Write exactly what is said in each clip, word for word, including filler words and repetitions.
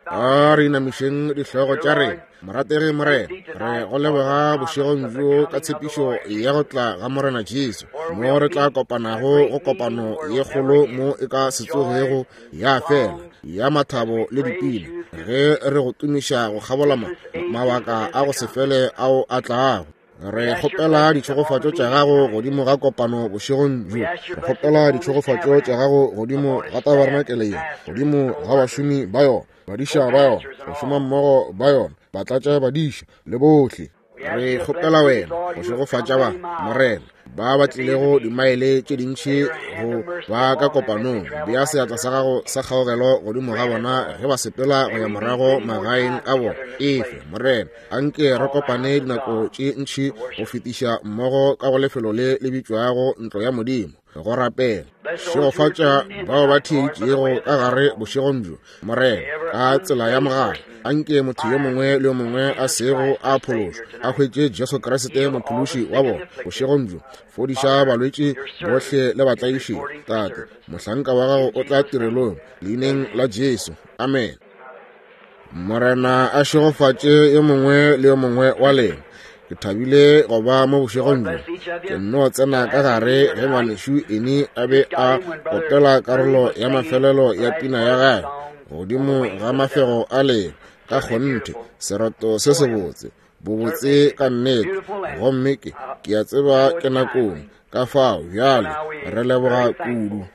A re inamišeng dihlogo tša rena. Morategi Morena, re go leboga bošegong bjo ka tshepišo ya go tla ga Morena Jesu, mo re tla kopanago go kopano ye kgolo mo e ka se tsogego ya fela, ya mathabo le dipina, ge re go tumiša go kgabola mabaka a go se fele ao a tlago. Re kgopela ditšhegofatšo tša gago godimo ga kopano bošegong bjo. Re kgopela ditšhegofatšo tša gago godimo ga tabarenakele ye, godimo ga bašomi ba yona, badiša ba yona, bašomammogo ba yona, batlatša badiša le bohle. Re kgopela wena go šegofatša ba, Morena, ba ba tlilego dimaele tše dintši go ba ka kopanong. Bea seatla sa gago sa kgaogelo godimo ga bona ge ba sepela go ya morago magaeng a bona. Efe, Morena, anke re kopane dinako tše ntši go fetiša mmogo ka go lefelo le le bitšwago ntlo ya Modimo go rapela. Šegofatša bao ba theeditšego ka gare bošegong bjo, Morena, ka tsela ya mogala. Anke motho yo mongwe le yo mongwe a sego a phološwa a hwetše Jesu Kriste mophološi wa bona bošegong bjo. Fodiša balwetši bohle le batlaiši. Tate, mohlanka wa gago o tla tirelong leineng la Jesu. Amen. Morena a šegofatše yo mongwe le yo mongwe wa lena. Ke thabile go ba mo bošegong bjo. Ke nno tsena ka gare ge ngwanešu Eni a be a opela karolo ya mafelelo ya pina ya gagwe godimo ga mafego a leo. Ka kgonthe sereto se sebotse, bobotse ka nnete. Gomme ke ke a tseba ke nakong, ka fao bjale re leboga kudu.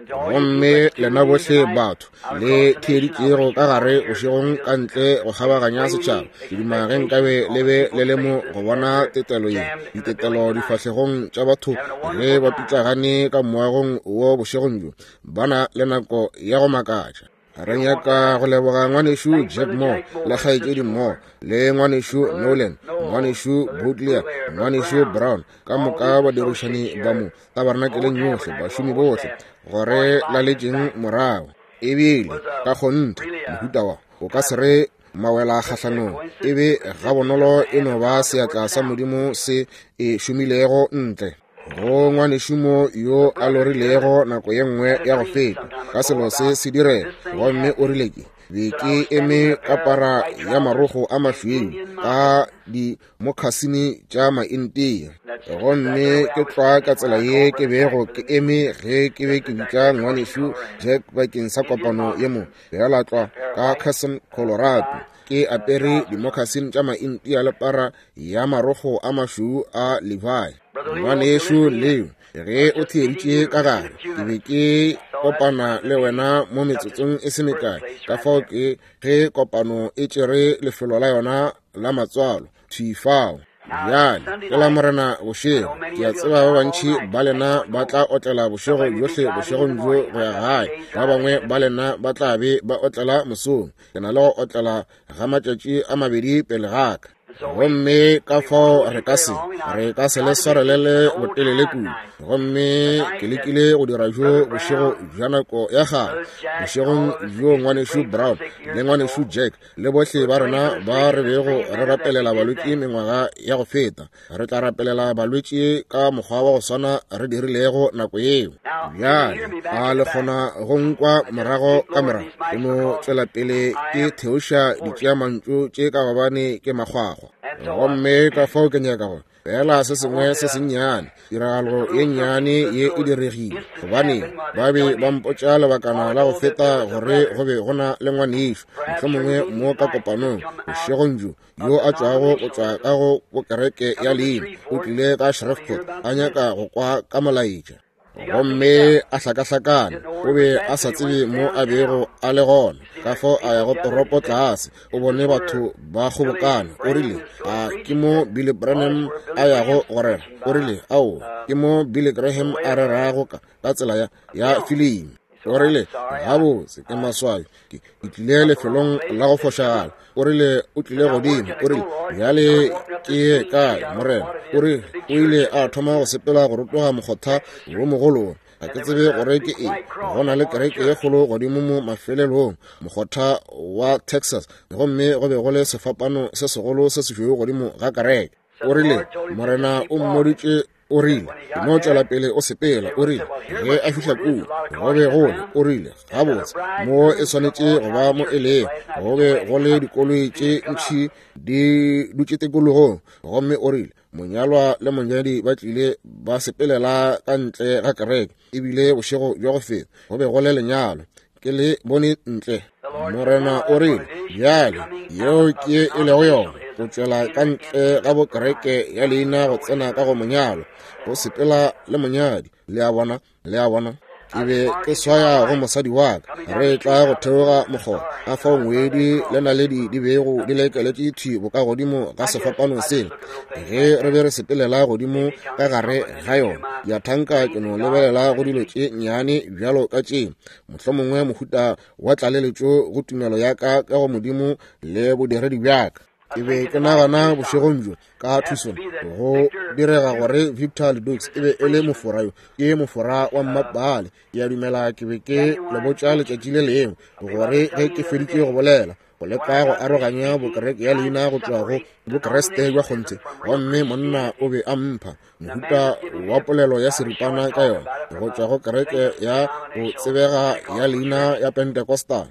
Gomme lena bohle batho le theeditšego ka gare bošegong ka ntle go kgabaganya setšhaba, ke duma ge nkabe le be le le mo go bona tetelo ye, ditetelo difahlegong tša batho ge ba pitlagane ka moagong wo bošegong bjo. Ba na le nako ya go makatša. Re nyaka go leboga ngwanešu Jack Moore le kgaetšedi Moore le ngwanešu Nolan, ngwanešu Butler, ngwanešu Brown, ka moka badirišani ba mo tabernakeleng yohle, bašomi bohle, gore laletšeng morago. Ebile ka kgonthe mohuta wa o ka se re mawela kgahlanong, ebe gabonolo e no ba seatla sa Modimo se e šomilego ntle go ngwanešumo yo a lorilego nako ye nngwe ya go feta ka selo se se direga. Gomme o rile ke be ke eme ka para ya marogo a mašweu ka dimokhasini tša maintia, gomme ke tlwa ka tsela ye ke bego ke eme ge ke be ke bitša ngwanešu Jack bakeng sa kopano ye mo bjala tlwa ka Carson, Colorado, ke apere dimokhasini tša maintia le para ya marogo a mašweu a Levi. Ngwanešu Leo, ge o theeditše ka gare, ke be ke kopana le wena mo metsotsong e se mekae. Ka fao ke ge kopano e tšere lefelo la yona la matswalo thwi fao. Bjale ke la Morena bošego. Ke a tseba ba bantši ba lena ba tla otlela bošego bjohle bošegong bjo go ya gae. Ba bangwe ba lena ba tla be ba otlela mosong. Ke na le go otlela ga matšatši a mabedi pele ga ka. Gomme ka fao re ka se re ka se le swarelele botelele kudu. Gomme ke lekile go dira bjo bošego bja nako ya kgale, bošegong bjo ngwanešu Brown le ngwanešu Jack le bohle ba rena ba re bego re rapelela balwetši mengwaga ya go feta. Re tla rapelela balwetši ka mokgwa wa go swana re dirilego nako yeo. Bjale a le kgona go nkwa morago ka morago? Ke no tšwela pele ke theoša ditšeamantšu tše ka gobane ke makgwakgwa. Gomme ka fao ke nyaka go fela se sengwe se sennyane, tiragalo ye nnyane ye e diregile, gobane ba be ba mpotša lebakana la go feta gore go be go na le ngwanešu mohlomongwe mo ka kopanong bošegong bjo yo a tšwago go tšwa ka go bokereke ya leina, o tlile ka Shreveport a nyaka go kwa ka molaetša. Gomme a hlakahlakana, o be a sa tsebe mo a bego a le gona. Ka fao a ya go toropo tlase, o bone batho ba kgobokana. O rile, a ke mo Billy Branham a yago go rera? O rile, aowa, ke mo Billy Graham a rerago ka ka tsela ya ya filimi. O rile, gabotse ke maswabi, ke tlile lefelong la go fošagala. O rile o tlile godimo. O rile, bjale ke ye kae, Morena? O rile o ile a thoma go sepela go rotoga mokgotha wo mogolo. Ga ke tsebe gore ke eng. Go na le kereke ye kgolo godimo mo mafelelong, mokgotha wa Texas, gomme go be go le sefapano se segolo se sešweu godimo ga kereke. O rile Morena o mmoditše O rile, ke no tšwela pele o sepela. O rile, ge a fihla kua, go be go le, o rile, gabotse, mo e swanetše go ba mo e lego. Go be go le dikoloi tše ntši di dutše tikologong. Gomme o rile, monyalwa le monyadi ba tlile ba sepelela ka ntle ga kereke, ebile bošego bja go feta go be go le lenyalo. Ke le bone ntle. Morena o rile, bjale yeo ke e lego yona, go tšwela ka ntle ga bokereke ya leina go tsena ka go monyalo, go sepela le monyadi. Le a bona, le a bona. Ke be ke swaya go mosadi wa ka, re tla go theoga mokgoba, ka fao ngwedi le naledi di bego di lekeletše thwi bokagodimo ga sefapano sela. Ge re be re sepelela godimo ka gare ga yona, ya thanka ke no lebelela go dilo tše nnyane bjalo ka tše, mohlomongwe mohuta wa tlaleletšo go tumelo ya ka ka go Modimo le bodiredi bja ka. Ke be ke nagana bošegong bjo ka Tucson, go direga gore Victor Ledoux e be e le mofora yo, ke mofora wa mmapale. Ke a dumela ke be ke le botša letšatši le lengwe gore ge ke feditše go bolela, go leka go aroganya bokereke ya leina go tšwa go bokreste bja kgonthe, gomme monna o be a mpha mohuta wa polelo ya seripana ka yona go tšwa go kereke ya go tsebega ya leina ya Pentecostal.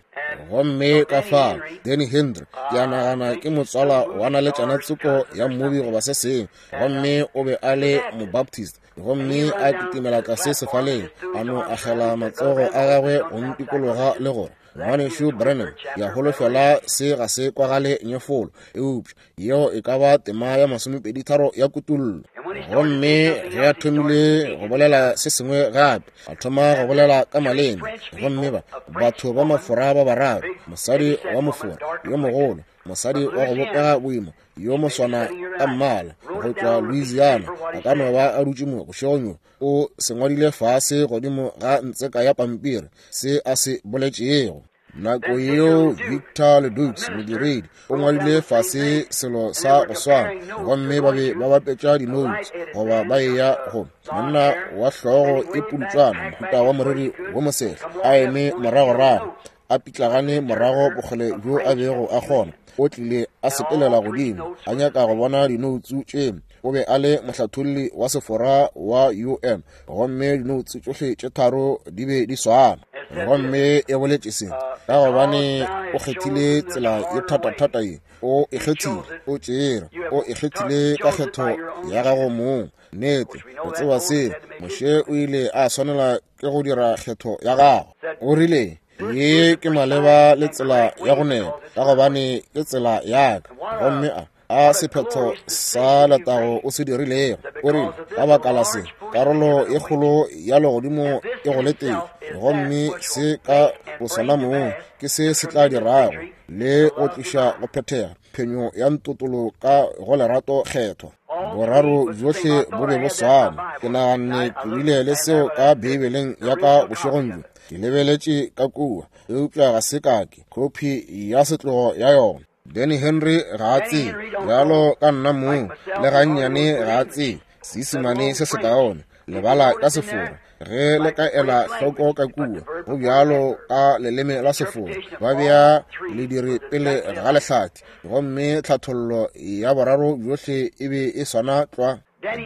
Gomme ka fa Danny Henry, ke a nagana ke motswala wa naletšana tsoko ya mmobi goba se sengwe, gomme o be a le mobaptist, gomme a kitimela tlase sefaleng, a no agela matsogo a gagwe go ntikologa le gore, ngwanešu Branham, ke a holofela se ga se kwagale nyefolo, eupša yeo e ka ba tema ya masomepedi tharo ya kutullo. Gomme ge a thomile go bolela se sengwe gape, a thoma go bolela ka maleme, gomme ba batho ba mafora ba bararo, mosadi wa mofora yo mogolo, mosadi wa go bopega boima yo moswana ka mmala go tšwa Louisiana, a ka no ba a dutše mo bošegong bjo, o se ngwadile fase godimo ga ntseka ya pampiri se a se boletšego. Nako yeo Victor Ledoux, modiredi, o ngwadile fase selo sa go swana, gomme ba be ba bapetša di-notes goba ba eya go monna wa hlogo e pultswana, mohuta wa moriri wo mosehla, a eme moragorago, a pitlagane morago bokgole bjo a bego a kgona. O tlile a sepelela godimo, a nyaka go bona dinoutsu tše. O be a le mohlatholli wa sefora wa U N, gomme dinoutsu tšohle tše tharo di be di swana. Gomme e boletše se ka gobane o kgethile tsela ye thatathata ye, o e kgethile, o tšere, o e kgethile ka kgetho ya gago mong. Nnete, o tseba se, Moshe o ile a swanela ke go dira kgetho ya gagwe. O rile, ye ke maleba le tsela ya go nepa, ka gobane ke tsela ya ka. Gomme a a sephetho sa letago o se dirilego. O rile, ka baka la se, karolo e kgolo ya legodimo e go letile, gomme se ka bosona mong ke se se tla dirago le go tliša go phethega phenyo ya ntotolo ka go lerato kgethwa. Boraro bjohle bo be bo swana. Ke naganne ke bile le seo ka Beibeleng ya ka bošegong bjo. Ke lebeletše ka kua, eupša ga se ka ke kopi ya setlogo ya yona. Danny Henry ga a tsebe, bjalo ka nna mong, le gannyane ga a tsebe Seisemane se sekaone, lebala ka sefora. Ge le ka ela hloko ka kua, go bjalo ka leleme la sefora, ba bea lediri pele ga lehlathi, gomme tlhathollo ya boraro bjohle e be e swana tlwa.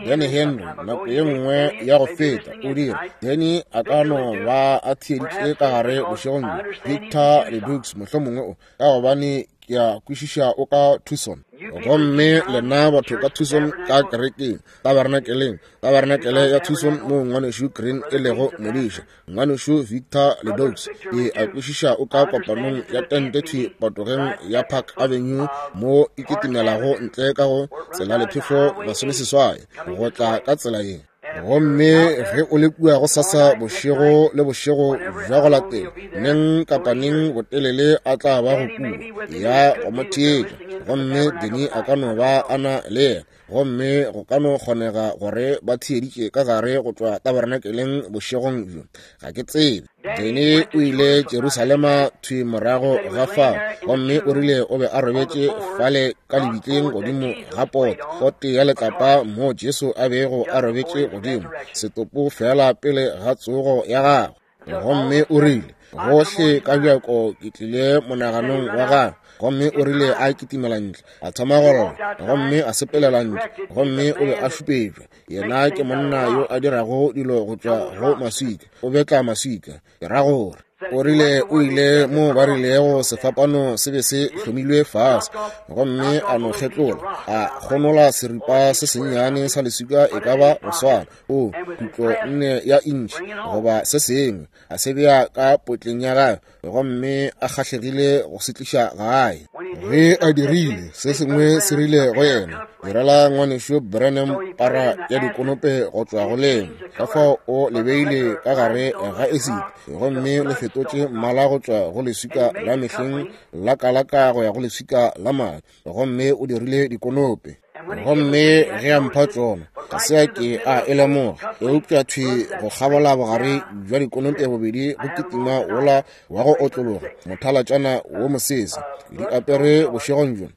Danny Henry nako ye nngwe ya go feta o dira, Danny a ka no ba a theeditše ka gare bošegong bjo. Victor Ledoux mohlomongwe o, ka gobane ke a kwešiša o ka Tucson. Gomme lena batho ka Tucson ka kerekeng, tabernakeleng, tabernakele ya Tucson mo ngwanešu Green e lego modiša, ngwanešu Victor Ledoux, ke a kwešiša o ka kopanong ya tente thwi patogeng ya Park Avenue mo e kitimelago ntle ka go tsela lephefo masomeseswai go tla ka tsela ye. Gomme ge o le kua go sasa bošego le bošego bja go latela, neng kapa neng botelele a tla ba go kua ya go mo theetša, gomme Danny a ka no ba a na le yena, gomme go ka no kgonega gore ba theeditše ka gare go tšwa tabernakeleng bošegong bjo, ga ke tsebe. Danny o ile Jerusalema thwi morago ga fao, gomme o rile o be a robetše fale ka lebitleng godimo ga poto, pote ya letlapa mo Jesu a bego a robetše godimo, setopo fela pele ga tsogo ya gagwe. Gomme o rile Gohle ka bjako ke tlile monaganong wa gagwe. Gomme o rile a kitimela ntle, a thoma go lla, gomme a sepelela ntle, gomme o be a šupetšwa. Yena ke monna yo a dirago dilo go tšwa go maswika, o betla maswika. Ke ra gore o rile o ile mo ba rilego sefapano se be se hlomilwe fase, gomme a no kgetlola, a kgonola seripa se sennyane sa leswika e ka ba go swana o kutlo nne ya intšhi goba se sengwe, a se bea ka potleng ya gagwe, gomme a kgahlegile go se tliša gae. Ge a dirile, se sengwe se rile go yena, direla ngwanešu Branham para ya dikonope go tšwa go lengwe. Ka fao o le beile ka gare ga esiti, gomme le fetotše mmala go tšwa go leswika la mehleng la kalaka go ya go leswika la madi, gomme o dirile dikonope. Gomme ge a mpha tšona, ga se a ke a e lemoga, eupša thwi go kgabola bogare bja dikonope bobedi go kitima wola wa go otlologa mothalatšana wo mosese. Di apere bošegong bjo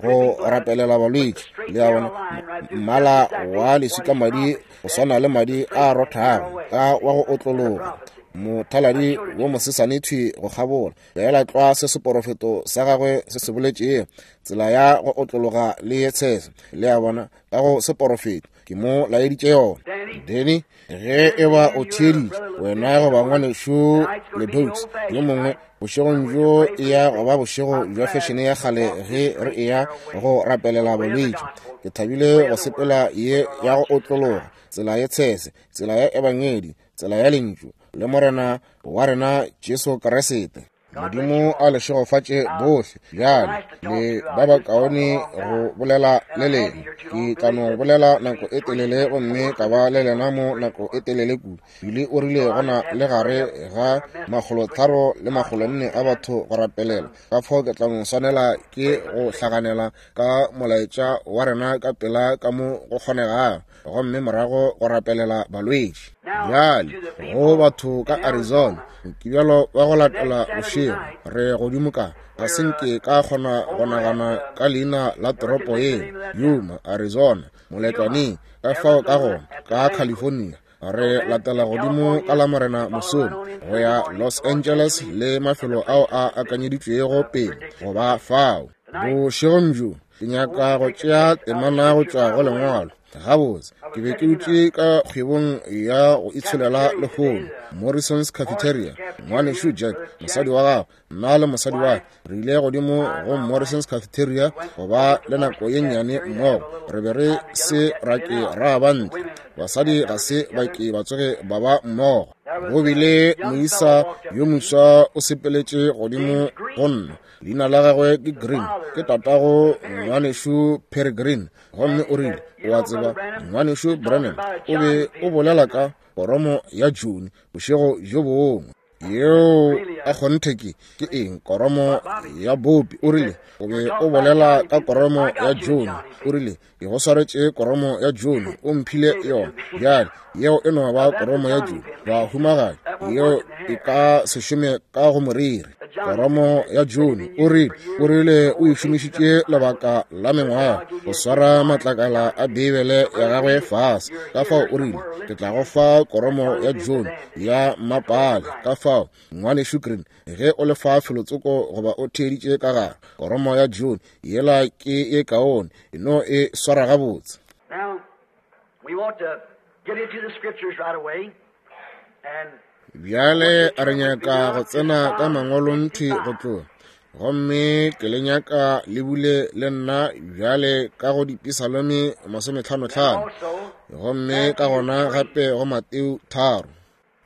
go rapelela balwetši. Le a bona, mmala wa leswika madi go swana le madi a rothago ka wa go otlologa mothaladi wo mosesane thwi go kgabola, feela tlwa se seporofeto sa gagwe se se boletšego, tsela ya go otlologa le ye tshese. Le a bona, ka go seporofeto ke mo laeditše yona. Danny, ge e ba o theeditše, wena goba ngwanešu Ledoux yo mongwe, bošegong bjo e ya go ba bošego bja fešene ya kgale ge re eya go rapelela bolwetši. Ke thabile go sepela ye ya go otlologa, tsela ye tshese, tsela ya ebangedi, tsela ya lentšu le Morena wa rena Jesu Kriste. Modimo a le šegofatše bohle. Bjale le ba bakaone go bolela le lena. Ke tla no bolela nako e telele gomme ka ba le lena mo nako e telele kudu. Bile o rile gona le gare ga makgolotharo le makgolonne a batho go rapelela. Ka fao ke tla no swanela ke go hlaganela ka molaetša wa rena ka pela ka mo go kgonegago, gomme morago go rapelela balwetši. Bjale go batho ka Arizona, Mokibelo wa go latela bošego re godimo ka, ga se nke ka kgona go nagana ka leina la toropo yeo, Yuma, Arizona, moletlwaneng, ka fao ka gona ka California. Re latela godimo ka la Morena mosong go ya Los Angeles le mafelo ao a akanyeditšwego pele go ba fao. Bošegong bjo ke nyaka go tšea temana go tšwa go lengwalo. Gabotse, ke be ke dutše ka kgwebong ya go itsholela lehono, Morrison's Cafeteria. Ngwanešu Jack, mosadi wa gagwe, nna le mosadi wa ka re ile godimo go Morrison's Cafeteria go ba le nako ye nnyane mmogo. Re be re se ra ke ra ba ntle, basadi ga se ba ke ba tsoge ba ba mmogo. Go bile moisa yo moswa o sepeletše godimo go nna, leina la gagwe ke Green, ke tatago ngwanešu Perry Green. Gomme o rile, o a tseba, ngwanešu Branham o be o bolela ka koromo ya June bošego bjo bongwe. Yeo a kgonthe ke ke eng? Koromo ya bopi. O rile o be o bolela ka koromo ya June. O rile ke go swaretše koromo ya June, o mphile yona. Bjale yeo e no ba koromo ya June, bahumagadi, yeo e ka se šome ka go moriri. Koromo ya June, o rile o rile o e šomišitše lebaka la mengwaga go swara matlakala a Beibele ya gagwe fase. Ka fao o rile ke tla go fa koromo ya June ya mmapale. Ka fao ngwanešu Green, ge o le fa felotsoko goba o theeditše ka gare, koromo ya June yela ke ye kaone, e no e swara gabotse. Bjale re nyaka go tsena ka mangwalong thwi go tloga, gomme ke le nyaka le bule le nna bjale ka go Dipisalome masometlhanotlhano, gomme ka gona gape go Mateo tharo.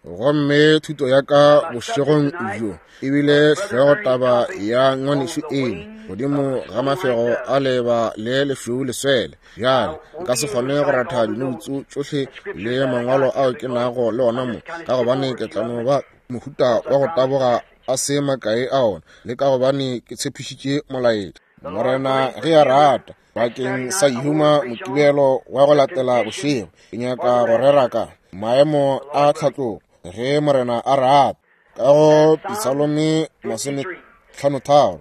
Gomme thuto ya ka bošegong bjo ebile hlogotaba ya ngwanešu eng godimo ga mafego a leba le lešweu leswele. Bjale nka se kgone go ratha dinoutsu tšohle le mangwalo ao ke nago le ona mo, ka gobane ke tla no ba mohuta wa go taboga a se makae a ona, le ka gobane ke tshepišitše molaetša. Morena ge a rata, bakeng sa Yuma Mokibelo wa go latela bošego, ke nyaka go rera ka maemo a tlhatlogo, ge Morena a rata. Ka go Pisalome masometlhanotharo,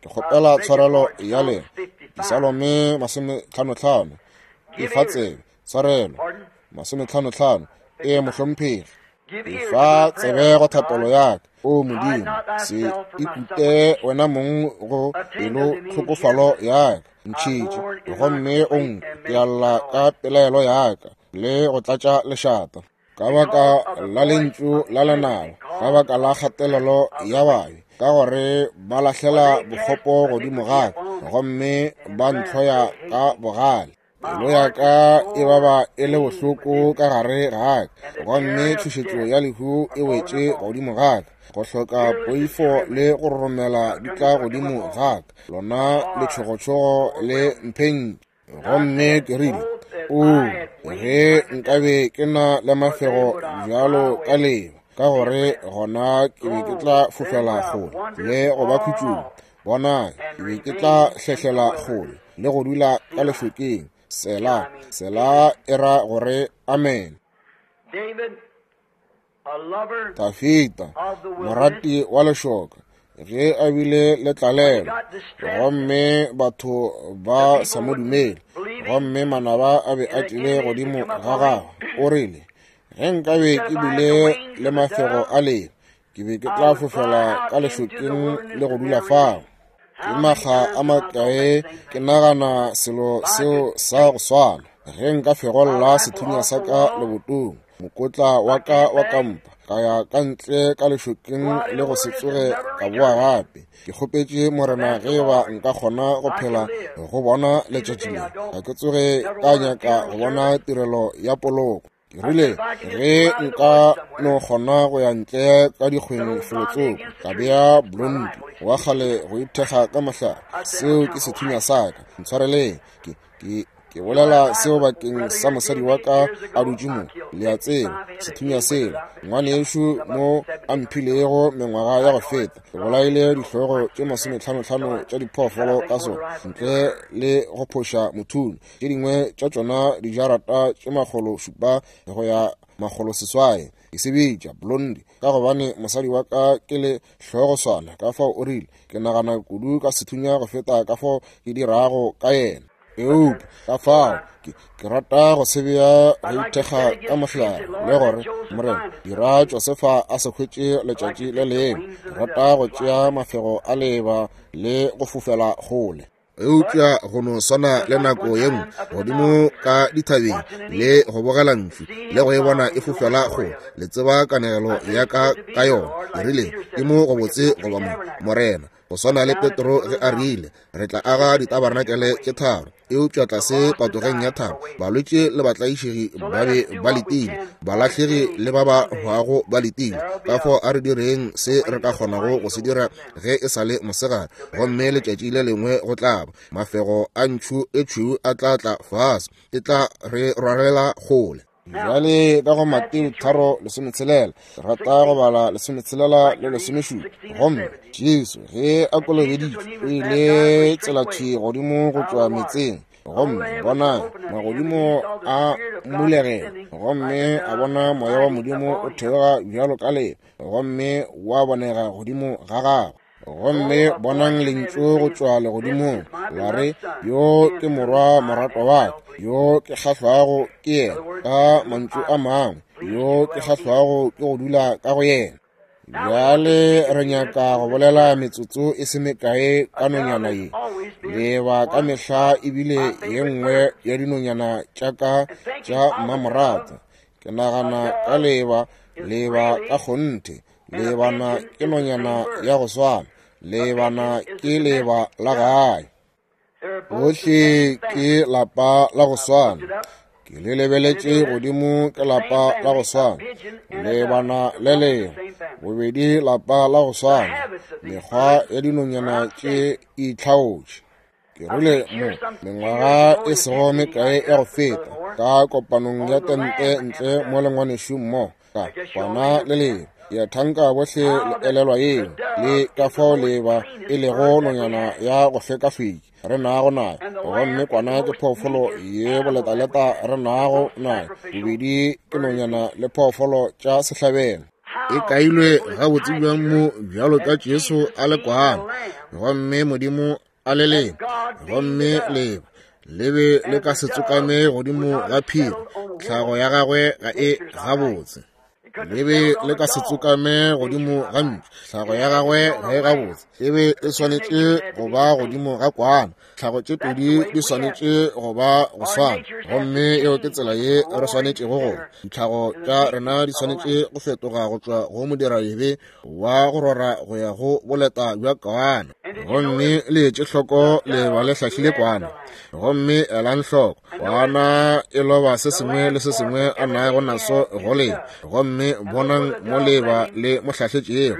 ke kgopela tshwarelo ya lena. Pisalome masometlhanotlhano, e fa tsebe, tshwarelo, masometlhanotlhano, e mohlomphegi. Efa tsebe go thapelo ya ka, o Modimo, se ikute wena mong go pelo tlhokofalo ya ka. Ntšhitše gomme o nkwe, ke a lla ka pelaelo ya ka le go tlatša lešata. Ka baka la lentšu la lenaba, ka baka la kgatelelo ya babe, ka gore ba lahlela bokgopo godimo ga ka gomme ba ntlhoya ka bogale. Pelo ya ka e baba e le bohloko ka gare ga ka, gomme tšhošetšo ya lehu e wetše godimo ga ka. Go hloka poifo le go roromela di tla godimo ga ka, lona letšhogotšhogo le mphentše. Gomme ke rile, o, ge nkabe ke na le mafego bjalo ka leba, ka gore gona ke be ke tla fofela kgole le go ba khutšong. Bona, ke be ke tla hlehlela kgole le go dula ka lešokeng. Sela, sela e ra gore amen. Dafida, morati wa lešoka, ge a bile le tlalelo, gomme batho ba sa mo dumele, gomme manaba a be a tlile godimo ga gagwe, o rile, ge nkabe ke bile le mafego a leba, ke be ke tla fofela ka lešokeng le go dula fao. Ke makga a makae ke nagana selo seo sa go swana, ge nka fegolla sethunya sa ka lebotong, mokotla wa ka wa kampa, ka ya ka ntle ka lešokeng le go se tsoge ka boa gape. Ke kgopetše Morena ge ba nka kgona go phela go bona letšatši le, ga ke tsoge ka nyaka go bona tirelo ya poloko. Ke rile, ge nka no kgona go ya ntle ka dikgweng felotsoko, ka bea Blondi wa kgale go ithekga ka mohlare, seo ke sethunya sa ka. Ntshwareleng, ke ke ke bolela seo bakeng sa mosadi wa ka a dutše mo, le a tseba, sethunya sela ngwanešu mo a mphilego mengwaga ya go feta. Ke bolaile dihlogo tše masometlhanotlhano tša diphoofolo ka sona, ntle le go phoša mothunyo. Tše dingwe tša tšona dijarata tše makgolo šupa go ya makgolo seswai. Ke se bitša Blondi ka gobane mosadi wa ka ke le hlogoswana, ka fao o rile ke nagana kudu ka sethunya go feta ka fao ke dirago ka yena. Eupša ka fao ke ke rata go se bea go ithekga ka mohlare le gore Morena dira Josefa a se hwetše letšatši le lengwe. Ke rata go tšea mafego a leba le go fofela kgole. Eupša go no swana le nako ye nngwe godimo ka dithabeng le go bogela ntšu le go e bona e fofela kgole, le tseba kanegelo ya ka ka yona. Ke rile, ke mo go botse goba mo, Morena, go swana le Petro ge a rile, re tla aga ditabarnakele tše tharo. Eupša tlase patogeng ya thaba, balwetši le batlaišegi ba be ba letile, balahlegi le ba ba hwago ba letile. Ka fao a re direng se re ka kgonago go se dira ge e sa le mosegare, gomme letšatši le lengwe go tla ba mafego a ntšhu e tšhweu a tla tla fase, e tla re rwalela kgole. Bjale ka go Mateo tharo lesometshelela, ke rata go bala lesometshelela le lesomešupa. Gomme Jesu ge a kolobeditšwe, o ile tselathwi godimo go tšwa metseng, gomme bona magodimo a mmulegela, gomme a bona moya wa Modimo o theoga bjalo ka leba, gomme wa bonega godimo ga gagwe. Gomme bonang lentšu go tšwa legodimong la re, yo ke morwa moratwa wa ka, yo ke kgahlwago ke yena. Ka mantšu a mangwe, yo ke kgahlwago ke go dula ka go yena. Bjale re nyaka go bolela metsotso e se mekae ka nonyana ye. Leba ka mehla ebile ye nngwe ya dinonyana tša ka tša mmamoratwa. Ke nagana ka leba, leba ka kgonthe. Lebana ke nonyana ya go swana, lebana ke leba la gae. Bohle ke lapa la go swana. Ke le lebeletše godimo ke lapa la go swana, lebana le lengwe, bobedi lapa la go swana. Mekgwa ya dinonyana tše itlhaotše. Ke rile mo mengwaga e sego mekae ya go feta ka kopanong ya tente ntle mo le ngwanešu mmogo, ka kwana le lengwe. Ke a thanka bohle le elelwa yeo, le ka fao leba e lego nonyana ya go hlekahlweki re nago nayo, gomme kwana ke phoofolo ye boletaleta re nago nayo. Bobedi ke nonyana le phoofolo tša sehlabelo. E kailwe gabotse bjang mo bjalo ka Jesu a le kwana, gomme Modimo a le leba, gomme leba le be le ka se tsokame godimo ga phiri, tlhago ya gagwe ga e gabotse. Le be le ka se tsokame godimo ga ntšu. Tlhago ya gagwe ge gabotse e be e swanetše go ba godimo ga kwana. Tlhago tše pedi di swanetše go ba go swana, gomme eo ke tsela ye re swanetšego go. Ditlhago tša rena di swanetše go fetoga go tšwa go modiradibe wa go rora go ya go boleta bja kwana. Gomme le etše hloko leeba le hlahlile kwana. Gomme elang hloko, kwana e loba se sengwe le se sengwe a nago naso go leba. Gomme bonang mo leeba le mo hlahletšego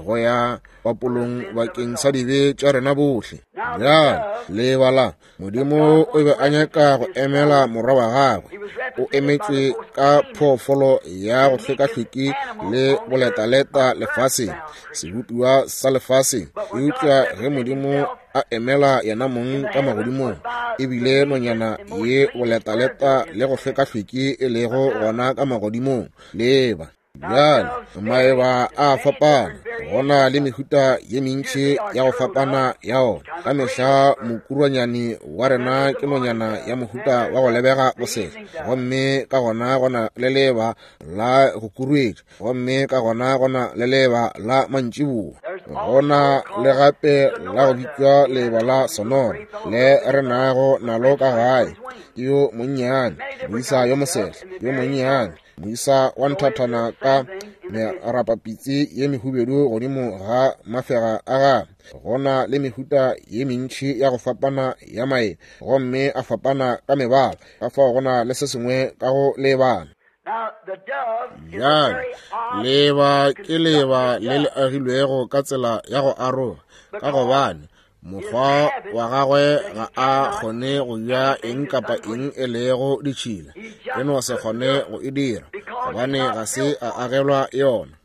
go ya papolong bakeng sa dibe tša rena bohle. Bjale leeba la Modimo o be a nyaka go emela morwa wa gagwe. O emetšwe ka phoofolo ya go hlwekahlweki le boletaleta lefaseng, sebopiwa sa lefaseng. Eupša ge Modimo a emela yena mong ka magodimong, ebile nonyana ye boletaleta le go hlwekahlweki e lego gona ka magodimong, leeba. Bjale maeba a fapana, go na le mehuta ye mentši ya go fapana ya ona. Ka mehla mokurwanyane wa rena ke nonyana ya mohuta wa go lebega bosehla, gomme ka gona go na le leeba la go kuruetša, gomme ka gona go na le leeba la mantšiboa. Go na le gape la go bitšwa leeba la Sonora le re nago nalo ka gae. Ke yo monnyane, moisa yo mosehla, yo monnyane, moisa wa nthathana ka merapapitsi ye mehubedu godimo ga mafega a gagwe. Go na le mehuta ye mentši ya go fapana ya maeba, gomme a fapana ka mebala. Ka fao go na le se sengwe ka go lebana. Bjale leeba ke leeba le le agilwego ka tsela ya go aroga, ka gobane mokgwa wa gagwe ga a kgone go ja eng kapa eng e lego ditšhila. E no se kgone go e dira, gobane ga se a agelwa yona.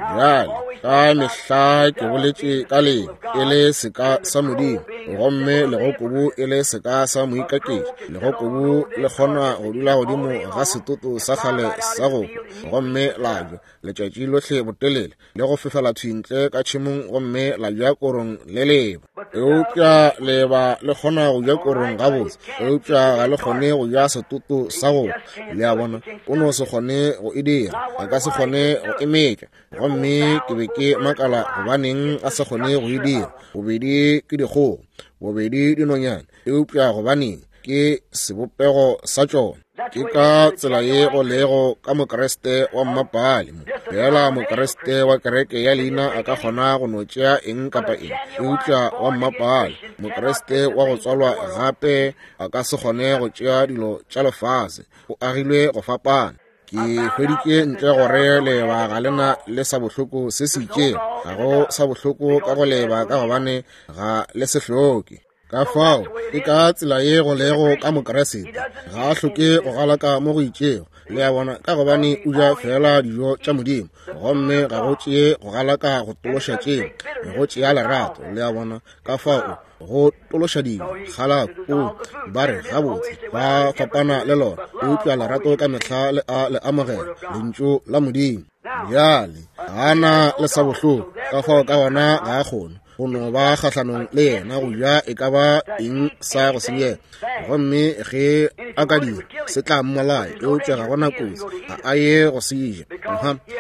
Bjale ka mehla ke boletše ka leeba e le seka sa Modimo, gomme legokobu e le seka sa moikaketši. Legokobu le kgona go dula godimo ga setoto sa kgale sa go hwa, gomme la ja letšatši lohle botelele, le go fefela thwi ntle ka tšhemong, gomme la ja korong le leeba. Eupša leeba le kgona go ja korong gabotse, eupša ga le kgone go ja setoto sa go hwa. Le a bona, o no se kgone go e dira, a ka se kgone go e metša. Gomme ke be ke makala gobaneng a se kgone go e dira. Bobedi ke dikgogo, bobedi dinonyane, eupša gobaneng ke sebopego sa tšona. Ke ka tsela ye go lego ka Mokriste wa mmapale. Fela Mokriste wa kereke ya leina a ka kgona go no tšea eng kapa eng, eupša wa mmapale, Mokriste wa go tswalwa gape, a ka se kgone go tšea dilo tša lefase. O agilwe go fapana. Ke hweditše ntle gore leeba ga lena le sa bohloko se se itšego. Ga go sa bohloko ka go leeba, ka gobane ga le se hloke. Ka fao ke ka tsela ye go lego ka Mokriste, ga a hloke go galaka mo go itšego. Le a bona, ka gobane o ja fela dijo tša Modimo, gomme ga go tšee go galaka go tološa tšeo, go tšea lerato. Le a bona, ka fao go tološa dilo galako, ba re gabotse ba fapana le lona, eupša lerato ka mehla le a le amogela lentšu la Modimo. Bjale ga na le sa bohloko, ka fao ka gona ga a kgone go no ba kgahlanong le yena go ja e ka ba eng sa go senyega. Gomme ge a ka dira se tla mmolaya, eupša ga gona kotsi, ga a ye go se ja,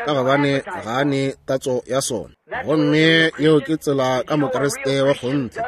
ka gobane ga a ne tatso ya sona. Gomme yeo ke tsela ka Mokriste wa kgonthe.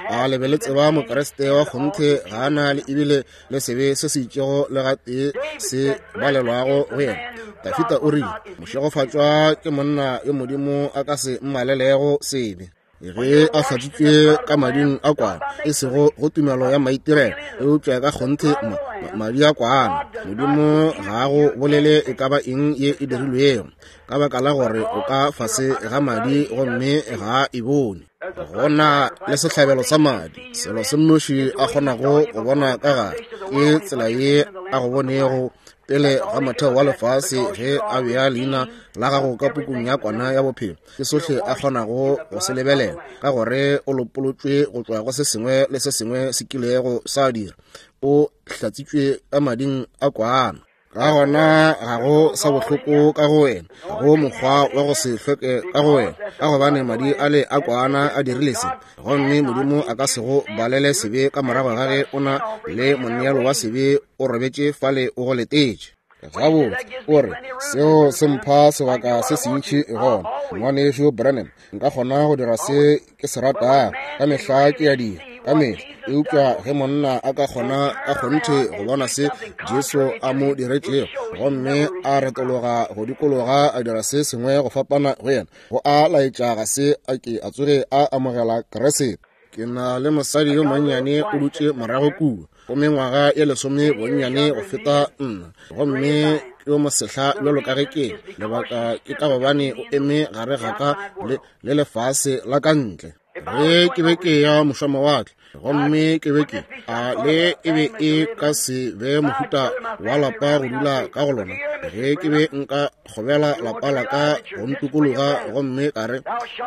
A le be le tseba Mokriste wa kgonthe ga a na le ebile le sebe se se itšego le gatee se balelwago go yena. Dafita o rile, mošegofatšwa ke monna yo Modimo a ka se mmalelego sebe, ge a hlatswitšwe ka mading a kwana, e sego go tumelo ya maitirelo, eupša ka kgonthe ma, madi a kwana. Modimo ga a go bolele e ka ba eng ye e dirilwego, ka baka la gore o ka fase ga madi gomme ga a e bone. Go na le sehlabelo sa madi, selo se nnoši a kgonago go bona ka gare ke tsela ye a go bonego pele ga motheo wa lefase, ge a bea leina la gago ka pukung ya kwana ya bophelo. Ke sohle a kgonago go se lebelela, ka gore o lopolotšwe go tšwa go se sengwe le se sengwe se kilego sa dira. O hlatsitšwe ka mading a kwana. Ka gona ga go sa bohloko ka go wena, ga go mokgwa wa go se hlweke ka go wena, ka gobane madi a le a kwana a dirile se. Gomme Modimo a ka se go balele sebe ka morago ga ge o na le moneelo wa sebe o robetše fale o go letetše. Gabotse, o re, seo se mpha sebaka se sentši gona. Ngwanešu Branham, nka kgona go dira se ke se ratago. Ka mehla ke a dira, ka mehla. Eupša ge monna a ka kgona ka kgonthe go bona se Jesu a mo diretšego, gomme a retologa go dikologa a dira se sengwe go fapana go yena, go a laetša ga se a ke a tsoge a amogela Kriste. Ke na le mosadi yo monnyane o dutše morago kua, go mengwaga ye lesome bonnyane go feta nna, gomme ke yo mosehla bjalo ka ge ke. Lebaka ke ka gobane o eme gare ga ka le, le lefase la ka ntle. Ge ke be ke ya mošwamawatle, gomme ke be ke a le e be e ka se be mohuta wa lapa go dula ka go lona. Ge ke be nka kgobela lapa la ka go ntukologa, gomme ka re,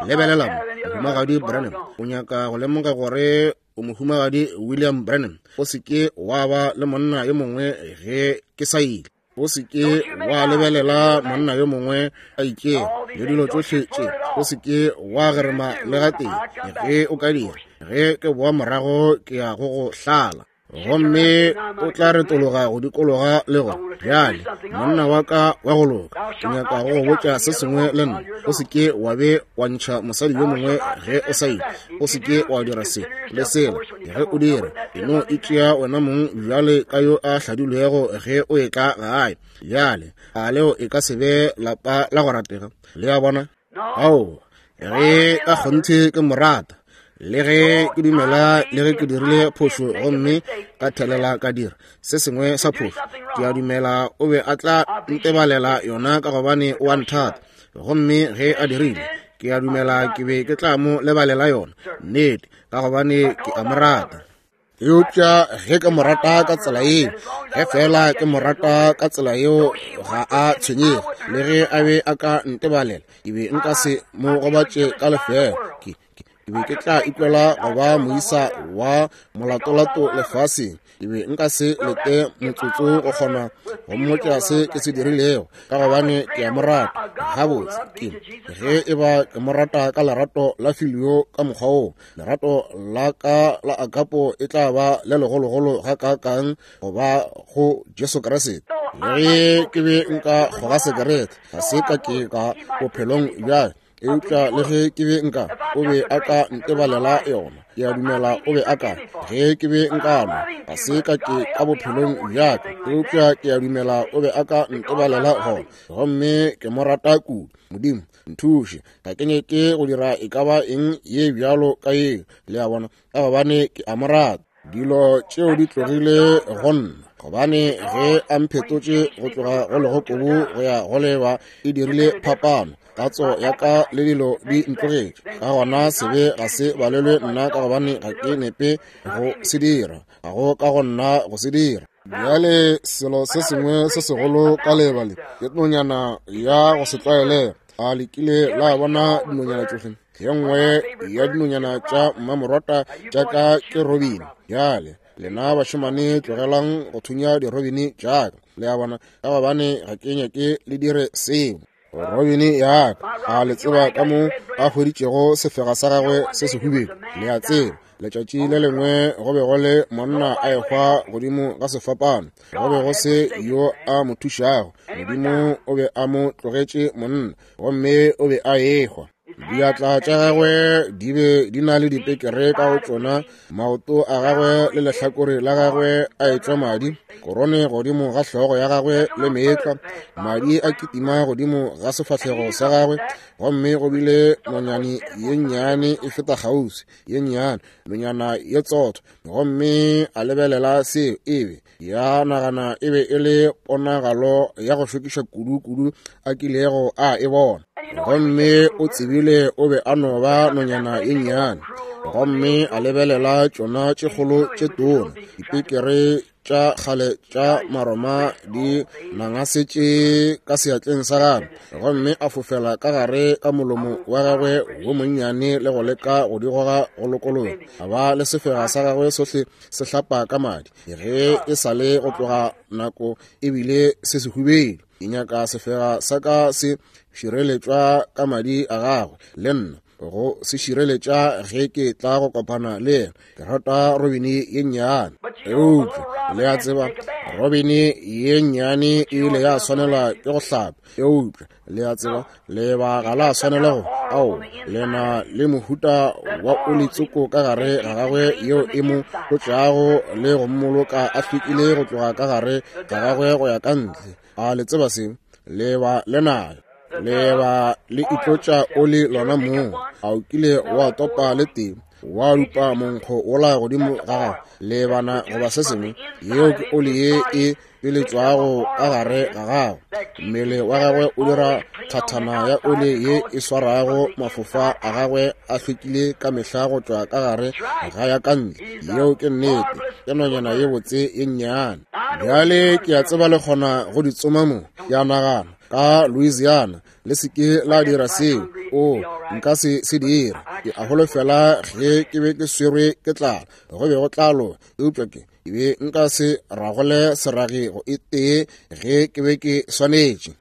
lebelela mo, Mohumagadi Branham, o nyaka go lemoga gore o Mohumagadi William Branham, o se ke wa ba le monna yo mongwe ge ke sa ile. O se ke wa lebelela monna yo mongwe a itšego le dilo tšohle tše. O se ke wa gerema le gatee. Ge o ka dira, ge ke boa morago ke ya go go hlala. Gomme o tla retologa go dikologa le go, bjale monna wa ka wa go loka, ke nyaka go go botša se sengwe le nna. O se ke wa be wa ntšha mosadi yo mongwe ge o sa ile. O se ke wa dira se le sela. Ge o dira, e no itšea wena mong bjale ka yo a hladilwego ge o etla gae. Bjale a leo e ka se be lapa la go ratega? Le a bona? Ao, ge ka kgonthe ke mo rata, le ge ke dumela, le ge ke dirile phošo gomme ka thelela ka dira se sengwe sa phošo, ke a dumela o be a tla ntebalela yona ka gobane o a nthata. Gomme ge a dirile, ke a dumela ke be ke tla mo lebalela yona, nnete, ka gobane ke a mo rata. Eupša ge ke mo rata ka tsela yeo, ge fela ke mo rata ka tsela yeo, ga a tshwenyege. Le ge a be a ka ntebalela, ke be nka se mo gobatše ka lefeela. Ke ke be ke tla ikwela go ba moisa wa molatolato lefaseng. Ke be nka se lete motsotso go kgona go mmotša se ke se dirilego, ka gobane ke a mo rata. Gabotse, ke ge e ba ke mo rata ka lerato la filio ka mokgwa woo, lerato la ka la agapo e tla ba le legologolo gakaakang go ba go Jesu Kriste. Le ge ke be nka kgoga sekerete, ga se ka ke ka bophelong bja, eupša le ge ke be nka, o be a ka ntebalela yona. Ke a dumela o be a ka. Ge ke be nka nwa, ga se ka ke ka bophelong bja ka, eupša ke a dumela o be a ka ntebalela gona. Gomme ke mo rata kudu. Modimo, nthuše, ga ke nyake go dira e ka ba eng ye bjalo ka yeo, le a bona, ka gobane ke a mo rata. Dilo tšeo di tlogile go nna, gobane ge a mphetotše go tloga go legokobu go ya go leba, e dirile phapano. Tatso ya ka le dilo di ntlogetše. Ka gona sebe ga se balelwe nna, ka gobane ga ke nepe go se dira, ga go ka go nna go se dira. Bjale selo se sengwe se segolo ka leba le ke nonyana ya go se tlwaelege. A le kile la bona dinonyana tšohle? Ye nngwe ya dinonyana tša mmamorota tša ka ke robini. Bjale lena bašemane tlogelang go thunya dirobini tša ka, le a bona, ka gobane ga ke nyake le dire seo. Robini ya ka, a le tseba ka mo a hweditšego sefega sa gagwe se sehubedu? Le a tseba, letšatši le lengwe go be go le monna a ehwa godimo ga sefapano, go be go se yo a mo thušago. Modimo o be a mo tlogetše monna, gomme o be a ehwa. Diatla tša gagwe di be di na le dipekere ka go tšona, maoto a gagwe le lehlakore la gagwe a etšwa madi, korone godimo ga hlogo ya gagwe le meetlwa, madi a kitima godimo ga sefahlego sa gagwe. Gomme go bile nonyane ye nnyane e feta kgauswi, ye nnyane, nonyana ye tsotho. Gomme a lebelela seo, e be ya nagana e be e le ponagalo ya go šokiša kudu-kudu a kilego a e bona. Gomme o tsebile o be a no ba nonyana ye nnyane. Gomme a lebelela tšona tše kgolo tše tona, dipekere tša kgale tša Maroma di nangasetše ka seatleng sa gagwe, gomme a fofela ka gare ka molomo wa gagwe wo monnyane le go leka go di goga go lokologa. A ba le sefega sa gagwe sohle se hlapa ka madi, ge e sa le go tloga nako ebile se sehubedu. Ke nyaka sefega sa ka se šireletšwa ka madi a gagwe le nna. go se šireletša ge ke tla go kopana le yena. Ke rata robini ye nnyane. Eupša le a tseba, robini ye nnyane e ile ya swanela ke go hlapa. Eupša le a tseba, leba ga la swanela go ao, le na le mohuta wa oli tsoko ka gare ga gagwe yeo e mo tlotšago le go mmoloka a hlwekile go tloga ka gare ga gagwe go ya ka ntle. A le tseba se? Leba le nayo. Leba le itlotša oli lona mong. A o kile wa topa le tee, wa lupa monkgo wola godimo ga gago, lebana goba se sengwe? Yeo ke oli ye e tšweletšwago ka gare ga gago. Mmele wa gagwe o dira thathana ya oli ye e swarago mafofa a gagwe a hlwekile ka mehla go tšwa ka gare ga ya ka ntle. Yeo ke nnete. Ke nonyana ye botse ye nnyane. Bjale ke a tseba le kgona go di tsoma mo. Ke a nagana ka Louisiana le se ke la dira seo. O, nka se se dire. Ke a holofela ge ke be ke swerwe ke tlala, go be go tla loka. Eupša ke ke be nka se ragole seragi go e tee ge ke be ke swanetše.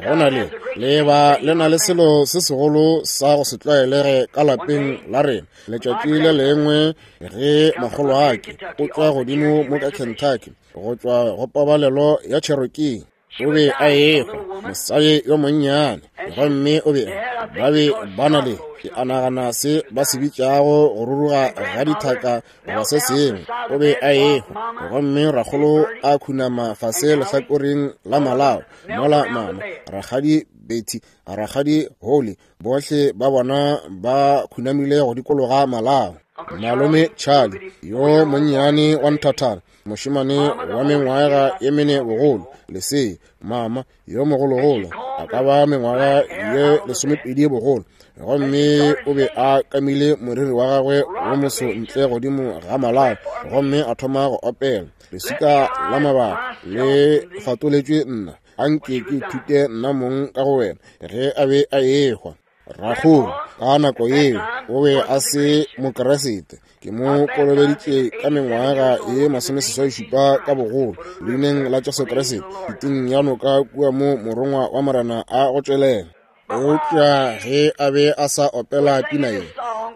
Go na le leba le na le selo se segolo sa go se tlwaelege ka lapeng la rena. Letšatši le lengwe ge makgolo a ke o tšwa godimo mo ka Kentucky go tšwa go pabalelo ya Cherokee, o be a ehwa, mosadi yo monnyane, gomme o be ba be ba na le, ke a nagana se ba se bitšago go ruruga ga dithaka goba se sengwe. O be a ehwa, gomme rakgolo a khunama fase lehlakoreng la malao, mola mama, rakgadi Betty, rakgadi Holly, bohle ba bona ba khunamile go dikologa malao. Malome Charlie yo monnyane wa nthathana, mošemane wa mengwaga ye mene bogolo, lesea, mama yo mogologolo a ka ba mengwaga ye lesomepedi bogolo, gomme o be a kamile moriri wa gagwe wo moso ntle godimo ga malao, gomme a thoma go opela leswika la mabaka le fatoletšwe nna, anke ke ithute nna mong ka go wena, ge a be a ehwa. Rakgolo ka nako yeo o be a se mokeresete. Ke mo kolobeditše ka mengwaga ye masomeseswai šupa ka bogolo leineng la Jesu Kriste, piteng ya noka kua mo morongwa wa Morena a go tšwelela. Eupša ge a be a sa opela pina ye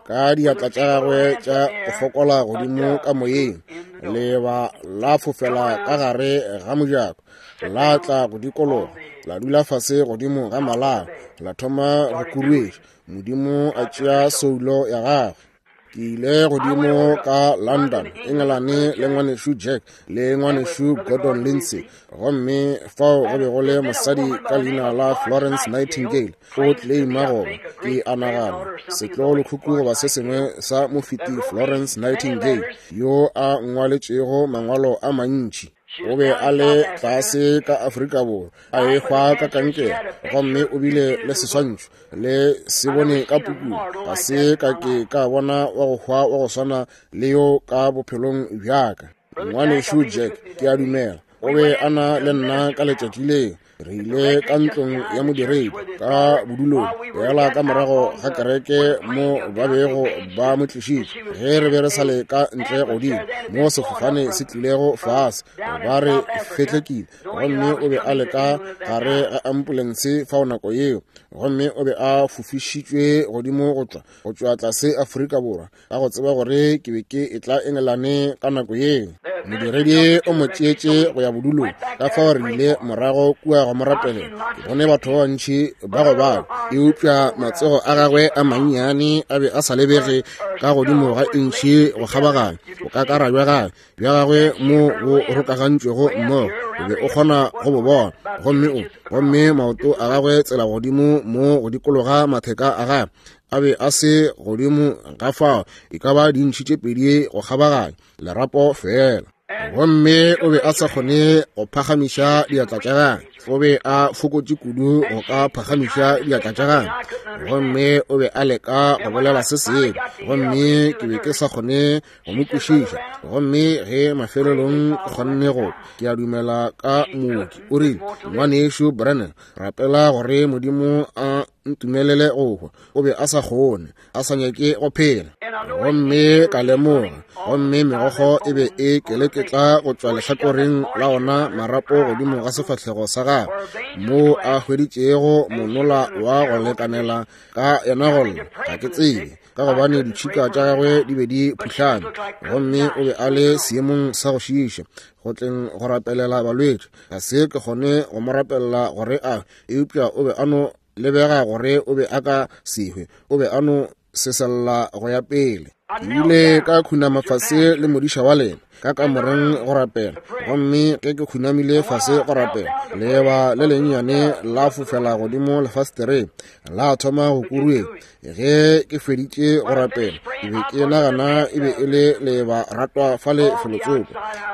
ka diatla tša gagwe tša go fokola godimo ka moyeng, leba la fofela ka gare ga mojako, la tla go dikologa, la dula fase godimo ga malao, la thoma go kuruetša. Modimo a tšea soulo ya gagwe. Ke ile godimo ka London, England, le ngwanešu Jack le ngwanešu Gordon Lindsay, gomme fao go be go le mosadi ka leina la Florence Nightingale. O claima goba ke a nagana setlogolokhukhu goba se sengwe sa mofeti Florence Nightingale, yo a ngwaletšego mangwalo a mantši. O be a le tlase ka Afrika Borwa, a ehwa ka kankere, gomme o bile le seswantšho le se bone ka pukung. Ga se ka ke ka bona wa go hwa wa go swana le yo ka bophelong bjaka. Ngwanešu Jack, ke a dumela, o be a na le nna ka letšatši leo. Re ile ka ntlong ya modiredi ka bodulong fela ka morago ga kereke mo ba bego ba mo tlišitše. Ge re be re sa le ka ntle godimo mo sefofane se tlilego fase, ba re fetlekile, gomme o be a le ka gare ga ambulense fao nako yeo, gomme o be a fofišitšwe godimo go tšwa go tšwa tlase Afrika Borwa, ka go tseba gore ke be ke etla Engelane ka nako yeo. Modiredi o mo tšeetše go ya bodulong, ka fao re ile morago kua go mo rapelela. Ke bone batho ba bantši ba gobala, eupša matsogo a gagwe a mannyane a be a sa lebege ka godimo ga intšhi go kgabaganya bokakara bja gagwe bja gagwe mo bo rokagantšwego mmogo, o be o kgona go bo bona. Gomme o gomme maoto a gagwe tsela godimo mo go dikologa matheka a gagwe a be a se godimo ga fao e ka ba dintšhi tše pedi go kgabaganya lerapo fela. Gomme o be a sa kgone go phagamiša diatla tša gagwe, o be a fokotše kudu go ka phagamiša diatla tša gagwe, gomme o be a leka go bolela se sengwe, gomme ke be ke sa kgone go mo kwešiša. Gomme ge mafelelong ke kgonne go, ke a dumela ka mooki, o rile, ngwanešu Brennan, rapela gore Modimo a ntumelele go hwa. O be a sa kgone, a sa nyake go phela. Gomme ka lemoga, gomme megokgo e be e keleketla go tšwa lehlakoreng la ona marapo godimo ga sefahlego sa gagwe, moo a hweditšego monola wa go lekanela ka yena go lla, ga ke tsebe, ka gobane ditšhika tša gagwe di be di phuhlame, gomme o be a le seemong sa go šiiša go tleng go rapelela balwetši. Ga se ke kgone go mo rapelela gore a, eupša o be a no lebega gore o be a ka se hwe, o be a no sesella go ya pele. Ke ile ka khunama fase le modiša wa lena ka kamoreng go rapela, gomme ge ke khunamile fase go rapela, leeba le lennyane la fofela godimo lefastereng, la thoma go kuruetša. Ge ke feditše go rapela, ke be ke nagana e be e le leeba ratwa fale felotsoko.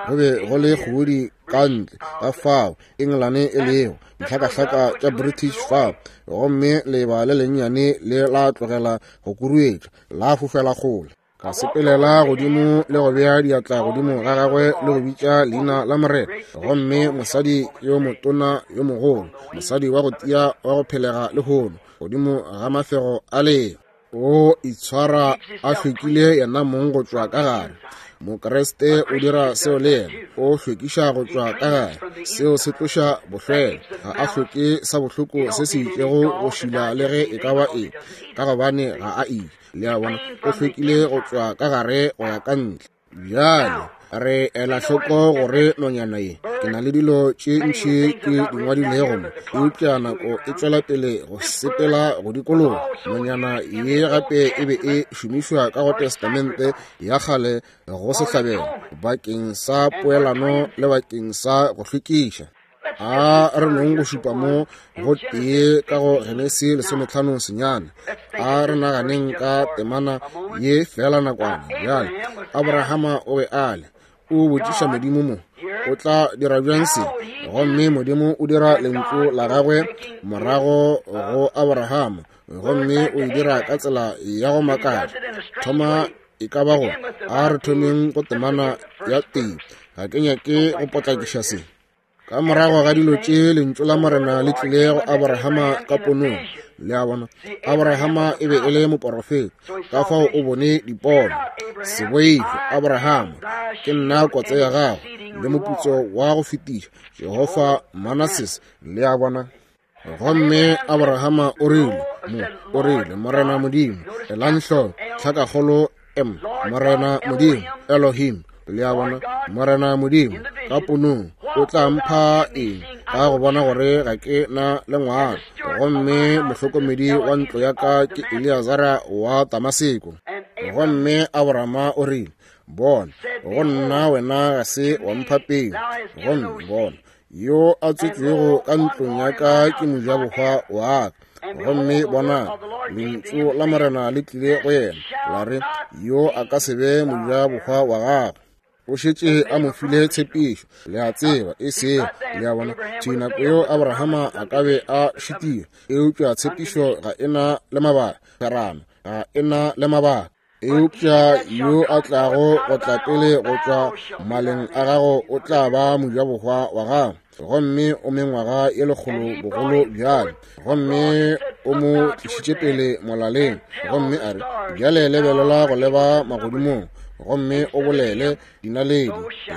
Go be go le kgodi ka ntle ka fao England e lego dihlakahlaka tša British fao, gomme leeba le lennyane le la tlogela go kuruetša, la fofela kgole. Ka sepelela godimo le go bea diatla godimo ga gagwe le go bitša leina la Morena. Gomme mosadi yo motona yo mogolo, mosadi wa go tia wa go phelega lehono, godimo ga mafego a leo, o itshwara a hlwekile yena mong go tšwa ka gare. Mokreste o dira seo le yena, o hlwekiša go tšwa ka gare. Seo se tloša bohlwele, ga a hloke sa bohloko se se itšego go šila le ge e ka ba eng, ka gobane ga a ile. Le a bona, o hlwekile go tšwa ka gare go ya ka ntle. Bjale re ela hloko gore nonyana ye, ke na le dilo tše ntši ke di ngwadilego mo, eupša nako e tšwela pele go sepela go dikologa. Nonyana ye gape e be e šomišwa ka go Testamente ya kgale go sehlabelo bakeng sa poelano le bakeng sa go hlwekiša. A re nong go šupa mo go tee ka go Genesi lesometlhano senyane. A re naganeng ka temana ye fela nakwana. Bjale Abrahama o be a le, o botšiša Modimo mo, o tla dira bjang se? Gomme Modimo o dira lentšu la gagwe morago go Abrahama, gomme o e dira ka tsela ya go makatša. Thoma e ka ba go, a re thomeng go temana ya tee. Ga ke nyake go potlakiša se. Ka morago ga dilo tše, lentšu la Morena le tlile go Abrahama ka ponong. Le a bona, Abrahama e be e le moporofeta, ka fao o bone dipono. Se boife, Abrahama, ke nna kotse ya gago le moputso wa go fetiša, Jehofa Manases. Le a bona. Gomme Abrahama o rile mo, o rile, Morena Modimo, elang hloko, tlhakakgolo M, Morena Modimo, Elohim. Le a bona, Morena Modimo ka ponong o tla mpha eng ka go bona gore ga ke na le ngwana, gomme mohlokomedi wa ntlo ya ka ke Eleazara wa Damaseko. Gomme Abrahama o rile, bona, go nna wena ga se wa mpha peu, gomme bona, yo a tswetšwego ka ntlong ya ka ke mojabohwa wa ka. Gomme bona, lentšu la Morena le tlile go yena, la re, yo a ka se be mojabohwa wa gago. O šetše a mo file tshepišo, le a tseba, e sego, le a bona, thwi nako yeo Abrahama a ka be a šitiwe, eupša tshepišo ga e na le mabaka, kgwerano ga e na le mabaka. Eupša yo a tlago go tla pele go tšwa maleng a gago o tla ba mojabohwa wa gago. Gomme o mengwaga ye lekgolo bogolo bjale, gomme o mo tlišitše pele molaleng, gomme a re, bjale lebelela go leba magodimong, gomme o bolele dinaledi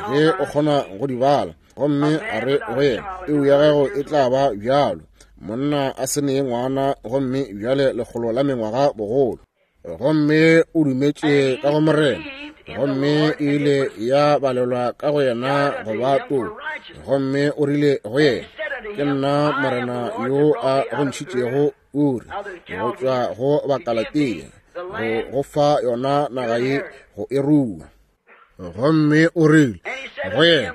ge o kgona go di bala. Gomme a re go yena, peu ya gago e tla ba bjalo. Monna a se ne ngwana, gomme bjale lekgolo la mengwaga bogolo. Gomme o dumetše ka go Morena, gomme e ile ya balelwa ka go yena go ba toko. Gomme o rile go yena, ke nna Morena yo a go ntšhitšego Uri go tšwa go Bakalatea, go go fa yona naga ye go e rua. Gomme o rile go yena,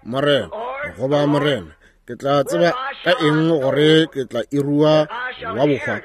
Morena, goba Morena, ke tla tseba ka eng gore ke tla e rua wa bohwa?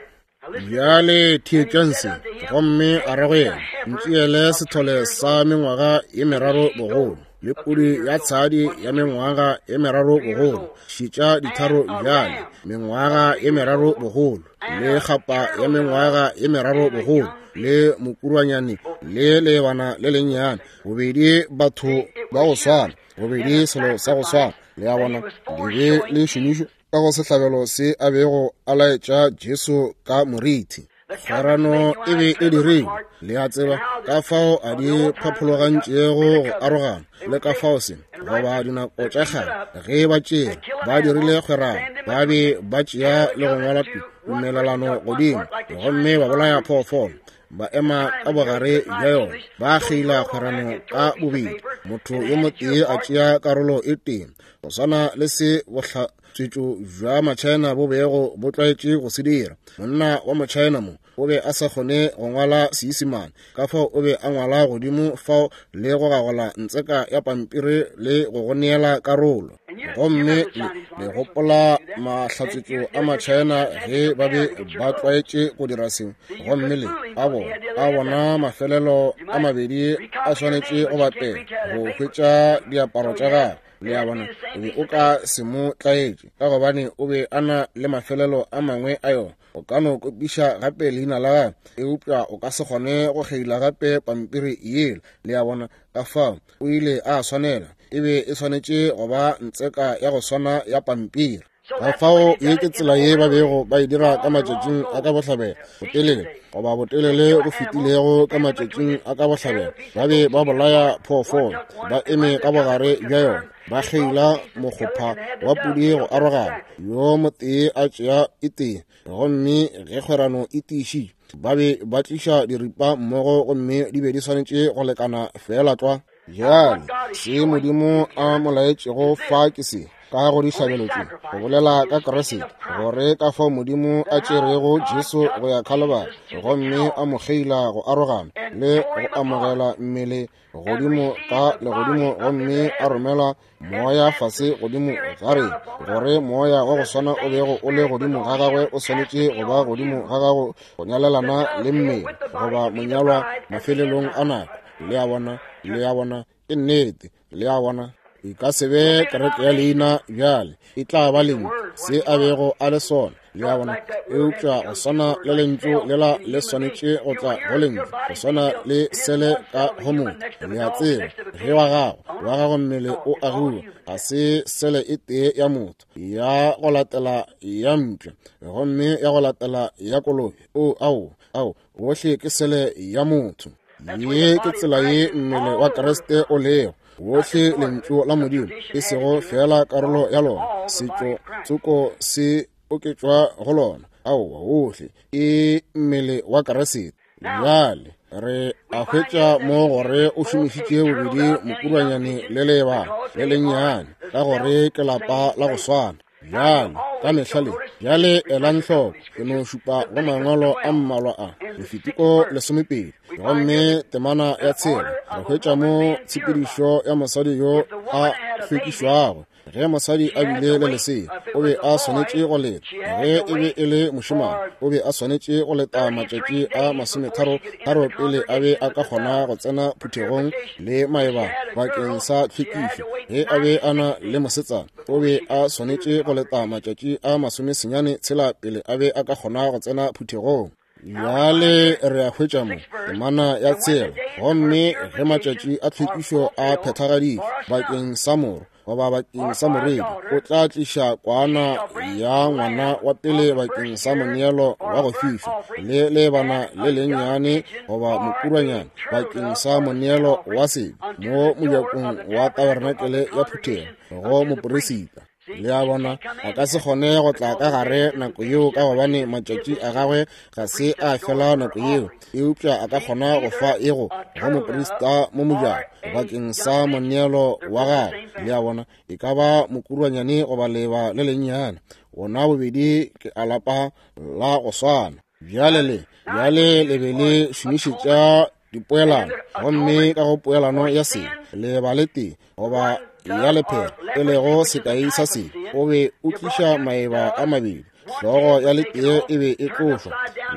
Bjale theetšang se. Gomme a re go yena, ntšeele sethole sa mengwaga ye meraro bogolo, le pudi ya tshadi ya mengwaga ye meraro bogolo, šitša ditharo bjale, mengwaga ye meraro bogolo, le kgapa ya mengwaga ye meraro bogolo, le mokurwanyane le lebana le lennyane, bobedi batho ba go swana, bobedi selo sa go swana. Le a bona, le be le šomišwa. ka go sehlabelo se a bego a laetša Jesu ka morithi. Kgwerano e be e dirilwe, le a tseba, ka fao a di phaphologantšego go arogana, le ka fao se, goba dinako tša kgale, ge ba tšea, ba dirile kgwerano, ba be ba tšea le go ngwala tumelelano godimo, gomme ba bolaya phoofolo, ba ema ka bogare bja yona, ba kgeila kgwerano ka bobedi, motho yo motee a tšea karolo e tee, go swana le se bohla tswetšo bja Machina bo bego bo tlwaetše go se dira. Monna wa Mochina mo o be a sa kgone go ngwala Seisemane, ka fao o be a ngwala godimo fao le go gagola ntseka ya pampiri le go go neela karolo. Gomme le, le gopola mahlatswetšo a Machina ge ba be ba tlwaetše go dira seo. Gomme le a bona, a bona mafelelo a mabedi a swanetše go bapela go hwetša diaparo tša gagwe. Le a bona, o be o ka se mo tlaetše, ka gobane o be a na le mafelelo a mangwe a yona. O ka no kopiša gape leina la gagwe, eupša o ka se kgone go kgeila gape pampiri yela. Le a bona, ka fao o ile a swanela, e be e swanetše go ba ntseka ya go swana ya pampiri. Ka fao ye ke tsela ye ba bego ba e dira ka matšatšing a ka bohlabela, botelele goba botelele go fetilego ka matšatšing a ka bohlabela. Ba be ba bolaya phoofolo, ba eme ka bogare bja yona, ba kgeila mokgopha wa pudi go arogana, yo motee a tšea e tee, gomme ge kgwerano e tiišitšwe, ba be ba tliša diripa mmogo, gomme di be di swanetše go lekana fela tlwa. Bjale se Modimo a mo laetšego fa ke se, ka go dihlabelo tše, go bolela ka Kriste, gore ka fao Modimo a tšerego Jesu go ya Khalibari, gomme a mo kgeila go arogana le go amogela mmele godimo ka legodimo, gomme a romela moya fase godimo ga rena, gore moya wa go swana o bego o le godimo ga gagwe o swanetše go ba godimo ga gago go nyalelana le mmele goba monyalwa mafelelong a nako. Le a bona, le a bona, ke nnete, le a bona. E ka se be kereke ya leina bjale, e tla ba lentšu, se a bego a le sona. Le a bona, eupša go swana le lentšu lela le swanetše go tla go lentšu, go swana le sele ka go motho. Le a tseba, ge wa gago, wa gago mmele o agiwa, ga se sele e tee ya motho, ya go latela ya mpša, gomme ya go latela ya kolobe. O, ao, ao, bohle ke sele ya motho. Ye ke tsela ye mmele wa Kriste o lego, wohle lentšu la Modimo, e sego fela karolo ya lona, setšo tsoko se oketšwa go lona. Aowa, wohle ke mmele wa Kriste. Bjale re a hwetša mo gore o šomišitše bobedi mokurwanyane le leebana le lennyane, ka gore ke lapa la go swana. Bjale ka mehla le, bjale elang hloko, ke no šupa go mangwalo a mmalwa a Lefitiko lesomepedi, gomme temana ya tshela, re hwetša mo tshepedišo ya mosadi yo a hlwekišwago. Ge mosadi a bile le lesea, o be a swanetše go leta. Ge e be e le mošemane, o be a swanetše go leta matšatši a masometharo tharo pele a be a ka kgona go tsena phuthegong le maebana bakeng sa tlhwekišo. Ge a be a na le mosetsana, o be a swanetše go leta matšatši a masomesenyane tshela pele a be a ka kgona go tsena phuthegong. Bjale re a hwetša mo temana ya tshela, gomme ge matšatši a tlhwekišo a phethagaditšwe bakeng sa moro goba bakeng sa moredi, o tla tliša kwana ya ngwana wa pele bakeng sa moneelo wa go fišwa, le leebana le lennyane goba mokurwanyane bakeng sa moneelo wa sebe mo mojakong wa tabernakele ya phuthego go moperisita. Le a bona, a ka se kgone go tla ka gare nako yeo, ka gobane matšatši a gagwe ga se a fela nako yeo, eupša a ka kgona go fa ego go moprista mo mojako bakeng sa moneelo wa gagwe. Le a bona, e ka ba mokurwanyane goba leba le lennyane, bona bobedi ke a lapa la go swana. Bjale le, bjale le be le šomišetša dipoelano, gomme ka go poelano ya sebe, leba le tee goba ya lephera, e lego sekai sa sebe, o be o tliša maeba a mabedi. Hlogo ya letee e be e tlošwa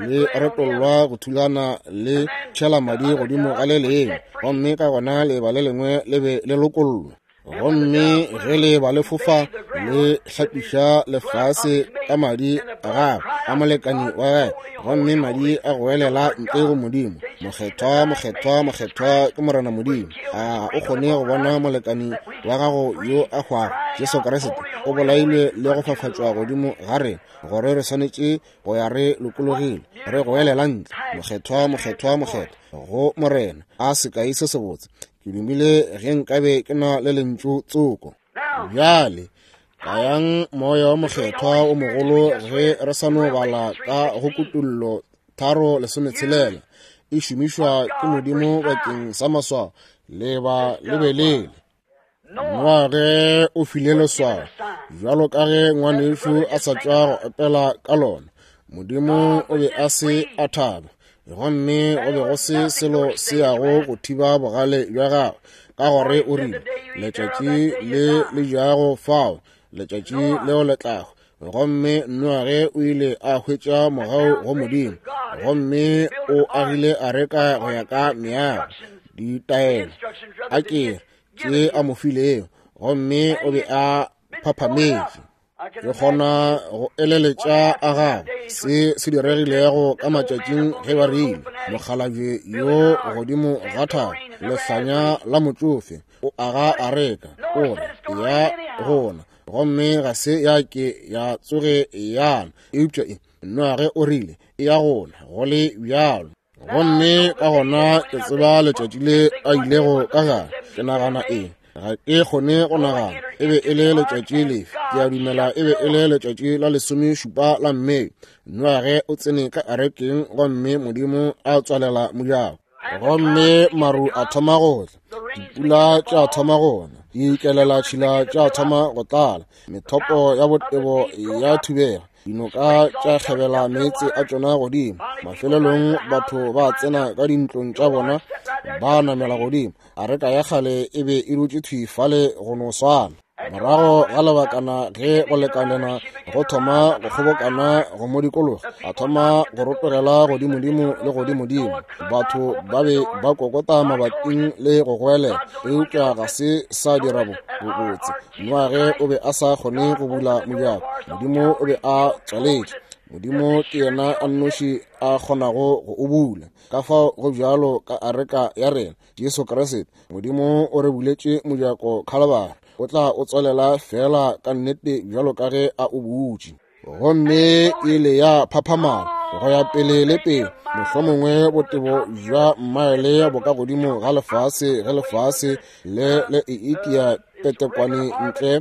le retollwa go thulana le tšhela madi godimo ga le lengwe, gomme ka gona leba le lengwe le be le lokollwa. Gomme ge le ba le fofa le hlapiša lefase ka madi a gagwe a molekani wa gagwe, gomme madi a goelela ntle go Modimo, mokgethwa, mokgethwa, mokgethwa ke Morena Modimo. A o kgone go bona molekani wa gago yo a hwago, Jesu Kriste, o bolailwe le go fafatšwa godimo ga rena, gore re swanetše go ya re lokologile, re goelela ntle, mokgethwa, mokgethwa, mokgethwa go Morena. A sekai se sebotse. Ke dumile ge nkabe ke na le lentšu tsoko. Bjale kayang moya wa mokgethwa o mogolo ge re sa no bala ka go Kutullo tharo lesometshelela, e šomišwa ke Modimo bakeng sa maswao. Leba lebelele. Noage o file leswao, bjalo ka ge ngwanešu a sa tšwa go opela ka lona. Modimo o be a se a thaba, gomme go be go se selo se yago go thiba bogale bja gagwe, ka gore o rile, letšatši le le jago fao, letšatši leo le tlago. Gomme Noage o ile a hwetša mogau go Modimo, gomme o agile areka go ya ka meago, ditaelo a ke tše a mo filego, gomme o be a phaphametše. Ke kgona go eleletša a gagwe se se diregilego ka matšatšing ge ba rile, mokgalabje yo godimo ga thaba, lehlanya la motšofe, o aga areka, o re ya gona, gomme ga se ya ke ya tsoge yana, eupša e Noage o rile e ya gona go le bjalo. Gomme ka gona ke tseba letšatši le a ilego ka gare. Ke nagana eng? Ga ke kgone go nagana e be e le letšatši lefe. Ke a dumela e be e le letšatši la lesomešupa la Mei. Noage o tsene ka arekeng, gomme Modimo a tswalela mojako. Gomme maru a thoma go tla, dipula tša thoma go na, dikelela tšhila tša thoma go tlala, methopo ya botebo ya thubega, dinoka tša kgebela meetse a tšona godimo. Mafelelong batho ba tsena ka dintlong tša bona, ba namela godimo. Areka ya kgale e be e dutše thwi fale go no swana. Morago ga lebakana ge go lekanena go thoma go kgobokana go mo dikologa, a thoma go rotogela godimodimo le godimodimo. Batho ba be ba kokota mabating le go goelela, eupša ga se sa dira bobotse. Noage o be a sa kgone go bula mojako, Modimo o be a tswaletše. Modimo ke yena a nnoši a kgonago go o bula. Ka fao go bjalo ka areka ya rena, Jesu Kriste. Modimo o re buletše mojako Khalabari, o tla o tswalela fela ka nnete bjalo ka ge a o butše. Gomme ile ya phaphamala go ya pele le pele, mohlomongwe botebo bja mmaele bo ka godimo ga lefase, ge lefase le le e itia petekwane ntle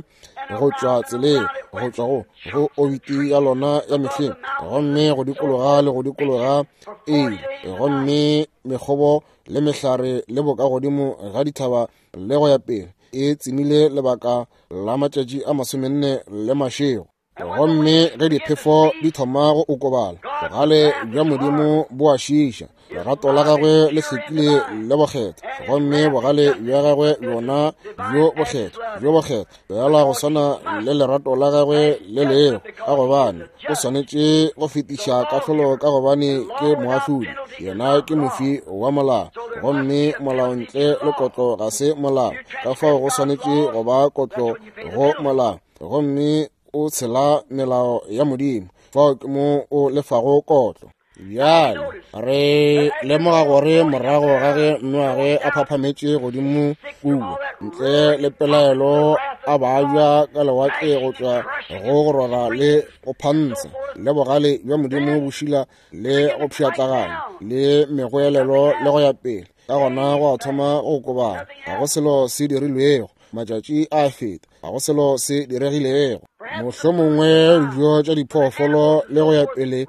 go tšwa tseleng, go tšwa go go obiti ya lona ya mehleng, gomme go dikologa le go dikologa ile, gomme mekgobo le mehlare le boka godimo ga dithaba le go ya pele, e tsemile lebaka la matšatši a masomenne le mašego. Gomme ge diphefo di thoma go okobala, bogale bja Modimo bo a šiša, lerato la gagwe le hlwekile le bokgethwa, gomme bogale bja gagwe bjona bjo bokgethwa bjo bokgethwa bjala go swana le lerato la gagwe le lego, ka gobane o swanetše go fetiša kahlolo, ka gobane ke moahlodi, yena ke mofi wa molao, gomme molao ntle le kotlo ga se molao. Ka fao go swanetše go ba kotlo go molao, gomme o tshela melao ya Modimo, fao ke mo o lefago kotlo. Bjale re lemoga gore morago ga ge Noage a phaphametše godimo kua, ntle le pelaelo a babja ka lewatle go tšwa go go rora le go phantsha, le bogale bja Modimo bo šila le go pšhatlaganya le megoelelo le go ya pele. Ka gona go a thoma go okobala, ga go selo se dirilwego. Matšatši a feta, ga go selo se diregilego. Mohlomongwe dijo tša diphoofolo le go ya pele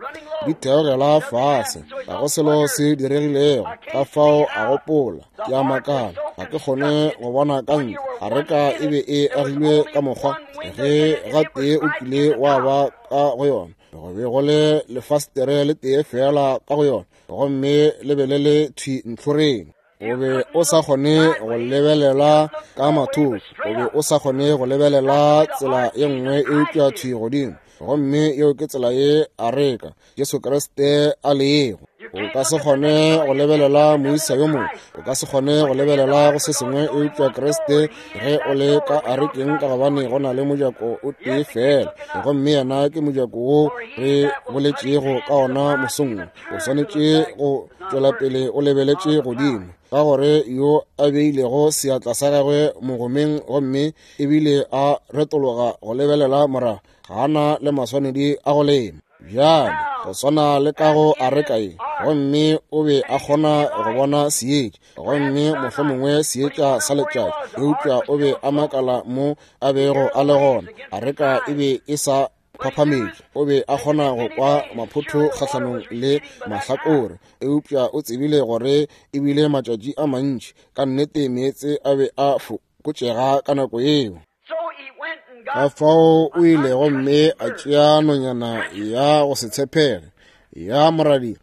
di theogela fase, ga go selo se diregilego. Ka fao a gopola, ke a makala, ga ke kgone go bona ka ntle. Areka e be e agilwe ka mokgwa ge gatee o kile wa ba ka go yona, go be go le lefastere le tee fela ka go yona, gomme le be le le thwi ntlhoreng. O be o sa kgone go lebelela ka mathoko, o be o sa kgone go lebelela tsela ye nngwe eupša thwi godimo. Gomme yeo ke tsela ye areka Jesu Kriste a lego. O ka se kgone go lebelela moisa yo mongwe, o ka se kgone go lebelela go se sengwe eupša Kriste ge o le ka arekeng, ka gobane go na le mojako o tee fela, gomme yena ke mojako wo re boletšego ka ona mosong. O swanetše go tšwela pele o lebeletše godimo, ka gore yo a beilego seatla sa gagwe mogomeng gomme ebile a retologa go lebelela morago, ga na le maswanedi a go lema. Bjale go swana le ka go areka ye, gomme o be a kgona go bona seetša, gomme mohlomongwe seetša sa letšatši, eupša o be a makala mo a bego a le gona. Areka e be e sa phaphametše, o be a kgona go kwa maphotho kgahlanong le mahlakore, eupša o tsebile gore ebile matšatši a mantši ka nnete meetse a be a fokotšega ka nako yeo. Ka fao o ile gomme a tšea nonyana ya go se tshepege ya moradi,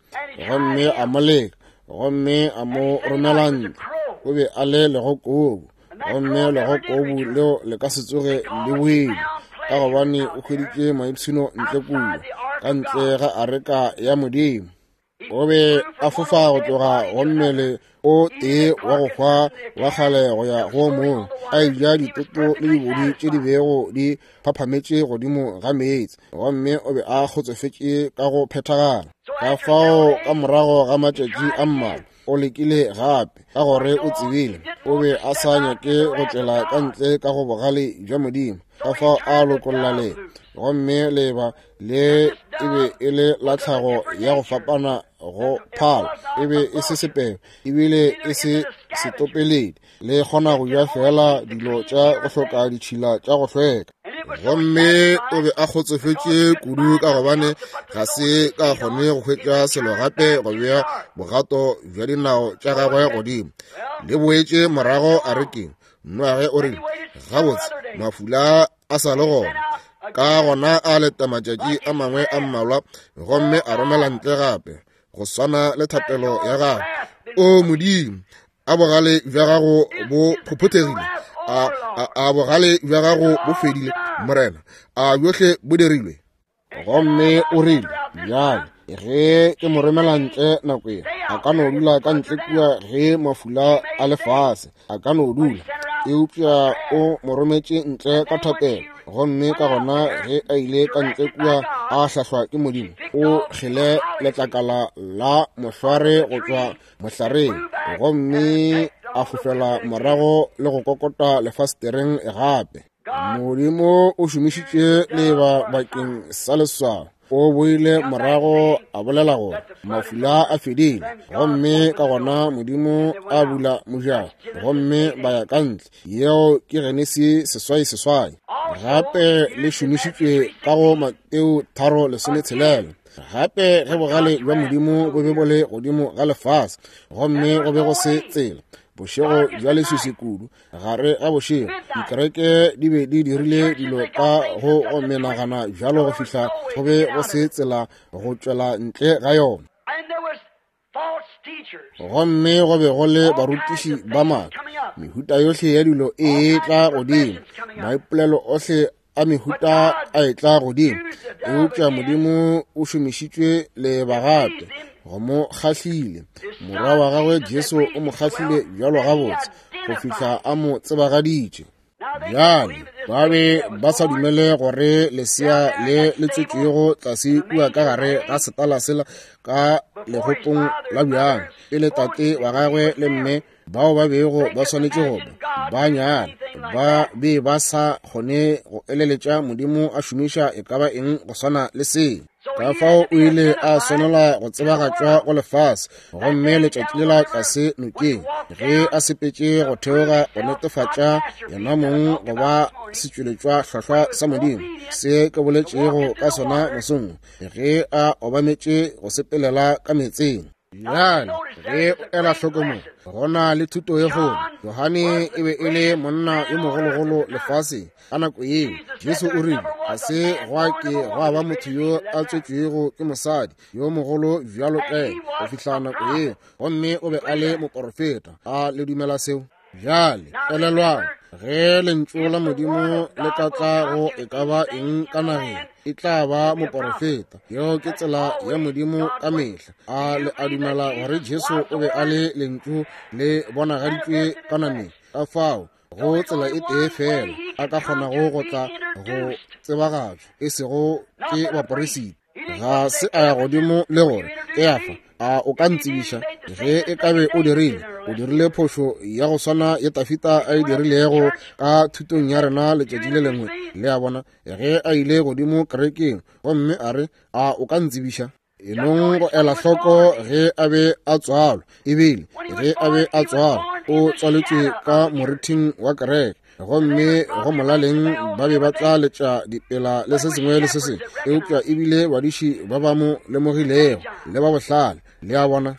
gomme a mo leka, gomme a mo romela ntle. O be a le legokobu, gomme legokobu leo le ka se tsoge le boile, ka gobane o hweditše maipshino ntle kua ka ntle ga areka ya Modimo. O be a fofa go tloga go mmele o tee wa go hwa wa kgale go ya go mongwe, a eja ditoto le dibodi tše di bego di phaphametše godimo ga meetse, gomme o be a kgotsofetše ka go phethagala. Ka fao ka morago ga matšatši a mmalwa o lekile gape, ka gore o tsebile o be a sa nyake go tšwela ka ntle ka go bogale bja Modimo. Ka fao a lokolla leba, gomme leba le e be e le la tlhago ya go fapana go phala, e be e se sepeo ebile e se setopeledi, le kgona go ja fela dilo tša go hloka ditšhila tša go hlweka. Gomme o be a kgotsofetše kudu ka gobane ga se ka kgone go hwetša selo gape go bea bogato bja dinao tša gagwe godimo. Le boetše morago arekeng. Noage o rile, gabotse mafula a sa le gona. Ka gona a leta matšatši a mangwe a mmalwa, gomme a romela ntle gape go swana le thapelo ya gagwe. O Modimo, a bogale bja gago bo phophothegile, a, a, a bogale bja gago bo fedile, Morena, a bjohle bo dirilwe. Gomme o rile, bjale ge ke mo romela ntle nako ye, a ka no dula ka ntle kua ge mafula a lefase, a ka no dula. Eupša o mo rometše ntle ka thapelo, gomme ka gona ge a ile ka ntle kua a hlahlwa ke Modimo, o kgele letlakala la mohlware go tšwa mohlareng, gomme a fofela morago le go kokota lefastereng gape. Modimo o šomišitše leba bakeng sa leswao. O boile morago a bolela gore mafula a fedile, gomme ka gona Modimo a bula mojako, gomme ba ya ka ntle. Yeo ke Genesi seswai seswai. Gape le šomišitšwe ka go Mateo tharo lesometshelela. Gape ge bogale bja Modimo bo be bo le godimo ga lefase, gomme go be go se tsela, bošego bja leswiswi kudu, gare ga bošego dikereke di be di dirile dilo ka go go menagana bjalo go fihla go be go se tsela go tšwela ntle ga yona. Gomme go be go le barutiši ba maaka, mehuta yohle ya dilo e tla godimo, maipolelo ohle a mehuta a etla godimo, eupša Modimo o šomišitšwe leba gape go mo kgahlile. Morwa wa gagwe Jesu o mo kgahlile bjalo gabotse go fihla a mo tsebagaditše. Bjale ba be ba sa dumele gore lesea le le tswetšwego tlase kua ka gare ga setala sela ka legopong la bjang, pele tate wa gagwe le mme bao ba bego ba swanetše go ba ba nyala, ba be ba sa kgone go eleletša Modimo a šomiša e ka ba eng go swana le se. Ka fao o ile a swanela go tsebagatšwa go lefase, gomme letšatši lela tlase nokeng ge a sepetše go theoga go netefatša yena mong go ba setšweletšwa hlwahlwa sa Modimo, se ke boletšego ka sona mosong ge a obametše go sepelela ka meetseng. Bjale ge o ela hloko mo, go na le thuto ye kgolo. Johane e be e le monna yo mogologolo lefaseng ka nako yeo. Jesu o rile ga se gwa ke gwa ba motho yo a tswetšwego ke mosadi yo mogolo bjalo ka yena go fihla nako yeo, gomme o be a le moporofeta. A le dumela seo? Bjale elelwang, Ge lentšu la Modimo le ka tla go e ka ba eng ka nageng, e tla ba moporofeta. Yeo ke tsela ya Modimo ka mehla. A le a dumela gore Jesu o be a le lentšu le bonagaditšwe ka nameng? Ka fao go tsela e tee fela a ka kgonago go tla go tsebagatšwa, e sego ke baporesiti. Ga se a ya godimo le gore Keafa, a o ka ntsebiša? Ge e ka be o dirile, o dirile phošo ya go swana ye Tafita a e dirilego ka thutong ya rena letšatši le lengwe. Le a bona, ge a ile godimo kerekeng gomme a re, a o ka ntsebiša? E nong go ela hloko ge a be a tswalwa, ebile ge a be a tswalwa o tswaletšwe ka morithing wa kereke, gomme go molaleng ba be ba tla letša dipela le se sengwe le se sengwe, eupša ebile badiši ba ba mo lemogilego le ba bohlale. Le a bona?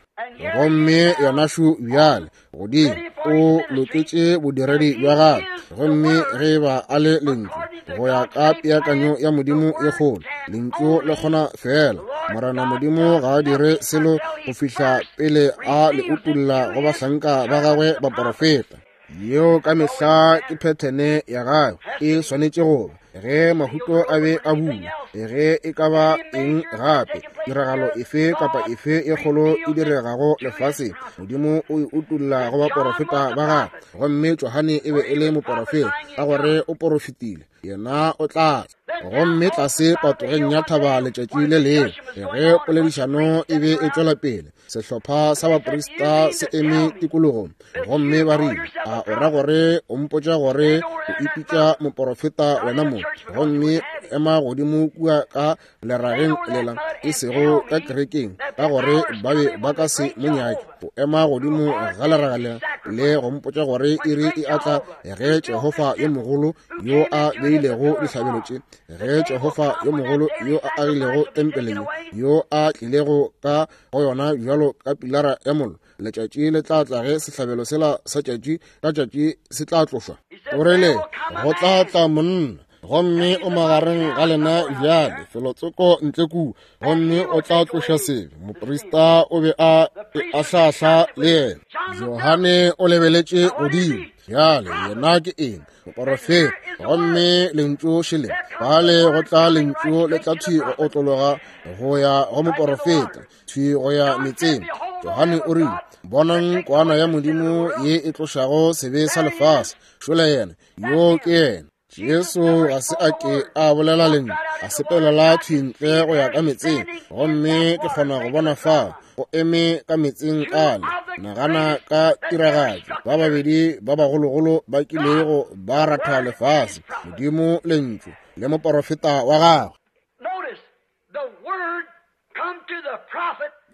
Gomme yona šo bjale godimo o loketše bodiredi bja gagwe, gomme ge ba a le lentšu go ya ka peakanyo ya Modimo e kgolo, lentšu le kgona fela. Morena Modimo ga a dire selo go fihla pele a le utulla go bahlanka ba gagwe baporofeta. Yeo ka mehla ke phethene ya gagwe, e swanetše go ba. Ge mahuto a be a bula, ge e ka ba eng gape, tiragalo efe kapa efe e kgolo e diregago lefaseng, Modimo o e utulla go baporofeta ba gagwe. Gomme Johane e be e le moporofeta ka gore o porofetile, yena o tla tla. Gomme tlase patogeng ya thaba letšatši le lengwe, ge poledišano e be e tšwela pele, sehlopha sa baprista se eme tikologong, gomme ba rile, a o ra gore o mpotša gore o ipitša moporofeta wena mo, gomme ema godimo kua ka lerageng lela, e sego ka kerekeng, ka gore ba be ba ka se mo nyake. O ema godimo ga leraga lela le go mpotša gore iri e atla ge Jehofa yo mogolo yo a beilego dihlabelo tše, ge Jehofa yo mogolo yo a agilego tempele ye, yo a tlilego ka go yona bjalo ka pilara ya mollo, letšatši le tla tla ge sehlabelo sela sa tšatši ka tšatši se tla tlošwa. O rile, go tla tla monna, gomme o magareng ga lena bjale felotsoko ntle kua, gomme o tla tloša sebe. Moprista o be a ahlahla le yena. Johane o lebeletše godimo. Bjale yena ke eng? Moporofeta. Gomme lentšu šele bale go tla lentšu le tla thwi go otlologa go ya go moporofeta, thwi go ya metseng. Johane o rile, bonang kwana ya Modimo ye e tlošago sebe sa lefase. Šole yena, yo ke yena. Jesu ga se a ke a bolela lentšu, a sepelela thwi ntle go ya ka metseng, gomme ke kgona go bona fao o eme ka metseng ale. Nagana ka tiragatšo, ba babedi ba bagologolo ba kilego ba ratha lefase, Modimo lentšu le moporofeta wa gagwe.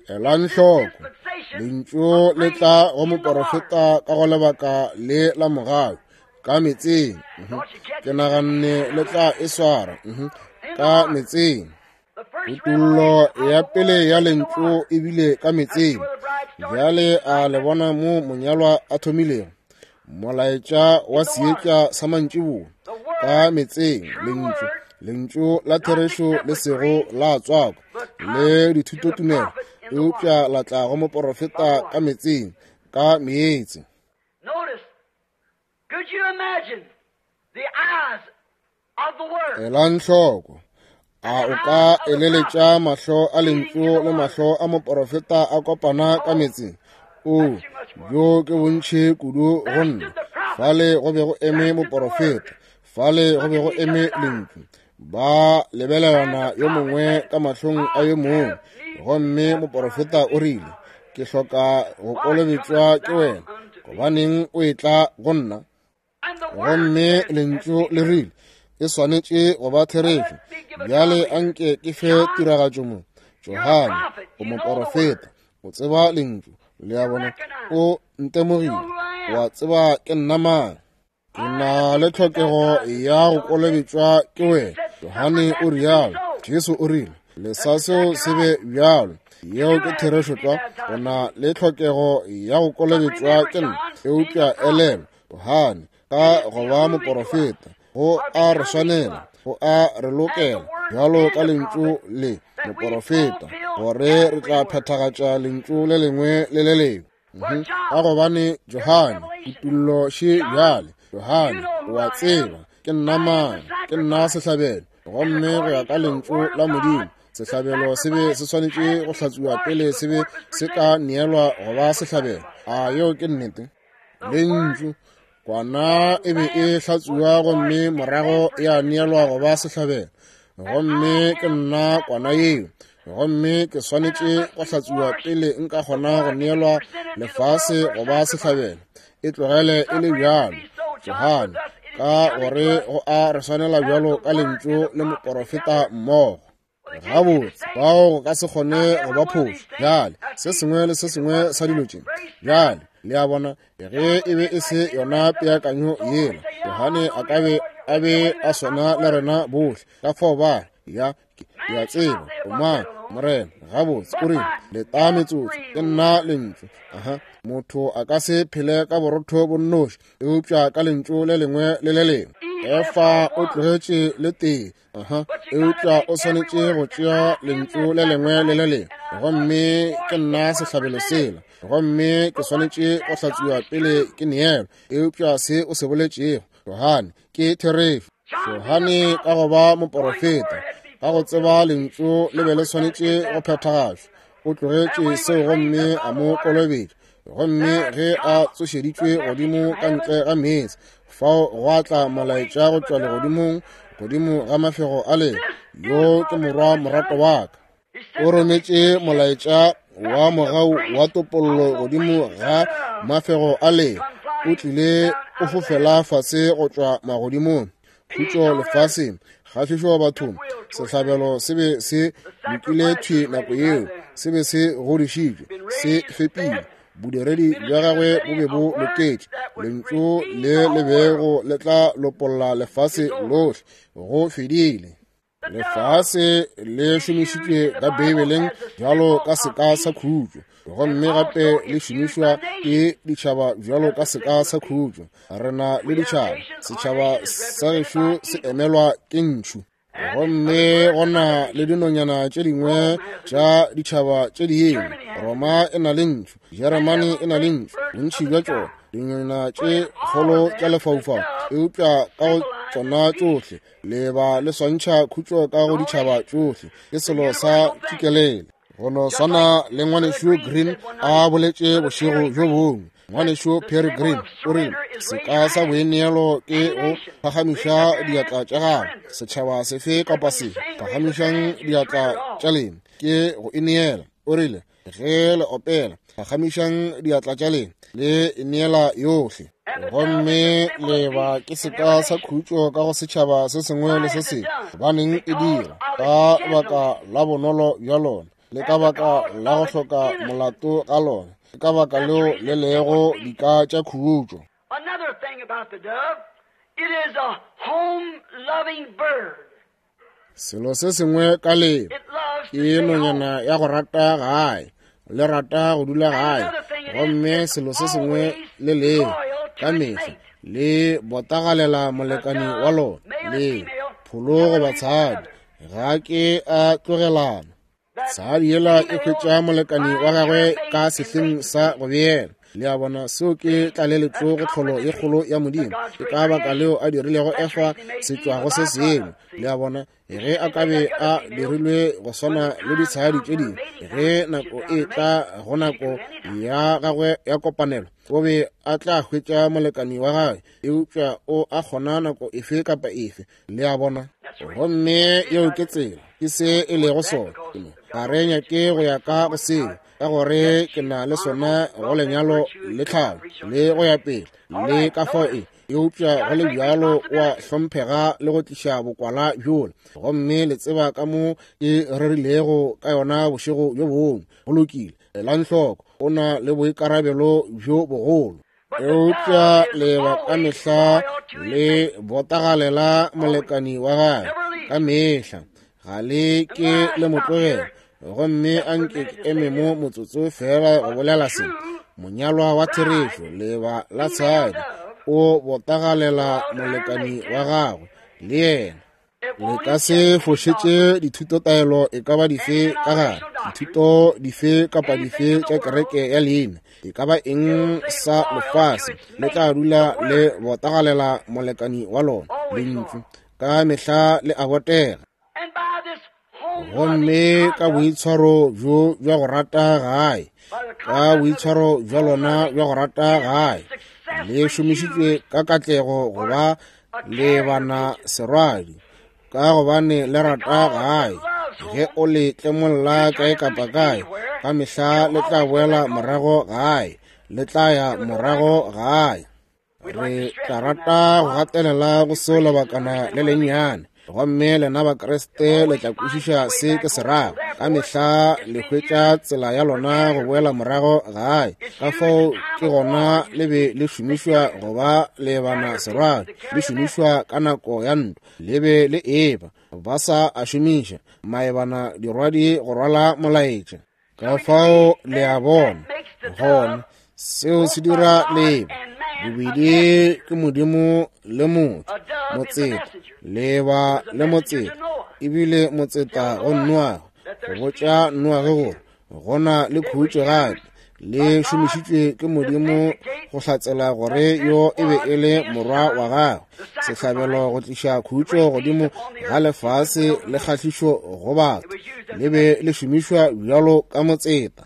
Elang hloko, lentšu le tla go moporofeta ka go lebaka le la mogau ka metseng. Ke naganne le tla e swara ka metseng. Kutullo ya pele ya lentšu e bile ka metseng. Bjale a le bona mo monyalwa a thomilego molaetša wa seetša sa mantšiboa ka metseng. Lentšu, lentšu la therešo le sego la tswakwa le dithutotumelo, eupša la tla go moporofeta ka metseng, ka meetse. Elang hloko, a o ka eleletša mahlo a lentšu le mahlo a moporofeta a kopana ka metseng? O, bjo ke bontši kudu go nna. Fale go be go eme moporofeta, fale go be go eme lentšu. Ba lebelelana yo mongwe ka mahlong a yo mongwe, gomme moporofeta o rile, ke hloka go kolobetšwa ke wena, gobaneng o etla go nna? Gomme lentšu le rile, e swanetše go ba therešo. Bjale anke ke fe tiragatšo mo. Johane, o moporofeta, o tseba lentšu. Le a bona, o ntemogile, wa tseba ke nna mang. Ke na le tlhokego ya go kolobetšwa ke wena. Johane o rialo. Jesu o rile, lesa seo se be bjalo. Yeo ke therešo tlwa. O na le tlhokego ya go kolobetšwa ke nna. Eupša elelwa, Johane ka go ba moporofeta, go a re swanela, go a re lokela bjalo ka lentšu le moporofeta, gore re tla phethagatša lentšu le lengwe le le lengwe. Ka gobane Johane, kutullo še bjale, Johane, o a tseba ke nna mang, ke nna sehlabelo. Gomme go ya ka lentšu la Modimo, sehlabelo se be se swanetše go hlatswiwa pele se be se ka neelwa go ba sehlabelo. A yeo ke nnete? Lentšu kwana e be e hlatswiwa gomme morago ya neelwa go ba sehlabelo. Gomme ke nna kwana yeo, gomme ke swanetše go hlatswiwa pele nka kgona go neelwa lefase go ba sehlabelo. E tlogele e le bjalo, Johane, ka gore go a re swanela bjalo ka lentšu le moporofeta mmogo. Gabotse, bao go ka se kgone go ba phošo. Bjale, se sengwe le se sengwe sa dilo tše. Bjale, le a bona, ge e be e se yona peakanyo yela, Johane a ka be a be a swana le rena bohle. Ka fao ba ya, ke a tseba o mang, Morena. Gabotse, o rile, leta metsotso, ke nna lentšu. Aha, motho a ka se phele ka borotho bo nnoši, eupša ka lentšu le lengwe le le lengwe. Efa o tlogetše le tee, aha, eupša o swanetše go tšea lentšu le lengwe le le lengwe. Gomme ke nna sehlabelo sela, gomme ke swanetše go hlatswiwa pele ke neelwa. Eupša se o se boletšego, Johane, ke therešo. Johane ka go ba moporofeta, ka go tseba lentšu le be le swanetše go phethagatšwa, o tlogetše seo gomme a mo kolobetša. Gomme ge a tsošeditšwe godimo ka ntle ga meetse, fao gwa tla molaetša go tšwa legodimong godimo ga mafego a le, yo ke morwa morato wa ka. O rometše molaetša wa mogau wa topollo godimo ga mafego a le, o tlile o fofela fase go tšwa magodimong. Khutšo lefaseng, kgahlišo bathong. Sehlabelo se be se lokile thwi nako yeo, se be se godišitšwe, se fepile. Bodiredi bja gagwe bo be bo loketše. Lentšu le le bego le tla lopolla lefase lohle. Go fedile. Lefase le šomišitšwe ka Beibeleng bjalo ka seka sa khutšo, gomme gape le šomišwa ke ditšhaba bjalo ka seka sa khutšo. Re na le ditšhaba, setšhaba sa gešo se emelwa ke ntšhu, gomme go na le dinonyana tše dingwe tša ditšhaba tše dingwe. Roma e na le ntšhu, Jeremane e na le ntšhu, bontši bja tšona dinonyana tše kgolo tša lefaufau, eupša ka go tšona tšohle leba le swantšha khutšo ka go ditšhaba tšohle. Ke selo sa tšikelele. Go no swana le ngwanešu Green a boletše bošego bjo bongwe. Ngwanešu Perry Green o rile, seka sa boineelo ke go phagamiša diatla tša gago. Setšhaba sefe kapa sefe, phagamišang diatla tša lena, ke go ineela. O rile, ge le opela, phagamišang diatla tša lena, le ineela yohle. Gomme leba ke seka sa khutšo ka go setšhaba se sengwe le se sengwe. Gobaneng e dira? Ka baka la bonolo bja lona, le ka baka la go hloka molato ga lona, ke ka baka leo le lego dika tša khutšo. Another thing about the dove, it is a home-loving bird. Selo se sengwe ka leba, It loves to ke stay home. nonyana ya go rata gae, le rata go dula gae. Gomme selo se sengwe le leo, ka mehla le botagalela molekani wa lona, le pholo goba tshadi, ga ke a tlogelana. Tshadi yela e hwetša molekani wa gagwe ka sehleng sa go beela. Le a bona, seo ke tlaleletšo go tlholo ye kgolo ya Modimo. Ke ka baka leo a dirilego Efa setšwago se sengwe. Le a bona, ge a ka be a dirilwe go swana le ditshadi tše dingwe, ge nako e tla go nako ya gagwe ya kopanelo, o be a tla hwetša molekani wa gagwe, eupša o a kgona nako efe kapa efe. Le a bona, gomme yeo ke tsela, ke se e lego sona. Ga re nyake go ya ka go seo, ka gore ke na le sona go lenyalo le tlhalo le go ya pele le ka fao e, eupša go le bjalo o a hlomphega le go tliša bokwala bjola. Gomme le tseba ka mo ke rerilego ka yona bošego bjo bongwe. Go lokile, elang hloko, o na le boikarabelo bjo bogolo. Eupša leba ka mehla le botagalela molekani wa gagwe ka mehla, ga le ke le mo tlogela. Gomme a nke ke eme mo motsotso fela go bolela se. Monyalwa wa therešo, leba la tshadi, o botagalela molekani wa gagwe le yena. Le ka se fošetše dithutotaelo e ka ba dife ka gare, dithuto dife kapa dife tša kereke ya leina, e ka ba eng sa lefase, le tla dula le botagalela molekani wa lona, lentšu ka mehla le a botega. Gomme ka boitshwaro bjo bja go rata gae, ka boitshwaro bja lona bja go rata gae, le šomišitšwe ka katlego go ba lebana serwadi, ka gobane le rata gae. Ge o le tlemolla kae kapa kae, ka mehla le tla boela morago gae, le tla ya morago gae. Re tla rata go gatelela go seo lebakana le lennyane, gomme lena Bakriste le tla kwešiša se ke se rago. Ka mehla le hwetša tsela ya lona go boela morago gae, ka fao ke gona le be le šomišwa go ba lebana serwadi, le šomišwa ka nako ya ntwa, le be le eba ba sa a šomiša maebana dirwadi go rwala molaetša. Ka fao le a bona gona seo se dira leba bobedi ke Modimo le motho, motseta leba le motseta, ebile motseta go Noage, go botša Noage gore gona le khutšo gape. Le šomišitšwe ke Modimo go hlatsela gore yo e be e le morwa wa gagwe, sehlabelo go tliša khutšo godimo ga lefase le kgahlišo go batho. Le be le šomišwa bjalo ka motseta.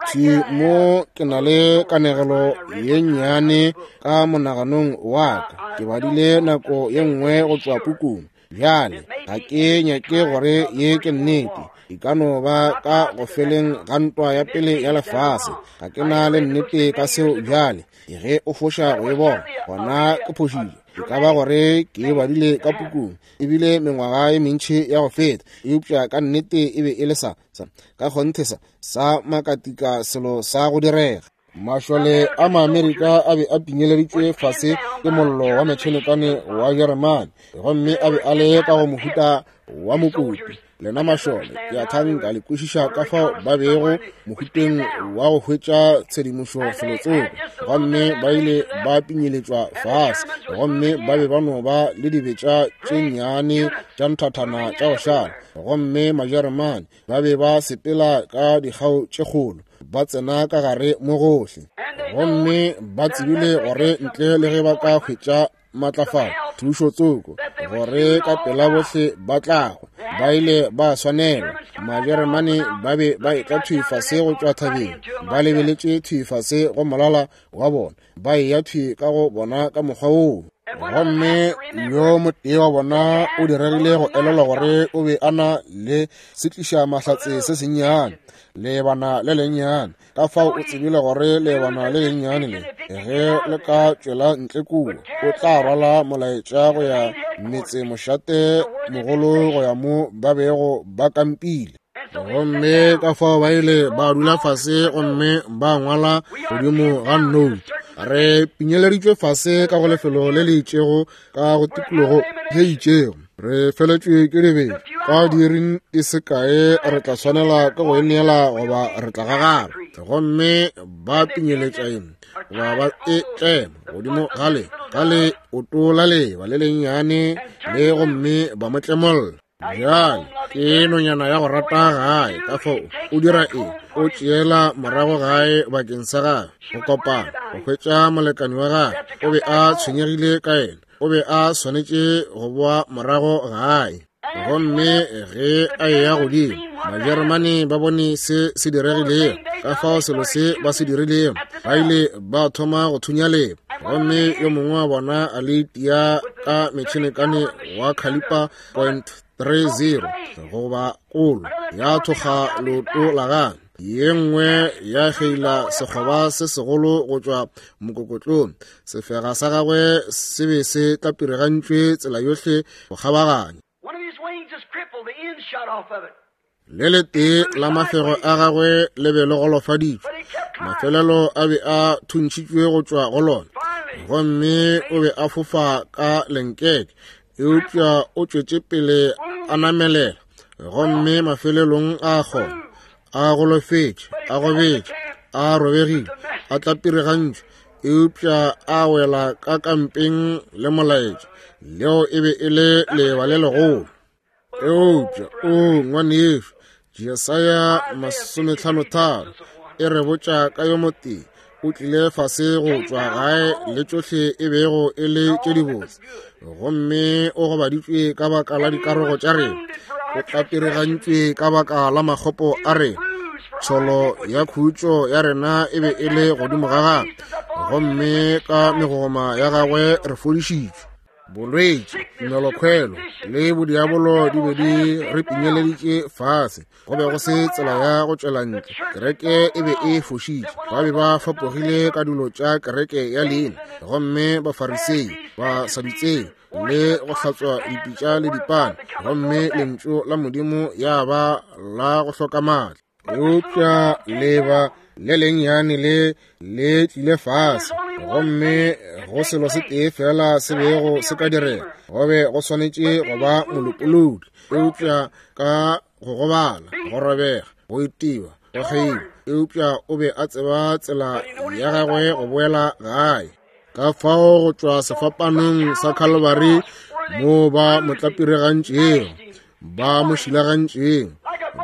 Thwi mo ke na le kanegelo ye nnyane ka monaganong wa ka, ke badile nako ye nngwe go tšwa pukung. Bjale ga ke nyake gore ye ke nnete, e ka no ba ka go feleng ga ntwa ya pele ya lefase. Ga ke na le nnete ka seo bjale, ge o foša go e bona gona ke phošile. E ka ba gore ke e badile ka pukung ebile mengwaga ye mentši ya go feta, eupša ka nnete e be e le sa sa ka kgonthe sa sa makatika selo sa go direga. Mašole a Maamerika a be a pinyeleditšwe fase ke mollo wa metšhenekane wa Jeremane, gomme a be a le ka go mohuta wa mokopi. Lena mašole ke a thanka le kwešiša ka fao ba bego mohuteng wa go hwetša tshedimošo felotsoko, gomme ba ile ba pinyeletšwa fase, gomme ba be ba no ba le dibetša tše nnyane tša nthathana tša go šala, gomme Majeremane ba be ba sepela ka dikgao tše kgolo, ba tsena ka gare mo gohle, gomme ba tsebile gore ntle le ge ba ka hwetša matlafalo thušo tsoko gore ka pela bohle ba tlagwe, ba ile ba swanelwa. Majeremane ba be ba etla thwi fase go tšwa thabeng, ba lebeletše thwi fase go molala wa bona, ba eya thwi ka go bona ka mokgwa woo. Gomme yo motee wa bona o diregile go elelwa gore o be a na le setliša mahlatse se sennyane, lebana le lennyane. Ka fao o tsebile gore lebana le lennyane le ge le ka tšwela ntle kua, o tla rwala molaetša go ya metsemošate mogolo go ya mo ba bego ba kampile. Gomme ka fao ba ile ba dula fase gomme ba ngwala godimo ga note. Re pinyeleditšwe fase ka go lefelo le le itšego ka go tikologo ye itšego, re feletšwe ke dibetša, ka diiring di se kae re tla swanela ke go e neela goba re tla gagara. Gomme ba pinyeletša eng goba ba e tlema godimo ga le ga le oto la leba le lennyane le, gomme ba mo tlemolla. Bjale ke nonyana ya go rata gae, ka fao o dira eng? O tšeela morago gae bakeng sa gagwe go kopana, go hwetša molekani wa gagwe. O be a tshwenyegile ka yena, o be a swanetše go boa morago gae. Gomme ge a eya godimo, Majeremane ba bone se se diregilego, ka fao selo se ba se dirilego, ba ile ba thoma go thunya leba. Gomme yo mongwe wa bona a le tia ka metšhenekane wa caliper point three zero goba kolo, ya thoga leoto la gagwe, ye nngwe ya kgeila sekgoba se segolo go tšwa mokokotlong. Sefega sa gagwe se be se tlapiregantšwe tsela yohle go kgabaganya. Le letee la mafego a gagwe le be le golofaditšwe, mafelelo a be a thuntšhitšwe go tšwa go lona, gomme o be a fofa ka lenkeke, eupša o tšwetše pele a namelela, gomme mafelelong a kgona, a golofetše, a gobetše, a robegile, a tlapiregantšwe, Eupša a wela ka kampeng le molaetša, leo e be e le leeba le legolo. Eupša o ngwanešu, Jesaya masometlhano tharo e re botša ka yo motee o tlile fase go tšwa gae le tšohle e bego e le tše dibotse, gomme o gobaditšwe ka baka la dikarogo tša rena, o tlapiregantšwe ka baka la makgopo a rena. Tsholo ya khutšo ya rena e be e le godimo ga gagwe, gomme ka megogoma ya gagwe re fodišitšwe. Bolwetši, tumelokhwelo le bodiabolo di be di re pinyeleditše fase. Go be go se tsela ya go tšwela ntle. Kereke e be e fošitše. Ba be ba fapogile ka dilo tša kereke ya leina, gomme Bafarisei ba Sadutsei le go hlatswa dipitša le dipane, gomme lentšu la Modimo ya ba la go hloka maatla. Eupša leba le lennyane le le tlile fase, gomme go selo se tee fela se bego se ka direga, go be go swanetše go ba molopolodi. Eupša ka go gobala, go robega, go itiwa, go kgeiwa, eupša o be a tseba tsela ya gagwe go boela gae. Ka fao go tšwa sefapanong sa Calvary mo ba mo tlapiregantšego, ba mo šilagantšego,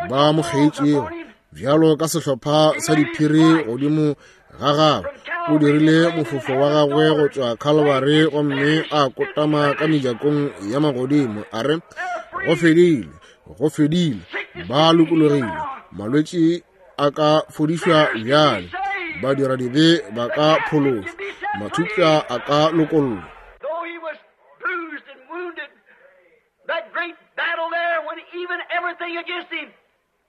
ba mo kgeitšego bjalo ka sehlopha sa diphiri godimo ga gagwe, o dirile mofofo wa gagwe go tšwa Calvary gomme a kotama ka mejakong ya magodimo, a re, go fedile, go fedile, ba lokologile, malwetši a ka fodišwa bjale, badiradibe ba ka phološwa, mathupša a ka lokollwa. That great battle there, when even everything against him,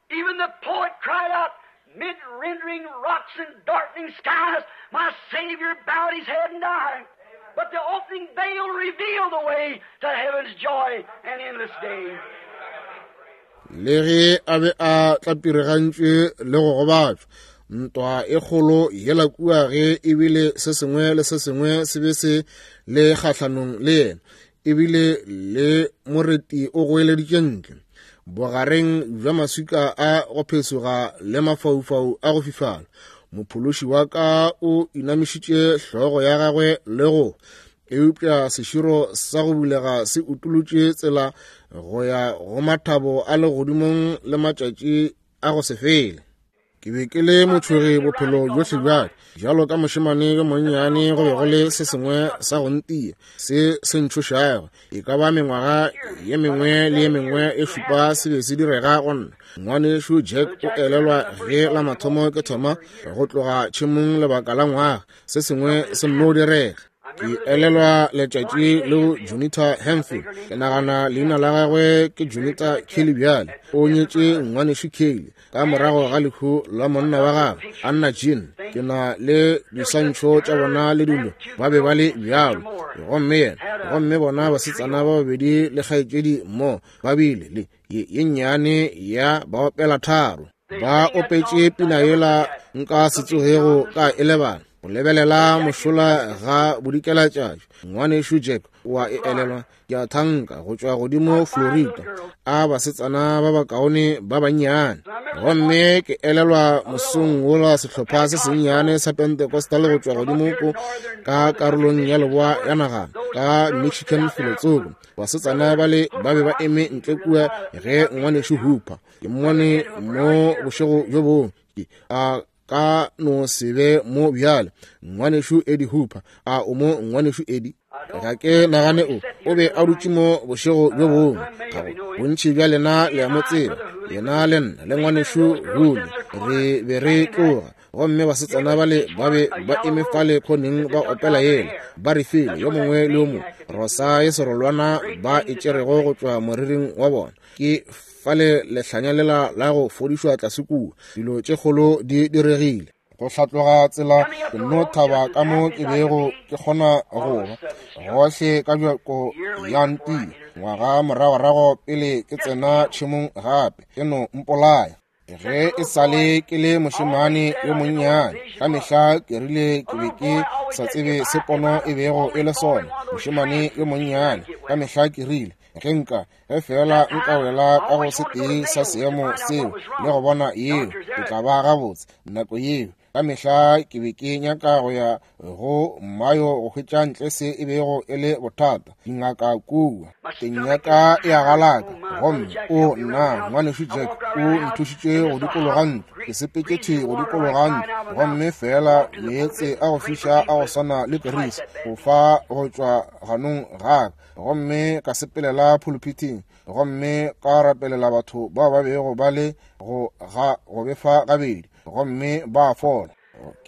even the poet cried out, mid rendering rocks and darkening skies, my Savior bowed his head and died. But the opening veil revealed the way to heaven's joy and endless day. Le ge a be a tlapiregantšwe le go gobatšwa, ntwa e kgolo yela kua ge ebile se sengwe le se sengwe se be se le kgahlanong le yena, ebile le moreti o goeleditše ntle bogareng bja maswika a go phesoga le mafaufau a go fifala. Mophološi wa ka o inamišitše hlogo ya gagwe le go, eupša seširo sa go bulega se utolotše tsela go ya go mathabo a legodimong le matšatši a go se fele. Ke be ke le motšhogi bophelo bjohle bjaka. Bjalo ka mošemane yo monnyane, go be go le se sengwe sa go ntia se se ntšhošago. E ka ba mengwaga ye mengwe le ye mengwe e šupa se be se direga go nna. Ngwanešu Jack o elelwa ge la mathomo ke thoma go tloga tšhemong lebaka la ngwaga, se sengwe se nno direga. Ke elelwa letšatši leo Junita Hemphill, ke nagana leina la gagwe ke Junita Kelly bjale, o nyetše ngwanešu Kelly ka morago ga lehu la monna wa gagwe Anna Jean. Ke na le diswantšho tša bona le dilo, ba be ba le bjalo. Gomme yena, gomme bona basetsana ba babedi le kgaetšedi mo ba bile le ye nnyane ya ba opela tharo. Ba opetše pina yela nka se tsogego ka e lebala. O lebelela mošola ga bodikelatšatši, ngwanešu Jack o a e elelwa, ke a thanka go tšwa godimo Florida, a basetsana ba bakaone ba bannyane. Gomme ke elelwa mosong wola sehlopha se sennyane sa Pentecostal go tšwa godimo ko ka karolong ya leboa ya naga ka Michigan felotsoko. Basetsana bale ba be ba eme ntle kua ge ngwanešu Hooper ke mmone mo bošego bjo bongwe, a ka no se be mo bjale. Ngwanešu Eddie Hooper, a o mo ngwanešu Eddie? Ga ke nagane o o be a dutše mo bošego bjo bongwe. Bontši bja lena le a mo tseba, yena le nna le ngwanešu Hule re be re tloga, gomme basetsana bale ba be ba eme fale khoneng ba opela yela, ba re file yo mongwe le yo mongwe rosa ye serolwana ba e tšerego go tšwa moriring wa bona. Ke fale lehlanya lela la go fodišwa tlase kua, dilo tše kgolo di diregile. Go hlatloga tsela ke nno thaba ka mo ke bego ke kgona go ba gohle ka bjako ya ntia. Ngwaga moragorago pele ke tsena tšhemong gape, ke no mpolaya. Ge e sale ke le mošemane yo monnyane, ka mehla ke rile ke be ke sa tsebe se pono e bego e le sona. Mošemane yo monnyane, ka mehla ke rile ge nka ge fela nka wela ka go se tee sa seemo seo le go bona yeo, ke tla ba gabotse. Nako yeo Ka mehla ke be ke nyaka go ya go Mayo go hwetša ntle se e bego e le bothata. Dingaka kua teng ya ka e a galaka, gomme o nna ngwanešu Jack o nthušitše go dikologa ntlo. Ke sepetše thwi go dikologa ntlo, gomme fela meetse a go fiša a go swana le kerisi go fa go tšwa ganong ga ka, gomme ka sepelela pulpiting gomme ka rapelela batho bao ba bego ba le go ga go befa gabedi, gomme ba fola.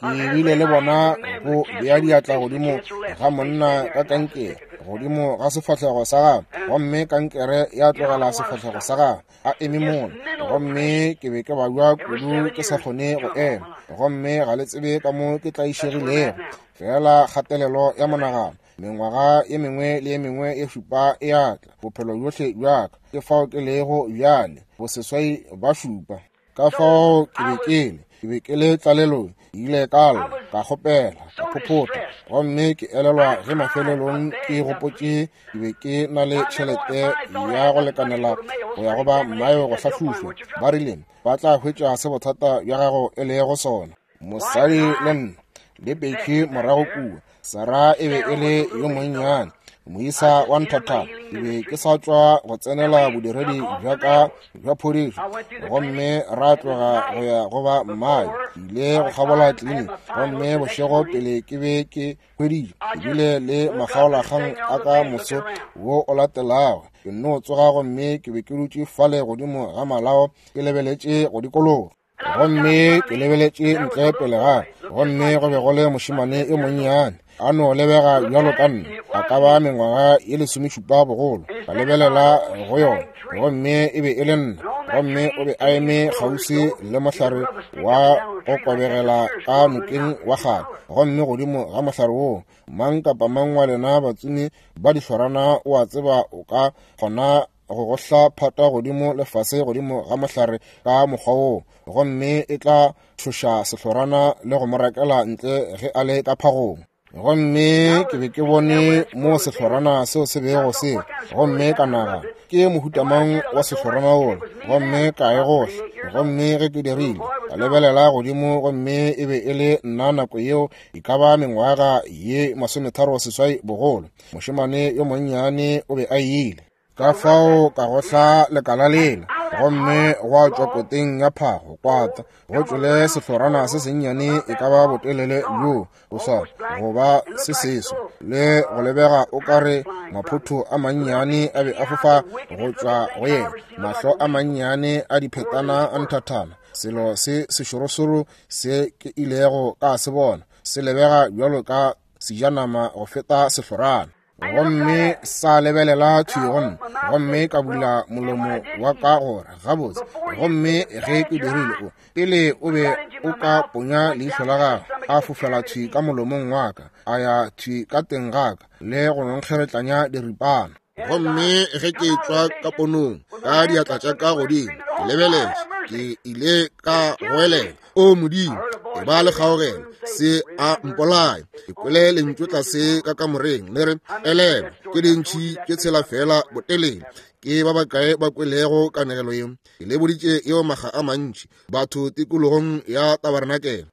Ke bile le bona go bea diatla godimo ga monna ka kankere godimo ga sefahlego sa gagwe, gomme kankere ya tlogela sefahlego sa gagwe a eme mola, gomme ke be ke babja kudu ke sa kgone go ema, gomme ga le tsebe ka mo ke tlaišegilego. Fela kgatelelo ya monagano, mengwaga ye mengwe le ye mengwe ye šupa e a tla, bophelo bjohle bja ka ke fao ke lego bjale, boseswai ba šupa. Ka fao ke be ke le ke be ke le tlalelong, ke ile ka lla, ka kgopela, ka phophotha, gomme ke elelwa ge mafelelong ke gopotše ke be ke na le tšhelete ya go lekanela go ya go ba Mayo go hlahlošwa. Ba rile ba tla hwetša se bothata bja gago e lego sona. Mosadi le nna le Becky morago kua, Sarah e be e le yo monnyane, moisa wa nthathana. Ke be ke sa tšwa go tsenela bodiredi bja ka bja phodišo, gomme ra tloga go ya go ba Mayo. Ke ile go kgabola tleliniki, gomme bošego pele ke be ke hweditše, ke bile le makgaolakgang a ka moso wo o latelago. Ke nno tsoga gomme ke be ke dutše fale godimo ga malao ke lebeletše go dikologa, gomme ke lebeletše ntle pele ga, gomme go be go le mošemane yo monnyane a no lebega bjalo ka nna, a ka ba mengwaga ye lesomešupa bogolo. Ka lebelela go yona, gomme e be e le nna, gomme o be a eme kgauswi le mohlare wa go kobegela ka nokeng wa kgale, gomme godimo ga mohlare woo, mang kapa mang wa lena batsomi ba dihlorana o a tseba o ka kgona go gohla phata godimo le fase godimo ga mohlare ka mokgwa woo, gomme e tla tšhoša sehlorana le go mo rakela ntle ge a le ka phagong. Gomme ke be ke bone mo sehlorana seo se bego se, gomme ka nagana ke mohuta mang wa sehlorana wola, gomme ka e gohla. Gomme ge ke dirile, ka lebelela godimo, gomme e be e le nna nako yeo e ka ba mengwaga ye masometharo seswai bogolo. Mošemane yo monnyane o be a ile. Ka fao ka gohla lekala lela, gomme gwa tšwa koteng ya phago kwata go tšwele sehlorana se sennyane e ka ba botelele bjo bo sa goba se seso, le go lebega o ka re maphotho a mannyane a be a fofa go tšwa go yena, mahlo a mannyane a diphetana a nthathana. Selo se sešorosoro se ke ilego ka se bona se lebega bjalo ka sejanama go feta sehlorana. Gomme sa lebelela thwi go nna, gomme ka bula molomo wa ka gore gabotse. Gomme ge ke dirile, o pele o be o ka ponya leihlo la gagwe, a fofela thwi ka molomong wa ka, a ya thwi ka teng ga ka le go nkgeretlanya diripana. Gomme ge ke tšwa ka ponong ka diatla tša ka godimo ke lebeletše, ke ile ka goelela, o Modimo, e ba le kgaogelo, se a mpolaya. Ke kwele lentšu tlase ka kamoreng le re, elelwa, ke dintšhi tše tshela fela botelele. Ke ba bakae ba kwelego kanegelo yeo? Ke le boditše yeo makga a mantši batho tikologong ya tabarenakele.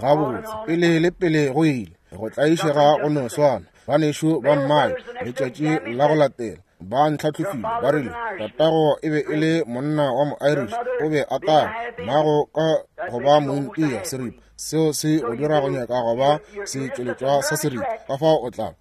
Gabotse, pele le pele go ile go tlaišega go no swana. Banešu ba Mmayo letšatši la go latela ba ntlhahlofile, ba rile tatago e be e le monna wa mo-Irish, o be a tala mmago ka go ba mointia seripa. Seo se go dira go nyaka go ba setšweletšwa sa seripa. Ka fao o tla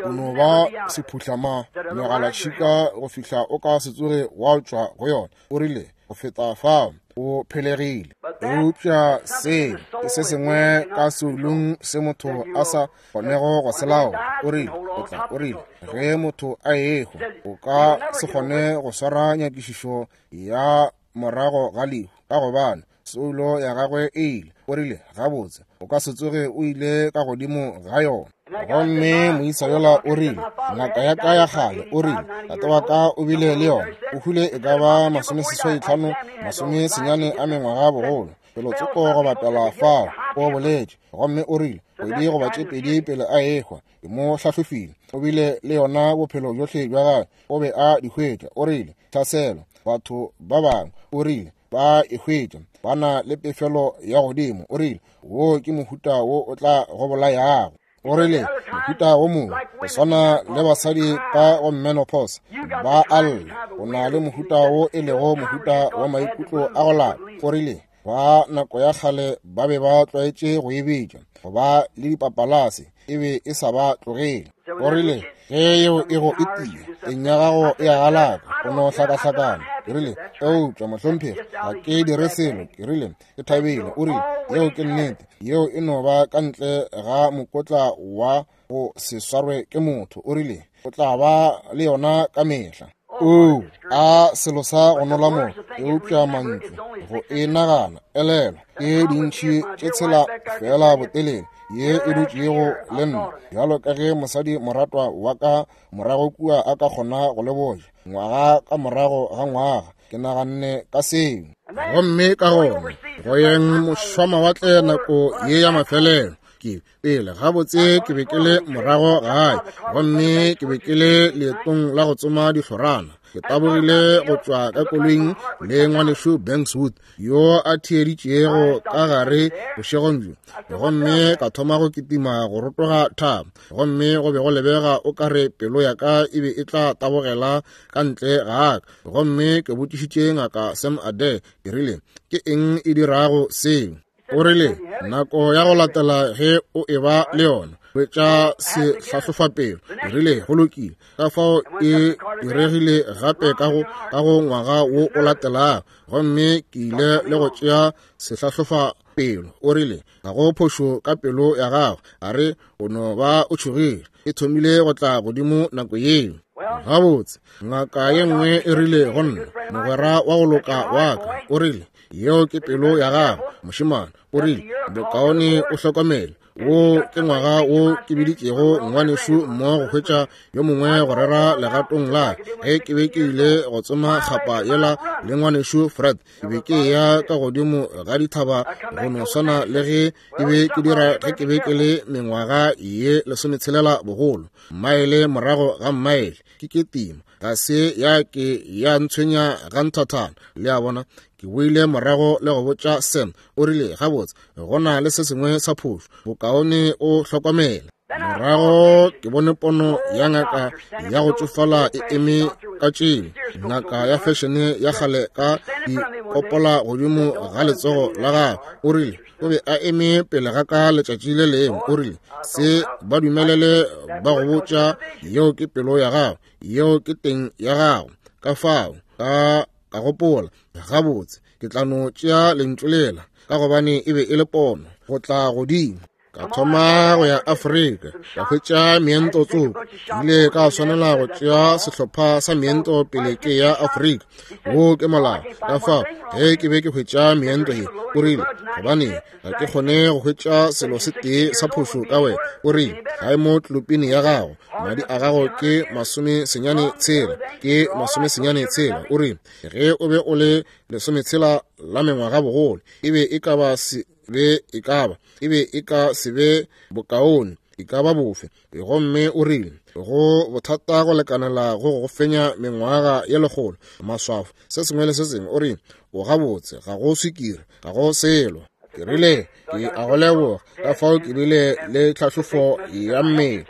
o no ba sephuhlama megalatšhika go fihla o ka se tsoge wa tšwa go yona. O rile go feta fao o phelegile. Eupša se ke se sengwe ka seolong se motho a sa kgonego go se laola. O rile o tla, o rile ge motho a ehwa o ka se kgone go swara nyakišišo ya morago ga lehu, ka gobane soulo ya gagwe e ile. O rile gabotse o ka se tsoge o ile ka godimo ga yona. Gomme moisa yola o rile, ngaka ya ka ya kgale, o rile tate wa ka o bile le yona, o hwile e ka ba masomeseswai tlhano masomesenyane a mengwaga bogolo, felotsoko go bapela fao, o boletše. Gomme o rile kgwedi goba tše pedi pele a ehwa, ke mo hlahlofile, o bile le yona bophelo bjohle bja gagwe, o be a di hwetša. O rile tlhaselo batho ba bangwe, o rile ba e hwetša ba na le pefelo ya godimo. O rile wo ke mohuta wo o tla go bolayago. O rile mohuta wo mongwe go swana le basadi ka go menopause ba alla, o na le mohuta wo e lego mohuta wa maikutlo a go lapa. O rile ba nako ya kgale ba be ba tlwaetše go e bitša go ba le dipapalase, e be e sa ba tlogele. O rile ge yeo e go etia teng ya gago e a galaka, o no hlakahlakana. Ke rile eupša mohlomphegi ga ke dire selo. Ke rile ke thabile. O rile yeo ke nnete, yeo e no ba ka ntle ga mokotla wa go se swarwe ke motho. O rile o tla ba le yona ka mehla. O a selo sa go nola mo, eupša mantšu go e nagana elelwa ke dintšhi tše tshela fela botelele ye e dutšego le nna, bjalo ka ge mosadi moratwa wa ka morago kua a ka kgona go le boja ngwaga ka morago ga ngwaga. Ke naganne ka seo. Gomme ka gona go yeng mošwamawatle nako ye ya mafelelo, ke pele gabotse ke be ke le morago gae, gomme ke be ke le leetong la go tsoma dihlorana. Ke tabogile go tšwa ka koloing le ngwanešu Bankswood yo a theeditšego ka gare bošegong bjo, gomme ka thoma go kitima go rotoga thaba, gomme go be go lebega o ka re pelo ya ka e be e tla tabogela ka ntle ga ka. Gomme ke botšišitše ngaka Sam Adair, ke rile ke eng e dirago seo? O rile nako ya go latela ge o e ba le yona hwetša sehlahlofapelo. Ke rile go lokile. Ka fao e diregile gape ka go ka go ngwaga wo o latelago, gomme ke ile le go tšea sehlahlofapelo. O rile ga go phošo ka pelo ya gago, a re o no ba o tšhogile, e thomile go tla godimo nako yeo. Gabotse ngaka ye nngwe e rile go nna, mogwera wa go loka wa ka, o rile yeo ke pelo ya gago mošemane. O rile bokaone o hlokomele, wo ke ngwaga wo ke biditšego ngwanešu mmo go hwetša yo mongwe go rera legatong la ge ke be ke ile go tsoma kgapa yela le ngwanešu Fred. Ke be ke ya ka godimo ga dithaba go no swana le ge ke be ke dira ge ke be ke le mengwaga ye lesometshelela bogolo, maele morago ga maele ke ketima, ga se ya ke ya ntshwenya ga nthathana. Le a bona, ke boile morago le go botša Sam. O rile gabotse go na le se sengwe sa phošo, bokaone o hlokomele. Morago ke bone pono ya ngaka ya go tšofala e eme ka tšeo, ngaka ya fešene ya kgale ka dikopola godimo ga letsogo la gagwe. O rile o be a eme pele ga ka letšatši le lengwe. O rile se ba dumelele ba go botša yeo ke pelo ya gago, yeo ke teng ya gago. Ka fao ka ka gopola gabotse ke tla no tšea lentšu lela, ka gobane e be e le pono go tla godimo. Ka thoma go ya Afrika, ka hwetša meento tsoko. Ke ile ka swanela go tšea sehlopha sa meento pele ke ya Afrika. Wo ke molao. Ka fao ge ke be ke hwetša meento ye, o rile gobane ga ke kgone go hwetša selo se tee sa phošo ka wena. O rile ga e mo tlopini ya gago, madi a gago ke masome senyane tshela, ke masome senyane tshela. O rile ge o be o le lesometshela la mengwaga bogolo, e be e ka ba se be e ka ba e be e ka se be bokaone, e ka ba bofe. Gomme o rile go bothata go lekanela go go fenya mengwaga ye lekgolo, maswafo se sengwe le se sengwe. O rile o gabotse, ga go swikiri, ga go selo. Ke rile ke a go leboga. Ka fao ke bile le tlhahlofo ya mmele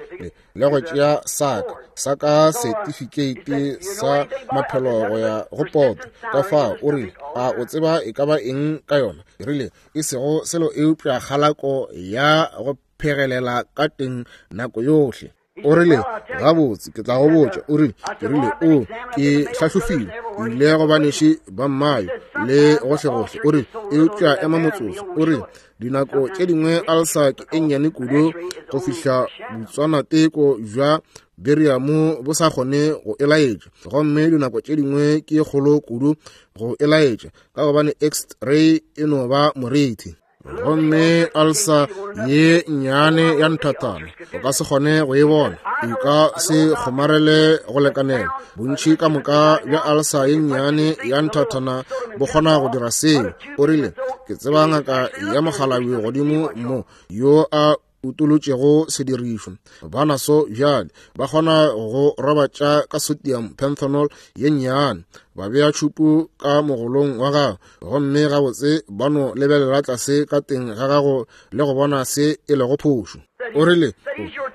le go tšea saka saka setifikeiti sa maphelo go ya go poto. Ka fao o rile a o tseba e ka ba eng ka yona? Ke rile e sego selo eupša kgalako ya go phegelela ka teng nako yohle. O rile gabotse ke tla go botša. O rile ke rile o ke hlahlofile, ke ile go baneši ba mmayo le gohlegohle. O rile eupša ema motsotso. O rile dinako tše dingwe alsa ke e nnyane kudu go fihla botswanateko bja beriamo bo sa kgone go e laetša, gomme dinako tše dingwe ke kgolo kudu go e laetša ka gobane x-ray e no ba moriti. Gomme alsa ye nnyane ya nthathana o ka se kgone go e bona, e ka se kgomarele go lekanela. Bontši ka moka bja alsa ye nnyane ya nthathana bo kgona go dira seo. O rile ke tseba ngaka ya mokgalabje godimo mo yo a utolotšego sedirišwa. Ba naso bjale ba kgona go robatša ka sodium pentanol ye nnyane, ba bea tšhupu ka mogolong wa gago, gomme gabotse ba no lebelela tlase ka teng ga gago le go bona se e lego phošo. O rile,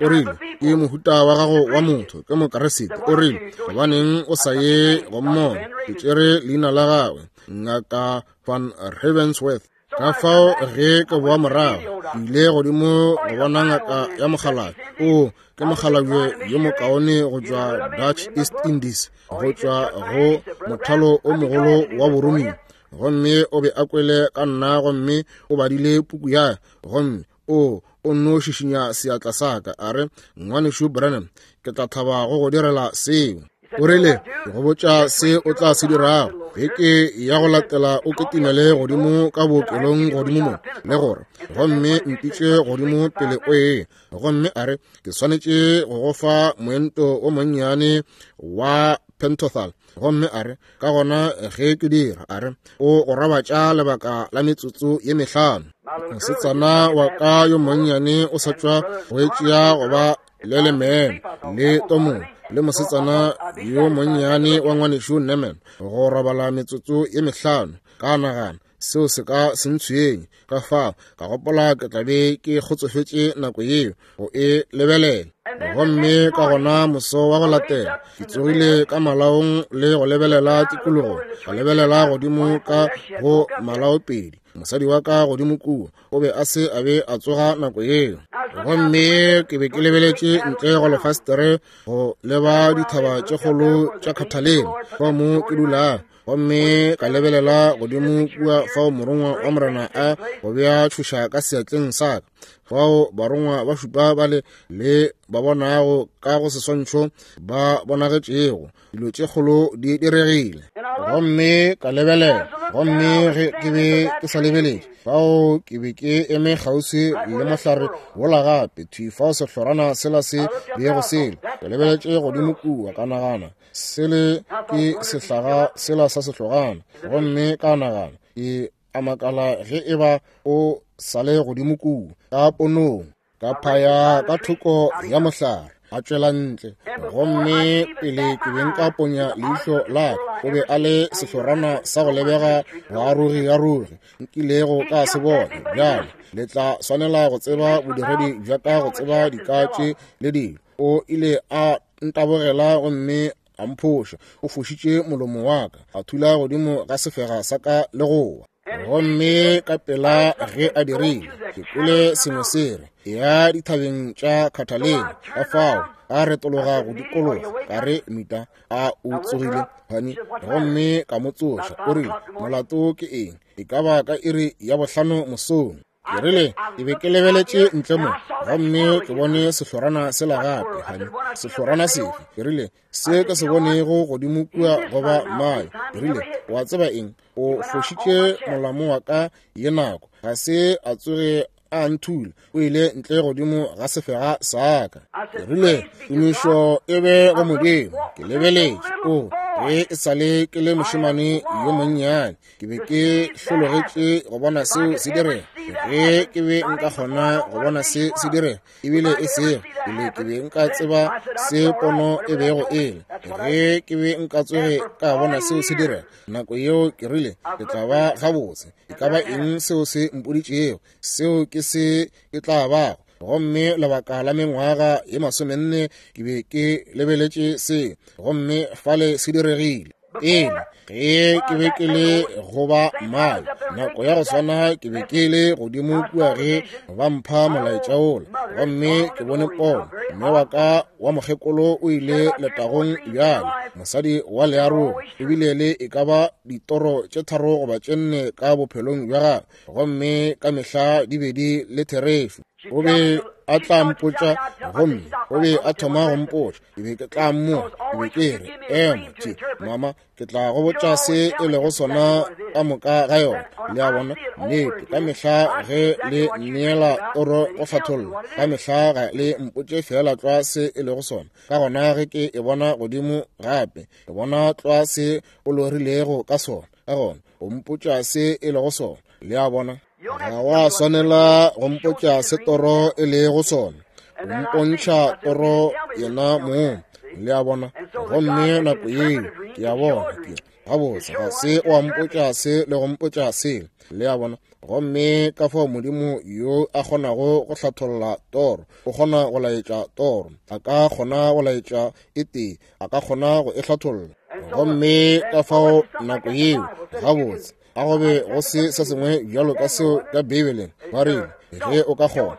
o rile, ke mohuta wa gago wa motho, ke Mokeresete. O rile, gobaneng o sa ye go mmona? Ke tšere leina la gagwe, Ngaka Van Ravensworth. Ka fao ge ke boa morago, ke ile godimo go bona ngaka ya mokgalabje. O ke mokgalabje yo mokaone go tšwa Dutch East Indies, go tšwa go mothalo o mogolo wa boromiwa. Gomme o be a kwele ka nna, gomme o badile puku ya, gomme o o nno šišinya seatla sa ka, a re, Ngwanešu Branham, ke tla thaba go go direla seo. O rile, ke go botša se o tla se dirago. Beke ya go latela o ketimele godimo ka bookelong godimo mo, le gore gomme mpitše godimo pele o ye. Gomme a re, ke swanetše go go fa moento o monnyane wa pentothal. Gomme a re, ka gona ge ke dira, a re, o go robatša lebaka la metsotso ye mehlano. Mosetsana wa ka yo monnyane o sa tšwa go e tšea go ba le lememe le tomong, le mosetsana yo monnyane wa ngwanešu Neman, go robala metsotso ye mehlano. Ka nagana seo se ka se ntshwenye. Ka fao ka gopola ke tla be ke kgotsofetše nako yeo go e lebelela. Gomme ka gona moso wa go latela ke tsogile ka malaong le go lebelela tikologo, ka lebelela godimo ka go malaopedi. Mosadi wa ka godimo kua o be a se a be a tsoga nako yeo. Gomme ke be ke lebeletše ntle go lefastere go leba dithaba tše kgolo tša Catalina fa mo ke dulago. Gomme ka lebelela godimo kua fao morongwa wa Morena a go bea tšhoša ka seatleng sa ka, fao barongwa ba šupa bale le ba bonago ka go seswantšho ba bonagetšego. Dilo tše kgolo di diregile. Gomme ka lebelela, gomme ge ke be ke sa lebeletše, fao ke be ke eme kgauswi le mohlare wola gape, thwi fao sehlorana sela se bego sele. Ke lebeletše godimo kua, ka nagana, sele ke sehlaga sela sa sehlogana. Gomme ka nagana, ke a makala ge e ba o sa le godimo kua ka ponong. Ka phaya ka thoko ya mohlare, a tšwela ntle. Gomme pele ke be nka ponya leihlo la ka, o be a le sehlorana sa go lebega boarogi-arogi nkilego ka se bona. Bjale le tla swanela go tseba bodiredi bja ka go tseba dika tše le dilo. O ile a ntabogela gomme a mphoša. O fošitše molomo wa ka, a thula godimo ga sefega sa ka le go wa. Gomme ka pela ge a dirile, ke kwele sengwe se re, ya dithabeng tša Catalina. Ka fao a retologa go dikologa, ka re, Mita, a o tsogile, honey? Gomme ka mo tsoša. O rile, molato ke eng? E ka ba ka iri ya bohlano mosong. Ke rile, ke be ke lebeletše ntle mo, gomme ke bone sehlorana sela gape, honey. Sehlorana sefe? Ke rile, se ke se bonego godimo kua goba mayo. Ke rile, wa tseba eng? O fošitše molamo wa ka ye nako, ga se a tsoge a nthula. O ile ntle godimo ga sefega sa ka. Ke rile, tumišo e be go Modimo. Ke lebeletše, o ge e sa le ke le mošemane yo monnyane, ke be ke hlologetše go bona seo se direga. Ge ke be nka kgona go bona se se direga, ebile e sego pele ke be nka tseba se pono e bego e le. Ge ke be nka tsoge ka bona seo se direga nako yeo, ke rile, ke tla ba gabotse. E ka ba eng seo se mpoditšego, seo ke se ke tla bago. Gomme lebaka la mengwaga ye masomenne ke be ke lebeletše se, gomme fale se diregile. Pele ge ke be ke le go ba mayo, nako ya go swana ke be ke le godimo kua ge ba mpha molaetša wola, gomme ke bone pono. Mme wa ka wa mokgekolo o ile letagong bjale, mosadi wa learogo, ebile le e ka ba ditoro tše tharo goba tše nne ka bophelong bja gagwe, gomme ka mehla di be di le therešo. O be a tla mpotša, gomme o be a thoma go mpotša, ke be ke tla mmoa. Ke be ke re, ema tše, mama, ke tla go botša se e lego sona ka moka ga yona. Le a bona, nnete, ka mehla ge le nneela toro go hlatholla, ka mehla ga le mpotše fela tlwa se e lego sona. Ka gona ge ke e bona godimo gape, ke bona tlwa se o lorilego ka sona. Ka gona o mpotša se e lego sona. Le a bona? Ga wa swanela go mpotša se toro e lego sona, o mpontšha toro yena mong. Le a bona? Gomme nako yeo ke a bona ke gabotse ga se wa mpotša se le go mpotša se. Le a bona? Gomme ka fao Modimo yo a kgonago go hlatholla toro, o kgona go laetša toro, a ka kgona go laetša e tee, a ka kgona go e hlatholla. Gomme ka fao nako yeo gabotse a go be go se se sengwe bjalo ka seo ka Beibeleng. Ba rile ge o ka kgona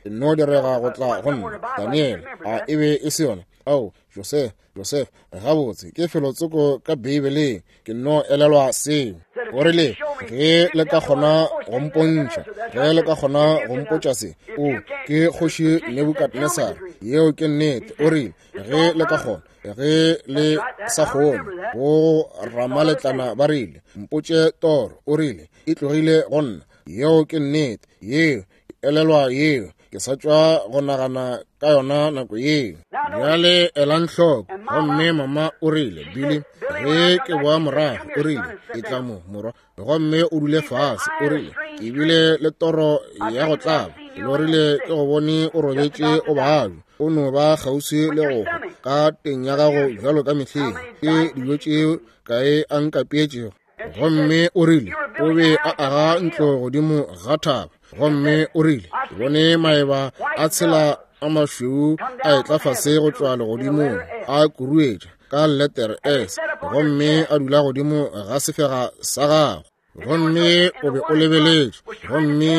no direga go tla go nna Daniel, a e be e se yona? Ao, Joseph, Joseph, gabotse ke felotsoko ka Beibeleng, ke no elelwa seo. O rile ge le ka kgona go mpontšha, ge le ka kgona go mpotša se, o ke kgoši Nebukadnesar, yeo ke nnete. O rile ge le ka kgona, ge le sa kgone go ramaletlana ba rile mpotše toro. O rile e tlogile go nna, yeo ke nnete, yeo elelwa yeo, ke sa tšwa go nagana ka yona nako yeo. Bjale elang hloko. Gomme mama o rile, Billy, ge ke boa morago, o rile e tla mo morwa, gomme o dule fase. O rile ke bile le toro ya go tlaba, ke lorile ke go bone o robetše o babja, o no ba kgauswi le go hwa ka teng ya gago bjalo ka mehleng, ke dijo tšeo kae a nkapeetšego. Gomme o rile o be a aga ntlo godimo ga thaba. Gomme o rile ke bone maeba a tshela a mašweu a etla fase go tšwa legodimong, a kuruetša ka letere S, gomme a dula godimo ga sefega sa gago. Gomme o be o lebeletše, gomme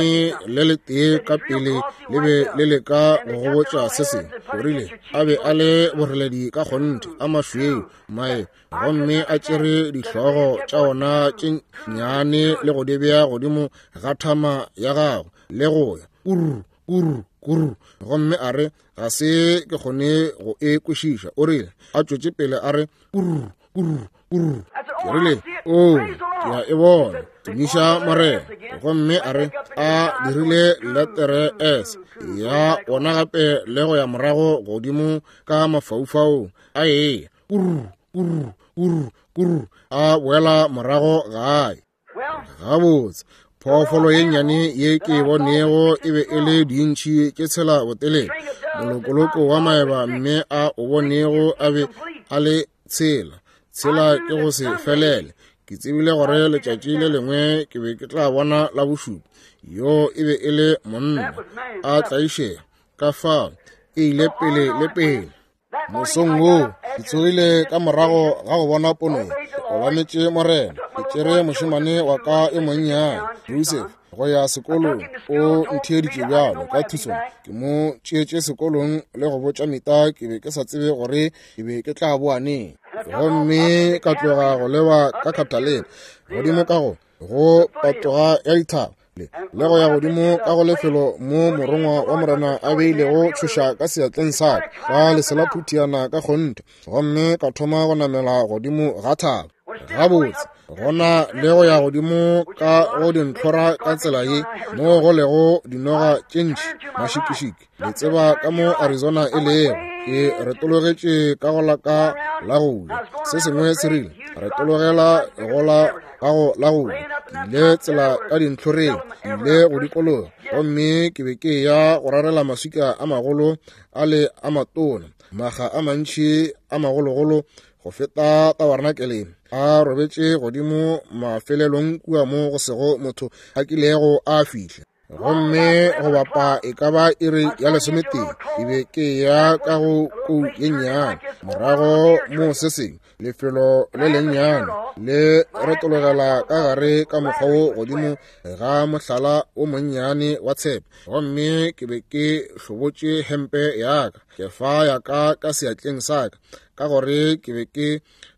le letee ka pele le be le leka go go botša se sengwe. O rile a be a le boreledi ka kgonthe, a mašweu mae, gomme a tšere dihlogo tša ona tše nnyane le go di bea godimo ga thama ya gago le go ya kuru kuru kuru. Gomme a re ga se ke kgone go e kwešiša. O rile a tšwetše pele a re kuru kuru kuru. Ke rile o ke a e bona, tumiša Morena. Gomme a re a dirile letere S ya ona gape le go ya morago godimo ka mafaufaung, a eya kuru kuru kuru kuru, a boela morago gae. Gabotse phoofolo ye nnyane ye ke e bonego e be e le dintšhi tše tshela botelele, molokoloko wa maeba, mme a o bonego a be a le tshela tshela ke go se felele. Ke tsebile gore letšatši le lengwe ke be ke tla bona la bošupa. Yo e be e le monna a tlaišega, ka fao e ile pele le pele. Mosong woo ke tsogile ka morago ga go bona pono ye, ke obametše Morena. Ke tšere mošemane wa ka e monnyane Joseph go ya sekolong, o ntheeditše bjalo ka Tucson. Ke mo tšeetše sekolong le go botša Mita ke be ke sa tsebe gore ke be ke tla boa neng. Gomme ka tloga go leba ka Catalina godimo ka go go patoga ya dithaba le le go ya godimo ka go lefelo mo morongwa wa Morena a beilego tšhoša ka seatleng sa ka, ka lesela phuthiana ka kgonthe. Gomme ka thoma go namela godimo ga thaba. Gabotse gona le go ya godimo ka go dintlhora ka tsela ye mo go lego dinoga tše ntši mašikišiki. Le tseba ka mo Arizona e lego. Ke retologetše ka go la ka la go ja, se sengwe se rile retologela go la ka go la go ja. Ke ile tsela ka dintlhoreng, ke ile go dikologa, gomme ke be ke ya go rarela maswika a magolo a le a matona, maga a mantši a magologolo go feta tabernakeleng, a robetše godimo mafelelong kua mo go sego motho a kilego a fihla. Gomme go bapa e ka ba iri ya lesometee ke be ke ya ka go kou ye nnyane, morago mo se sengwe lefelo le lennyane le retologela ka gare ka mokgwa wo godimo ga mohlala o monnyane wa tshepe. Gomme ke be ke hlobotše hempe ya ka, kefa ya ka ka seatleng sa ka, ka gore ke be ke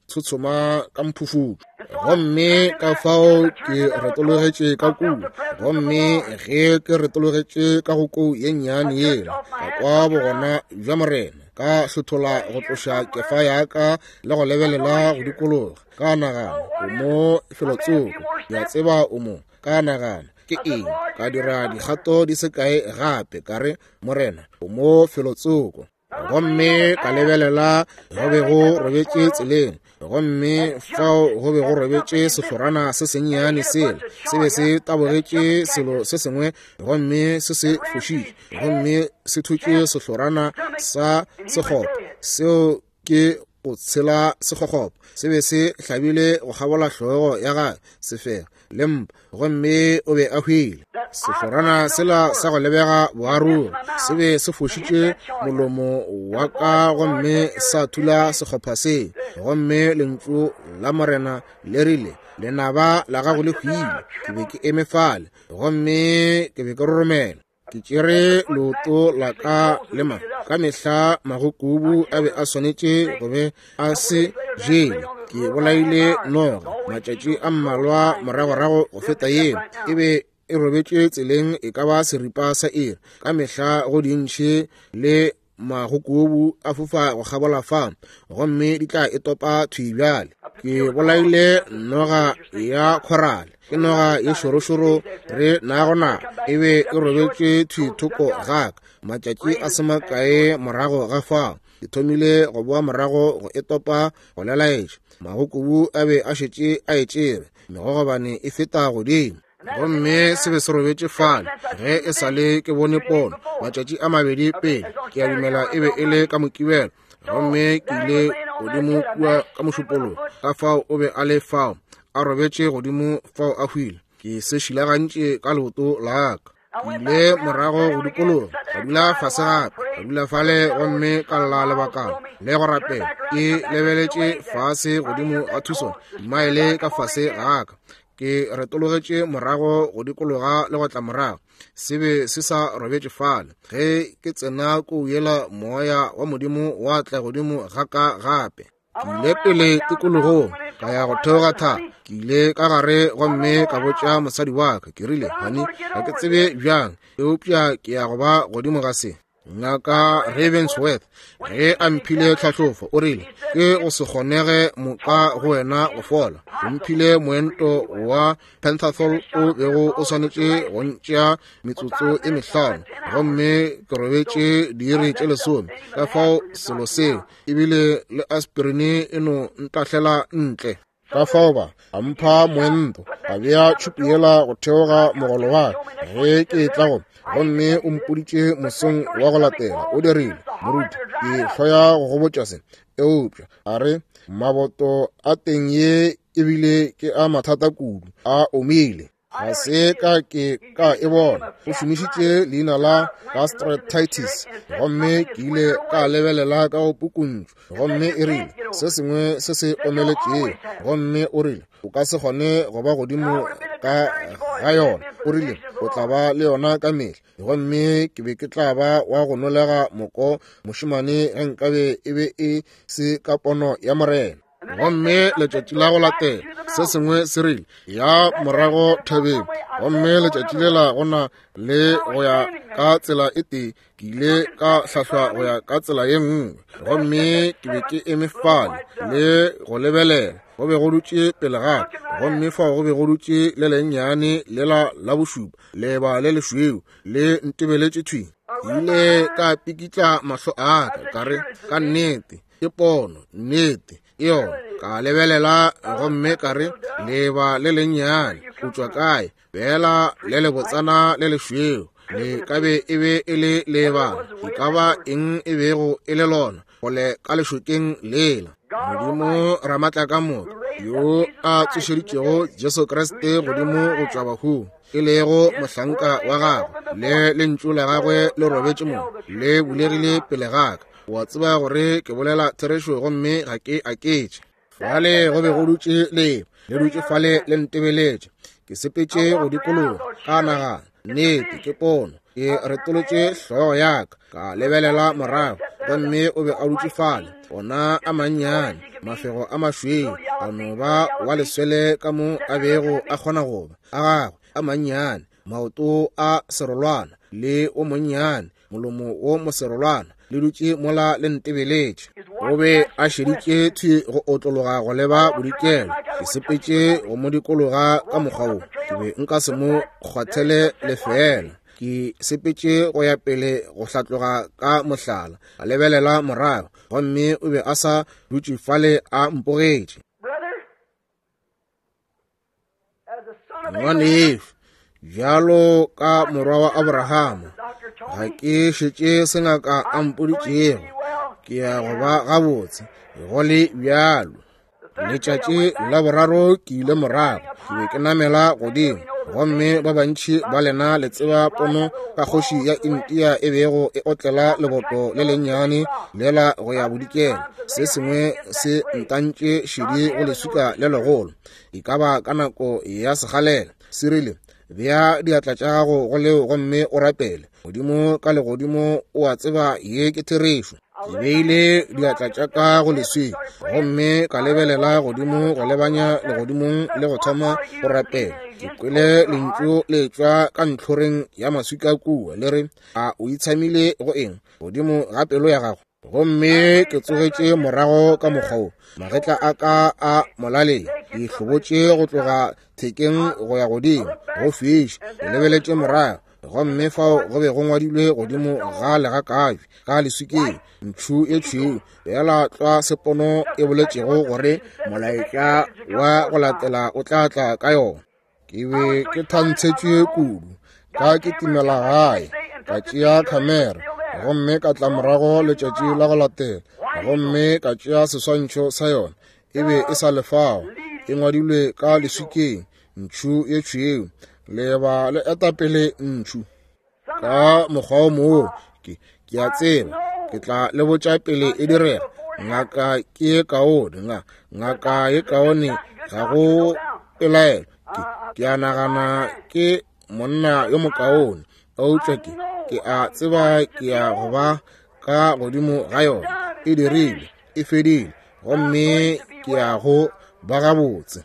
tshotshoma ka mphufutšo. Gomme ka fao ke retologetše ka kua, gomme ge ke retologetše ka go kou ye nnyane yela, ka kwa bogona bja Morena, ka hlothola go tloša kefa ya ka le go lebelela go dikologa. Ka nagana o mo felotsoko, ke a tseba o mo. Ka nagana ke eng, ka dira dikgato di se kae gape, ka re Morena o mo felotsoko. Gomme ka lebelela go be go robetše tseleng, gomme fao go be go robetše sehlorana se sennyane sela se be se tabogetše selo se sengwe, gomme se se fošitše, gomme se thutše sehlorana sa sekgopo seo ke go tshela sekgokgopo. Se be se hlabile go kgabola hlogo ya gagwe, sefega le mpa, gomme o be a hwile. Sehlorana sela sa go lebega boaruga se be se fošitše molomo wa ka gomme sa thula sekgopha se, gomme lentšu la Morena le rile, lenaba la gago le hwile. Ke be ke eme fale gomme ke be ke roromela. Ke tšere leoto la ka le ma ka mehla magokubu a be a swanetše go be a se jele. Ke bolaile noga matšatši a mmalwa moragorago go feta yeo, e be e robetše tseleng e ka ba seripa sa iri. Ka mehla go dintšhi le magokubu a fofa go kgabola fa, gomme di tla e topa thwi bjale. Ke bolaile noga ya khorale, ke noga ye šorošoro re nago na, e be e robetše thwi thoko gaka. Matšatši a se makae morago ga fao, ke thomile go boa morago go e topa go lelaetša. Magokubu a be a šetše a e tšere, megogobane e feta godimo, gomme se be se robetše fale ge e sa le ke bone pono matšatši a mabedi pele. Ke a dumela e be e le ka Mokibelo, gomme ke ile godimo kua ka Mošupologo. Ka fao o be a le fao a robetše godimo fao a hwile. Ke se šilagantše ka leoto la ka. Ke ile morago go dikologa, ka dula fase gape, ka dula fale gomme ka lla lebakana le go rapela. Ke lebeletše fase godimo ga Tucson, dimaele ka fase ga ka. Ke retologetše morago go dikologa le go tla morago, se be se sa robetše fale. Ge ke tsena ko yela, moya wa Modimo wa tla godimo ga ka gape. Ke ile pele tikologong, ka ya go theoga thaba. Ke ile ka gare gomme ka botša mosadi wa ka, ke rile, honey, ga ke tsebe bjang, eupša ke ya go ba godimo ga se. Ngaka Ravensworth ge a mphile tlhahlofo, o rile ke go se kgonege moka go wena go fola. O mphile moento wa Pentathol o bego o swanetše go ntšea metsotso e mehlano, gomme ke robetše diiri tše lesome. Ka fao selo seo ebile le aspirine e no ntahlela ntle. Ka fao ba a mpha moento, a bea tšhupu yela go theoga mogolo wa ka ge ke tla go, gomme o mpoditše mosong wa go latela. O dirile, moruti, ke hloya go go botša se, eupša a re maboto a teng ye ebile ke a mathata kudu, a omile. Ga se ka ke ka e bona. O šomišitše leina la gastritis, gomme ke ile ka lebelela ka go pukuntšu, gomme e rile se sengwe se se omeletšego, gomme o rile o ka se kgone go ba godimo ka ga yona. O rile o tla ba le yona ka mehla, gomme ke be ke tla ba wa go nolega moko mošemane ge nkabe e be e se ka pono ya Morena. Gomme letšatši la go latela se sengwe se rile ya morago thabeng, gomme letšatši lela go na le go ya ka tsela e tee, ke ile ka hlahlwa go ya ka tsela ye nngwe, gomme ke be ke eme fale le go lebelela. Go be go dutše pele ga ka, gomme fao go be go dutše le lennyane lela la bošupa, leba le lešweu le ntebeletše thwi. Ke ile ka pikitla mahlo a ka, ka re, ka nnete ke pono, nnete ke yona. Ka lebelela gomme ka re, leba le lennyane o tšwa kae? Fela le lebotsana le lešweu le ka be e be e le leebana, e ka ba eng e bego e le lona gole ka lešokeng lela. Modimo Ramatlakamoka yo a tsošeditšego Jesu Kriste godimo go tšwa bahung, e lego mohlanka wa gagwe, le lentšu la gagwe le robetše mo, le bulegile pele ga ka. O a tseba gore ke bolela therešo gomme ga ke aketše. Fale go be go dutše leba, le dutše fale le ntebeletše. Ke sepetše go dikologa, ka nagana, nnete ke pono. Ke retolotše hlogo ya ka, ka lebelela morago, gomme o be a dutše fale, ona a mannyane, mafego a mašweu, a no ba wa leswele ka mo a bego a kgona go ba, a gagwe a mannyane, maoto a serolwana le o monnyane, molomo wo moserolwana, le dutše mola le ntebeletše. O be a šeditše thwi go otlologa go leba bodikelo. Ke sepetše go mo dikologa ka mokgwa wo, ke be nka se mo kgwathele lefeela. Ke Ke sepetše go ya pele go hlatloga ka mohlala, a lebelela morago, gomme o be a sa dutše fale a mpogetše. Ngwanešu, bjalo ka morwa wa Abrahama, ga ke šetše sengaka a mpoditšego, ke ya go ba gabotse, go le bjalo. Letšatši la boraro ke ile morago, ke be ke namela godimo, gomme ba bantši ba lena le tseba pono ka kgoši ya India e bego e otlela leboto le lennyane lela go ya bodikela. Se sengwe se ntantše šedi go leswika le legolo, e ka ba ka nako ya segalela. Se rile, bea diatla tša gago go leo gomme o rapele. Modimo ka legodimo o a tseba ye ke therešo. Ke beile diatla tša ka go leswika gomme ka lebelela godimo go lebanya legodimong le go thoma go rapela. Ke kwele lentšu le tšwa ka ntlhoreng ya maswika kua le re, a o itshamile go eng godimo ga pelo ya gago? Gomme ke tsogetše morago ka mokgwa wo, magetla a ka a molaleng, ke hlobotše go tloga thekeng go ya godimo go fiša. Ke lebeletše morago, gomme fao go be go ngwadilwe godimo ga legakabje ka leswikeng ntšhu e tšhweu, bjala tlwa sepono e boletšego gore molaetša wa go latela o tla tla ka yona. Ke be ke thantshetšwe kudu, ka kitimela gae, ka tšea khamera, gomme ka tla morago letšatši la go latela, gomme ka tšea seswantšho sa yona. E be e sa le fao, e ngwadilwe ka leswikeng ntšhu ye tšhweu, leba le etapele ntšhu. Ka mokgwa o moo ke ke a tseba ke tla le botša pele e direga. Ngaka ke ye kaone, nga ngaka ye kaone, ga go pelaelo. Ke ke a nagana ke monna yo mokaone, eupša ke ke a tseba ke ya go ba ka godimo ga yona. E dirile, e fedile, gomme ke ya go ba gabotse.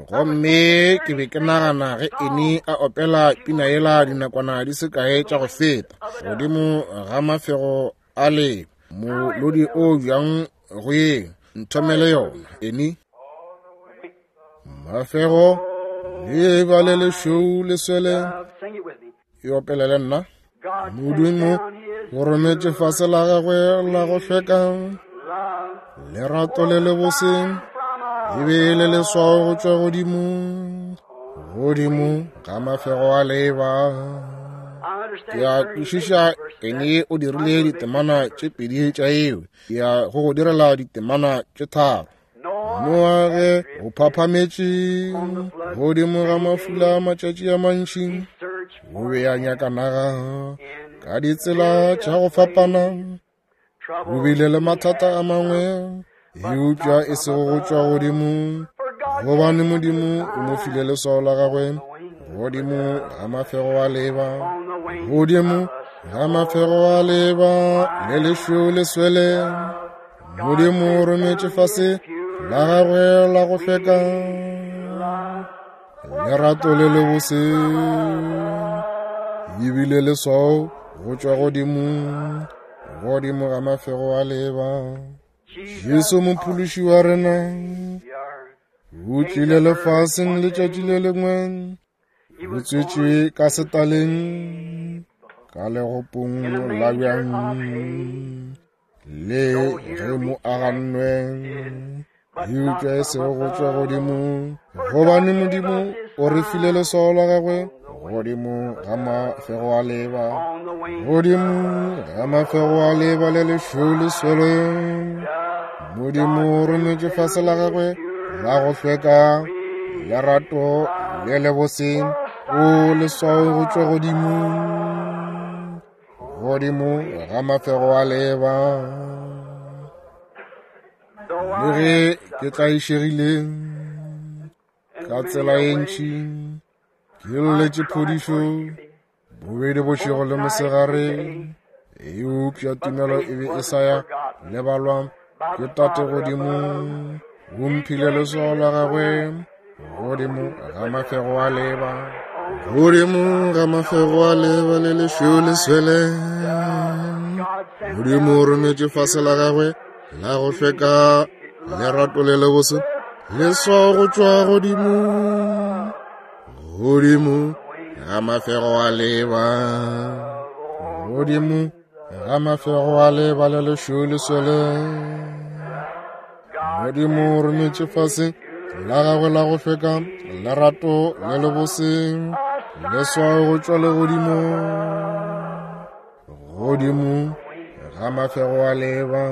Gomme ke be ke nagana ge Eni a opela pina yela dinakwana di se kae tša go feta, godimo ga mafego a le molodi o bjang go yeng, nthomele yona Eni. Mafego le ba le lešweu le swele, e opelele nna. Modimo o rometše fase la gagwe la go hlweka, lerato le lebose e be le leswao go tšwa godimo, godimo ga mafego a leba. Ke a kwešiša Ene o dirile ditemana tše pedi tša eo, ke ya go go direla ditemana tše tharo. Noa ge o phaphametše godimo ga mafula matšatši a mantši, o be a nyaka naga ka ditsela tša go fapana. O bile le mathata a mangwe, eupša e sego go tšwa godimo, gobane Modimo o mo file leswao la gagwe godimo ga mafego a leba, godimo ga mafego a leba le lešweu le swele. Modimo o rometše fase la gagwe la go hlweka, lerato le lebose, ebile leswao go tšwa godimo, godimo ga mafego a leba. Jesu mophološi wa rena o tlile lefaseng letšatši le lengwe, o tswetšwe ka setaleng ka legopong la bjang, le ge mo agannwe, eupša e sego go tšwa godimo, gobane Modimo o re file leswao la gagwe godimo ga mafego a leba, godimo ga mafego a leba le lešweu le swele. Modimo o rometše fase la gagwe la go hlweka, lerato le lebose, o leswao go tšwa godimo, godimo ga mafego a leba. Le ge ke tlaišegile ka tsela ye ntši, ke lletše phodišo bobedi bošego le mosegare, eupša tumelo e be e sa ya lebalwa ke Tate godimo. O mphile leswao la gagwe godimo ga mafego a leba, godimo ga mafego a leba le lešweu le swele. Modimo o rometše fase la gagwe la go hlweka, lerato le lebose, leswao go tšwa godimo, godimo ga mafego a leba, godimo ga mafego a leba le lešweu leswele. Modimo o rometše fase la gagwe la go hlweka, lerato le lebose, leswao go tšwa legodimo, godimo ga mafego a leba.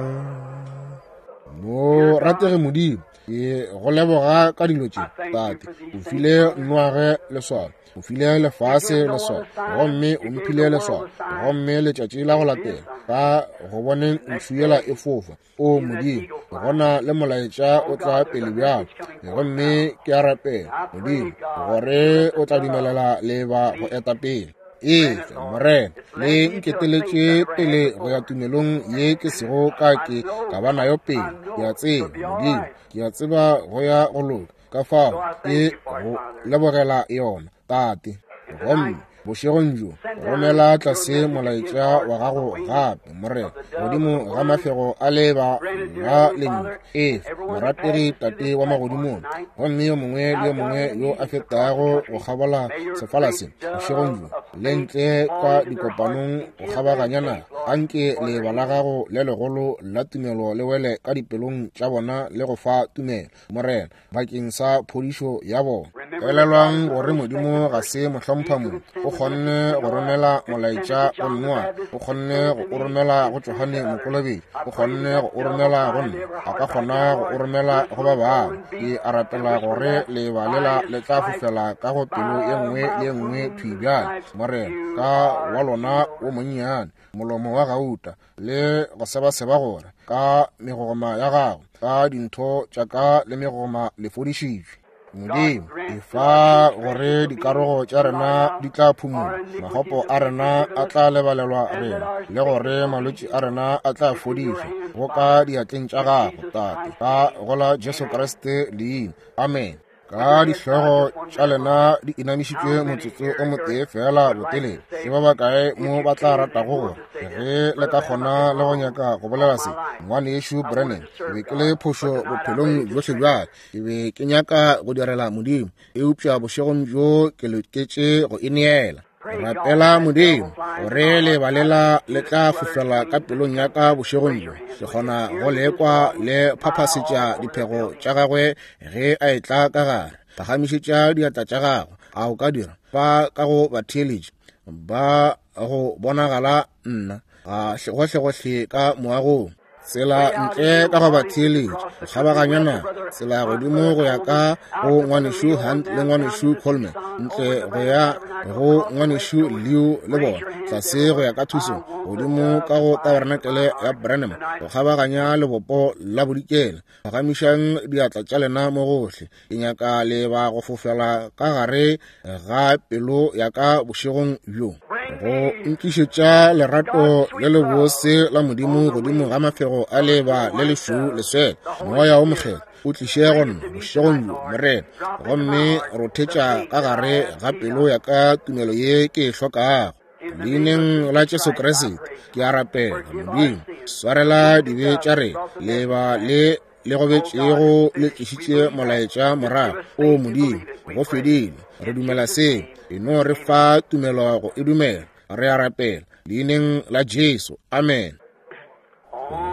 Mo ratege Modimo, ke go leboga ka dilo tše, Tate. O file Noage leswao, o file lefase leswao, gomme o mphile leswao, gomme letšatši la go latela ka go boneng ntšhu yela e fofa. O Modimo, gona le molaetša o tla pele bjalo, gomme ke a rapela Modimo gore o tla dumelela leba go eta pele. Efe Morena, le nketeletše pele go ya tumelong ye ke sego ka ke ka ba nayo pele. Ke a tseba Modimo, ke a tseba go ya go loka, ka fao ke go lebogela yona, Tate. Gomme bošegong bjo romela tlase molaetša wa gago gape, Morena, godimo ga mafego a leba la lentšu. Efe morategi Tate wa magodimong, gomme yo mongwe le yo mongwe yo a fetago go kgabola sefala se bošegong bjo le ntle ka dikopanong go kgabaganya naga, anke leba la gago le legolo la tumelo le wele ka dipelong tša bona le go fa tumelo, Morena, bakeng sa phodišo ya bona. Elelwang gore Modimo ga se mohlompha-mong. O kgonne go romela molaetša go Noa, o kgonne go o romela go Johane Mokolobetši, o kgonne go o romela go nna, a ka kgona go o romela go ba bangwe. Ke a rapela gore leba lela le tla fofela ka go pelo ye nngwe le ye nngwe thwi bjale, Morena, ka wa lona wo monnyane, molomo wa gauta, le go sebaseba gore ka megogoma ya gago, ka dintho tša ka le megogoma le fodišitšwe. Modimo, efa gore dikarogo tša rena di tla phumola, magopo a rena a tla lebalelwa rena, le gore malwetši a rena a tla fodišwa go ka diatleng tša gago, Tate, ka go la Jesu Kriste leina. Amen. Ka dihlogo tša lena di inamišitšwe motsotso o motee fela botelele, ke ba bakae mo ba tla ratago gore ge le ka kgona le go nyaka go bolela se? Ngwanešu Brennan, ke be ke le phošo bophelong bjohle bja ka, ke be ke nyaka go direla Modimo, eupša bošegong bjo ke loketše go ineela. Rapela Modimo gore lebalela le tla fofela ka pelong ya ka bošegong bjo. Ke kgona go lekwa le phaphasetša diphego tša gagwe ge a etla ka gare. Phagamišetša diatla tša gago, a o ka dira fa ka go batheeletši ba go bonagala nna ga gohlegohle ka moagong, tsela ntle ka go batheeletši, go kgabaganya naga, tsela godimo go ya ka go ngwanešu Hunt le ngwanešu Coleman, ntle go ya go ngwanešu Leo le bona, tlase go ya ka Tucson, godimo ka go tabernacle ya Branham, go kgabaganya lebopo la bodikela. Phagamišang diatla tša lena mo gohle. Ke nyaka leba go fofela ka gare ga pelo ya ka bošegong bjo, go nkišetša lerato le lebose la Modimo godimo ga mafego a leba le lešweu leswele. Moya o Mokgethwa o tliše go nna bošegong bjo, Morena, gomme rothetša ka gare ga pelo ya ka tumelo ye ke e hlokago. Leineng la Jesu Kriste ke a rapela, Modimo, swarela dibe tša rena. Leba le le gobetšego le tlišitše molaetša morago. O Modimo, go fedile, re dumela seo, e no re fa tumelo go e dumela. Re a rapela leineng la Jesu, amen.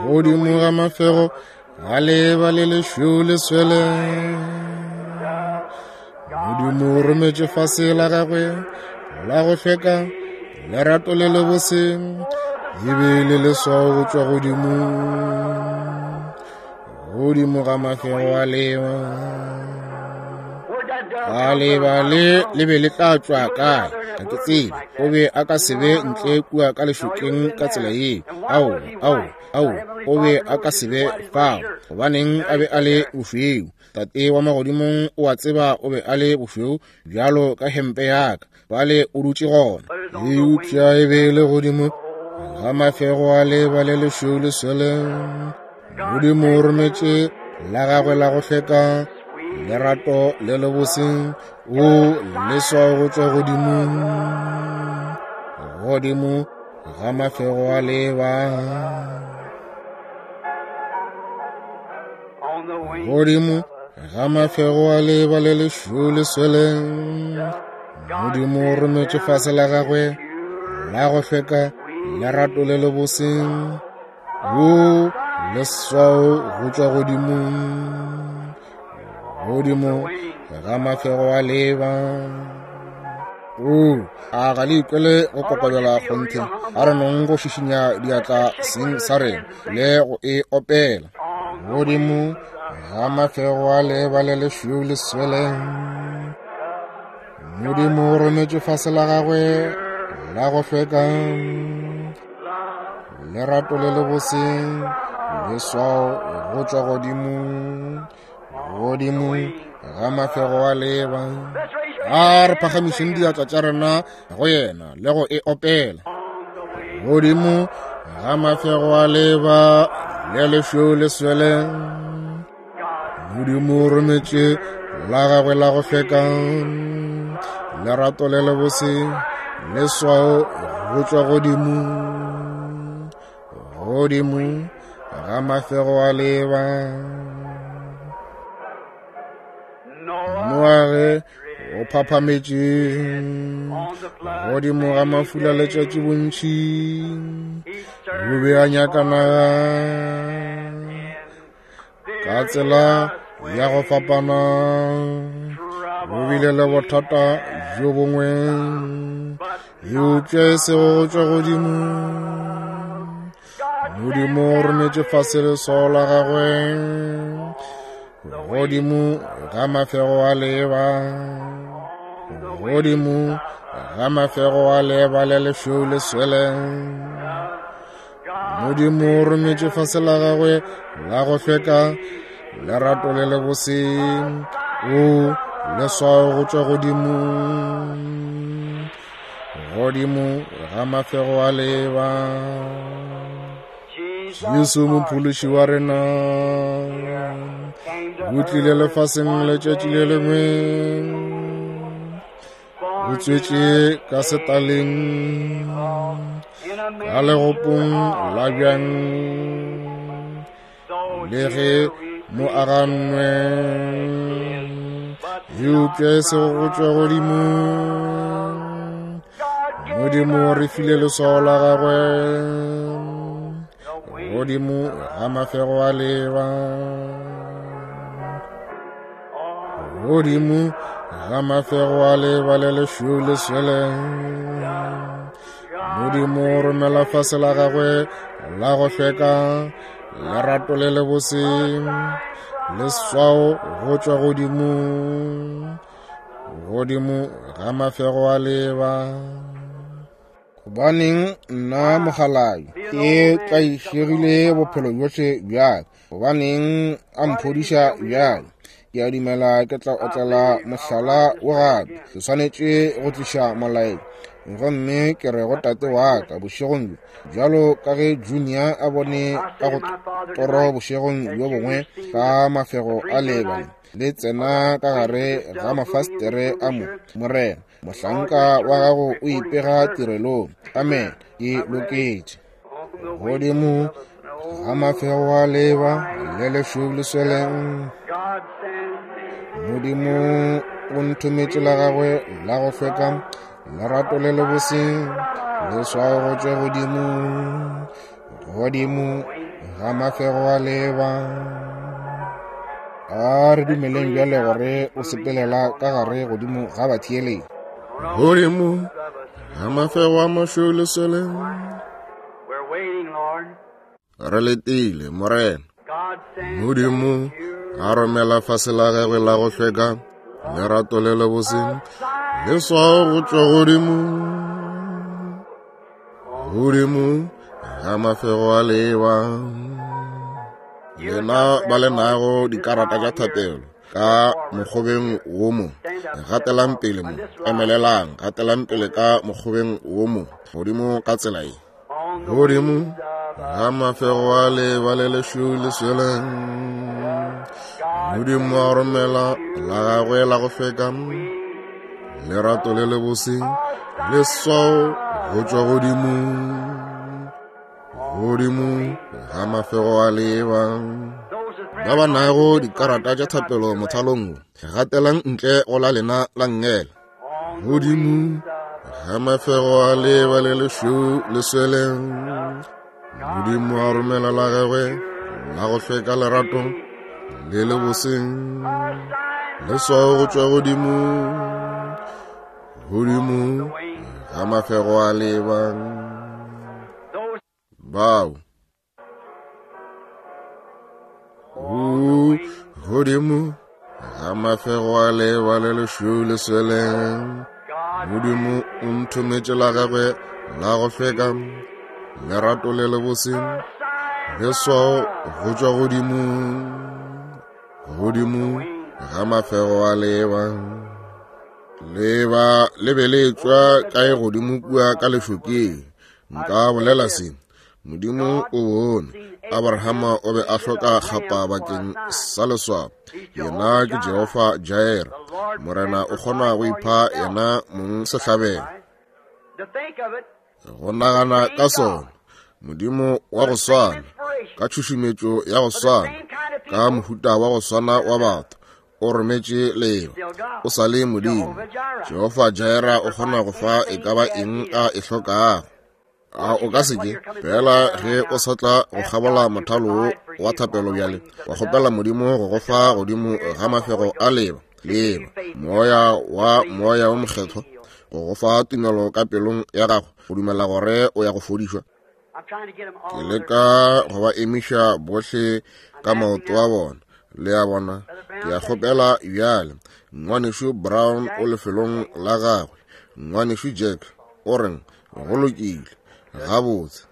Godimo ga mafego ga leba le lešweu leswele, Modimo o rometše fase la gagwe la go hlweka, lerato le lebose, e be le leswao go tšwa godimo, godimo ga mafego a leba. Ga leba le le be le tla tšwa kae? Ga ke tsebe. O be a ka se be ntle kua ka lešokeng ka tsela ye. Ao, ao, ao, o be a ka se be fao. Gobaneng a be a le bošweu? Tate wa magodimong o a tseba o be a le bošweu bjalo ka hempe ya ka. Bale o dutše gona. Eupša e be e le godimo ga mafego a leba le lešweu leswele. Modimo o rometše la gagwe la go hlweka, lerato le lebose, o leswao go tšwa godimo, godimo ga mafego a leba. Godimo ga mafego a leba le lešweu leswele, Modimo o rometše fase la gagwe la go hlweka, lerato le le bose, wo leswao go tšwa godimo, godimo ga mafego a leba. O a ga le ikwele go kokobela kgonthe? A re nong go šišinya diatla seng sa rena le go e opela. Godimo ga mafego a leba le lešweu le swele, Modimo o rometše fase la gagwe la go hlweka, lerato le le bose, leswao go tšwa godimo, godimo ga mafego a leba. A re phagamišeng diatla tša rena go yena le go e opela. Godimo ga mafego a leba le lešweu le swele, Modimo o rometše la gagwe la go hlweka, lerato le le bose, leswao go tšwa godimo, godimo ga mafego a leba. Noage o phaphametše godimo ga mafula letšatši bontši, o be a nyaka naga ka tsela ya go fapana. O bile le bothata bjo bongwe, eupša e sego go tšwa godimo. Modimo o rometše fase leswao la gagwe godimo ga mafego a leba, godimo ga mafego a leba le lešweu le swele. Modimo o rometše fase la gagwe la go hlweka, lerato le le bose, o leswao go tšwa godimo, godimo ga mafego a leba. Jesu mophološi wa rena o tlile lefaseng letšatši le lengwe, o tswetše ka setaleng, ka legopong la bjang, le ge mo agannwe, eupša e sego go tšwa godimo. Modimo o re file leswao la gagwe godimo ga mafego a leba, godimo ga mafego a leba le lešweu le swele. Modimo o romela fase la gagwe la go hlweka, lerato le le bose, leswao go tšwa godimo, godimo ga mafego a leba. Gobaneng nna mogalabi ke tlaišegile bophelo bjohle bjale? Gobaneng a mphodiša bjale? Ke a dumela ke tla otlela mohlala wo gape. Ke swanetše go tliša molaetša, gomme ke re go tate wa ka bošegong bjo, bjalo ka ge Junior a bone ka go toro bošegong bjo bongwe ka mafego a leba le tsena ka gare ga mafastere a mo. Morena, mohlanka wa gago o ipega tirelong. Amen. Ke loketše. Godimo ga mafego a leba le lešweu le swele, Modimo o nthometše la gagwe la go hlweka, lerato le le bose, leswao go tšwa godimo, godimo ga mafego a leba. A re dumeleng bjale gore o sepelela ka gare godimo ga batheeletši. Godimo ga mafego a mašweu le swele, re letile Morena. Modimo a romela fase la gagwe la go hlweka, lerato le le bose, leswao go tšwa godimo, godimo ga mafego a leba. Lena ba le nago dikarata tša thapelo ka mokgobeng wo mo, gatelang pele mo, emelelang, gatelang pele ka mokgobeng wo mo, godimo ka tsela ye. Godimo ga mafego a leba le lešweu le swele, Modimo a romela la gagwe la go hlweka, lerato le le bose, leswao go tšwa godimo, godimo ga mafego a leba. Ba ba nago dikarata tša thapelo mothalong wo, gatelang ntle go la lena la nngele. Godimo ga mafego a leba le lešweu le swele, Modimo a romela la gagwe la go hlweka lerato le le boseng, leswao go tšwa godimo, godimo ga mafego a leba. Bao godimo ga mafego a leba le lešweu le swele, Modimo o nthometše la gagwe la go hlweka lerato le le bose, leswao go tšwa godimo, godimo ga mafego a leba. Leba le be le tšwa kae godimo kua ka lešokeng? Nka bolela se, Modimo o bone Abrahama o be a hloka kgapa bakeng sa leswao. Yena ke Jehofa Jireh, Morena o kgona go ipha yena mong sehlabelo. Go nagana ka sona, Modimo wa go swana, ka tšhušumetšo ya go swana, ka mohuta wa go swana wa batho, o rometše leba. O sa le Modimo. Jehofa Jireh o kgona go fa e ka ba eng a e hlokago. A o ka se ke fela ge o sa tla go kgabola mothalo wa thapelo bjale, wa kgopela Modimo go go fa godimo ga mafego a leba, leba, moya wa moya wa mokgethwa, go go fa tumelo ka pelong ya gago, go dumela gore o ya go fodišwa. Ke leka go ba emiša bohle ka maoto a bona, le a bona. Ke a kgopela bjale, ngwanešu Brown o lefelong la gagwe, ngwanešu Jack o reng go lokile, gabotse.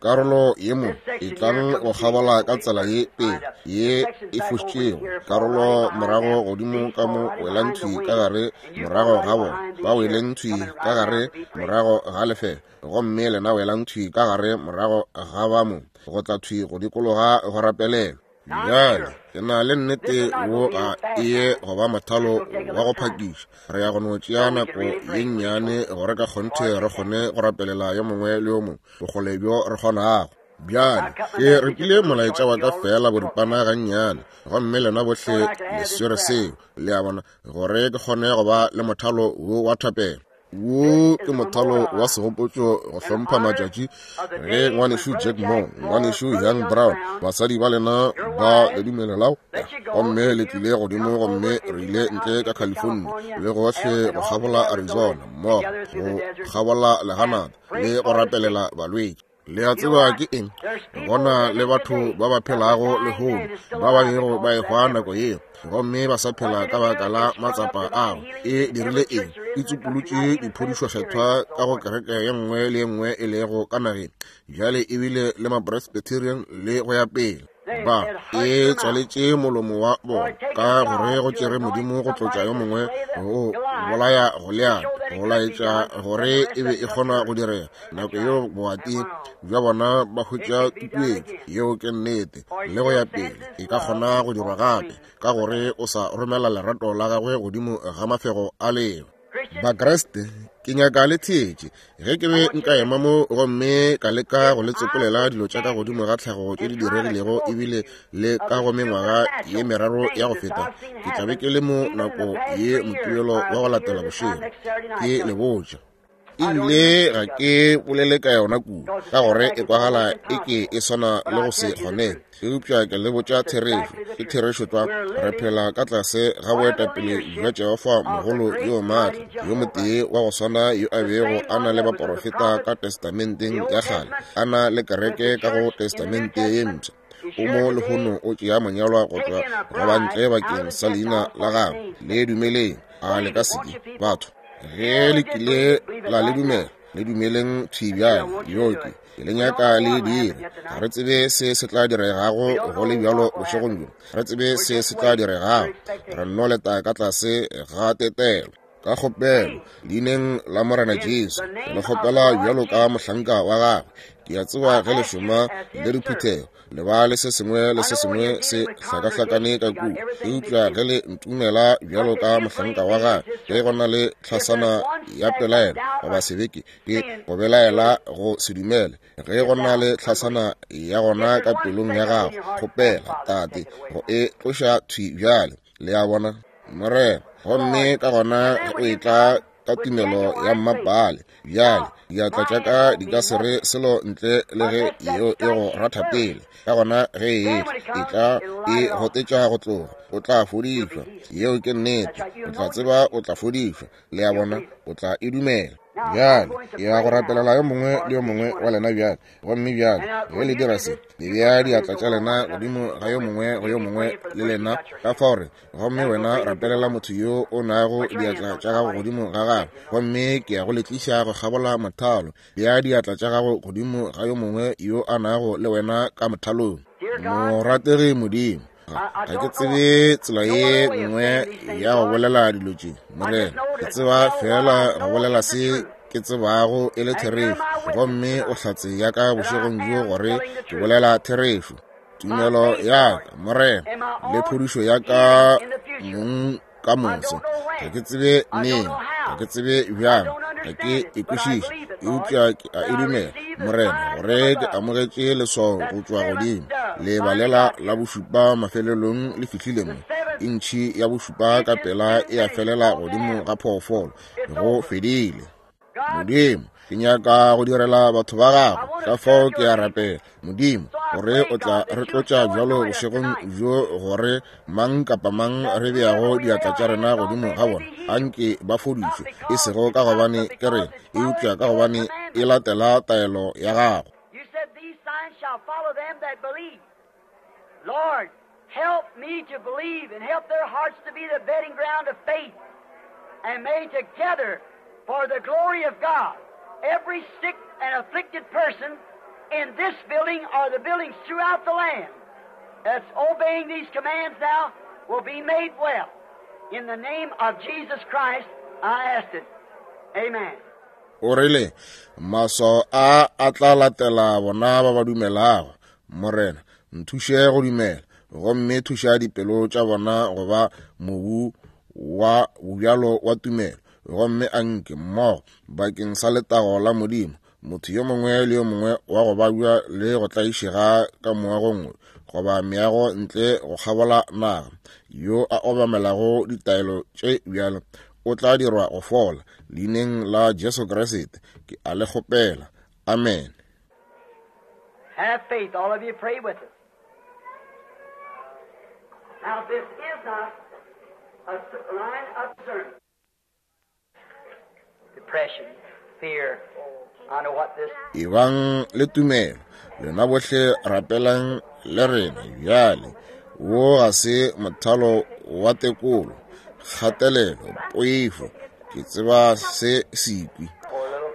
Karolo ye mo e tlang go kgabola ka tsela ye pele ye e fošitšego, karolo morago godimo ka mo welang thwi ka gare morago ga bona, ba weleng thwi ka gare morago ga lefelo, gomme lena welang thwi ka gare morago ga ba mo, go tla thwi go dikologa go rapelelwa. Bjale ke na le nnete wo ga e ye go ba mothalo wa go phakiša. Re ya go no tšea nako ye nnyane gore ka kgonthe re kgone go rapelela yo mongwe le yo mongwe bokgole bjo re kgonago. Bjale ke repile molaetša wa ka fela boripana gannyane, gomme lena bohle le swere seo, le a bona, gore ke kgone go ba le mothalo wo wa thapelo. Wo ke mothalo wa segopotšo go hlompha matšatši ge ngwanešu Jack Moore, ngwanešu Young Brown, basadi ba lena ba le dumelelago, gomme le tlile godimo, gomme re ile ntle ka California le gohle go kgabola Arizona mmogo go kgabola leganata le go rapelela balwetši. Le a tseba ke eng? Gona le batho ba ba phelago lehono ba ba bego ba ehwa nako yeo, gomme ba sa phela ka baka la matsapa ao. E dirile eng? E tsupolotše diphodišokgethwa ka go kereke ye nngwe le ye nngwe e lego ka nageng bjale, ebile le ma-Presbyterian le go ya pele. Ba e tswaletše molomo wa bona ka gore go tšere Modimo go tlotša yo mongwe go bolaya Goliath, go laetša gore e be e kgona go direga. Nako yeo boati bja bona ba hwetša tutuetšo, yeo ke nnete, le go ya pele. E ka kgona go dirwa gape ka gore o sa romela lerato la gagwe godimo ga mafego a leba. Bakreste, ke nyaka le theetše. Ge ke be nka ema mo gomme ka leka go le tsopolela dilo tša ka godimo ga tlhago tše di diregilego ebile le ka go mengwaga ye meraro ya go feta, ke tla be ke le mo nako ye Mokibelo wa go latela bošego. Ke le botša, ebile ga ke bolele ka yona kudu ka gore e kwagala e ke e swana le go se kgone, eupša ke le botša therešo. Ke therešo tlwa. Re phela ka tlase ga boetapele bja Jehofa mogolo yo maatla, yo motee wa go swana yo a bego a na le baporofeta ka testamenteng ya kgale, a na le kereke ka go testamente ye mpsha. O mo lehono o tšea monyalwa go tšwa go bantle bakeng sa leina la gagwe. Le dumeleng, a le ka seke batho. Ge le kile la le dumela, le dumeleng thwi bjale. Yo ke ke le nyaka le dire. Ga re tsebe se se tla diregago go le bjalo bošegong bjo. Re tsebe se se tla diregago. Re nno leta ka tlase ga tetelo. Ka kgopelo leineng la Morena Jesu, le kgopela bjalo ka mohlanka wa gagwe. Ke a tseba ge le šoma le diphuthego, le ba le se sengwe le se sengwe se hlakahlakane ka kua, eupša ge le ntumela bjalo ka mohlanka wa gagwe, ge go na le tlhasana ya pelaelo goba sebeke, ke go belaela go se dumele, ge go na le tlhasana ya gona ka pelong ya gago, kgopela Tate go e tloša thwi bjale. Le a bona, Morena? Gomme ka gona o e tla ka tumelo ya mmapale. Bjale diatla tša ka di ka se re selo ntle le ge yeo e go ratha pele. Ka gona ge e etla, e tla e gotetša go tloga, o tla fodišwa. Yeo ke nnete. O tla tseba o tla fodišwa. Le a bona, o tla e dumela. Bjale ke ya go rapelela yo mongwe le yo mongwe wa lena bjale. Gomme bjale ge le dira se, le bea diatla tša lena godimo ga yo mongwe go yo mongwe le lena ka fao re, gomme wena rapelela motho yo o nago diatla tša gago godimo ga gagwe. Gomme ke ya go le tliša go kgabola mothalo. Bea diatla tša gago godimo ga yo mongwe yo a nago le wena ka mothalong. Morategi Modimo, ga ke tsebe tsela ye nngwe ya go bolela dilo tše, Morena. Ke tseba fela go bolela se ke tsebago e le therešo, gomme o hlatse ya ka bošegong bjo gore ke bolela therešo. Tumelo ya ka, Morena, le phodišo ya ka mong ka moso. Ga ke tsebe neng, ga ke tsebe bjang, ga ke e kwešiše, eupša ke a e dumela, Morena, gore ke amogetše leswao go tšwa godimo. Lebalela la bošupa mafelelong le fihlile mo. Intšhi ya bošupa ka pela e a felela godimo ga phoofolo. Go fedile. Modimo, ke nyaka go direla batho ba gago, ka fao ke a rapela, Modimo, gore o tla re tlotša bjalo bošegong bjo gore mang kapa mang re beago diatla tša rena godimo ga bona, anke ba fodišwe, e sego ka gobane ke rena, eupša ka gobane e latela taelo ya gago. Lord, help me to believe and help their hearts to be the bedding ground of faith, and may together, for the glory of God, every sick and afflicted person in this building or the buildings throughout the land that's obeying these commands now will be made well. In the name of Jesus Christ, I ask it. Amen. O rile, maswao a a tla latela bona ba ba dumelago. Morena, nthuše go dumela, gomme thuša dipelo tša bona go ba mobu wa bobjalo wa tumelo. Gomme anke mmogo bakeng sa letago la Modimo, motho yo mongwe le yo mongwe wa go babja le go tlaišega ka moagong goba meago ntle go kgabola naga, yo a obamelago ditaelo tše bjalo, o tla dirwa go fola. Leineng la Jesu Kriste ke a le kgopela. Amen. Have faith, all of you pray with us. Now this is not a line of discernment. Depression, fear. I know what this. Ebang le tumelo, lena bohle rapelang le rena bjale. Wo ga se mothalo wa tekolo, kgatelelo, poifo. Ke tseba se sekwi,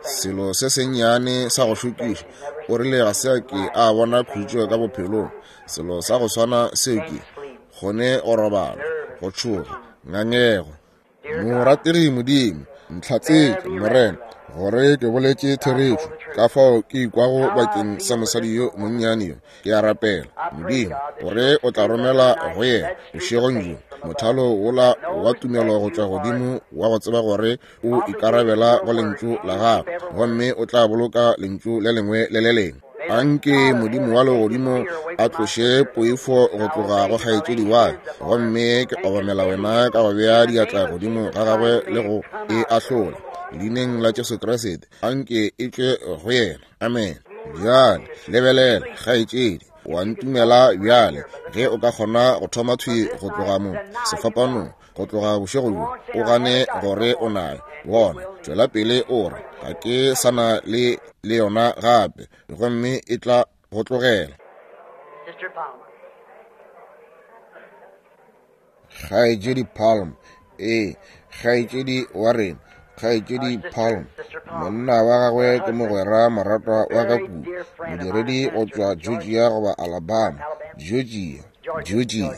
selo se sennyane sa go šokiša. O rile ga se a ke a bona khutšo ka bophelong. Selo sa go swana seo ke kgone go robala, go tšhoga, ngangego. Morategi Modimo, ntlhatsetše, Morena, gore ke boletše therešo. Ka fao ke ikwago bakeng sa mosadi yo monnyane yo. Ke a rapela, Modimo, gore o tla romela go yena bošegong bjo mothalo wola wa tumelo go tšwa godimo wa go tseba gore o ikarabela go lentšu la gagwe, gomme o tla boloka lentšu le lengwe le le lengwe. Anke Modimo wa legodimo a tloše poifo go tloga go kgaetšedi wa ka, gomme ke obamela wena ka go bea diatla godimo ga gagwe le go e ahlola. Leineng la Jesu Kriste, anke e tšwe go yena. Amen. Bjale lebelela, kgaetšedi, wa ntumela bjale ge o ka kgona go thoma thwi go tloga mo sefapanong, go tloga bošego bjo, o gane gore o nayo. Bona, tšwela pele o re, ga ke sa na le le yona gape, gomme e tla go tlogela. Kgaetšedi Palm, ee, kgaetšedi wa rena, kgaetšedi Palm, monna wa gagwe ke mogwera moratwa wa ka kudu, modiredi go tšwa Georgia goba Alabama, Georgia, Georgia.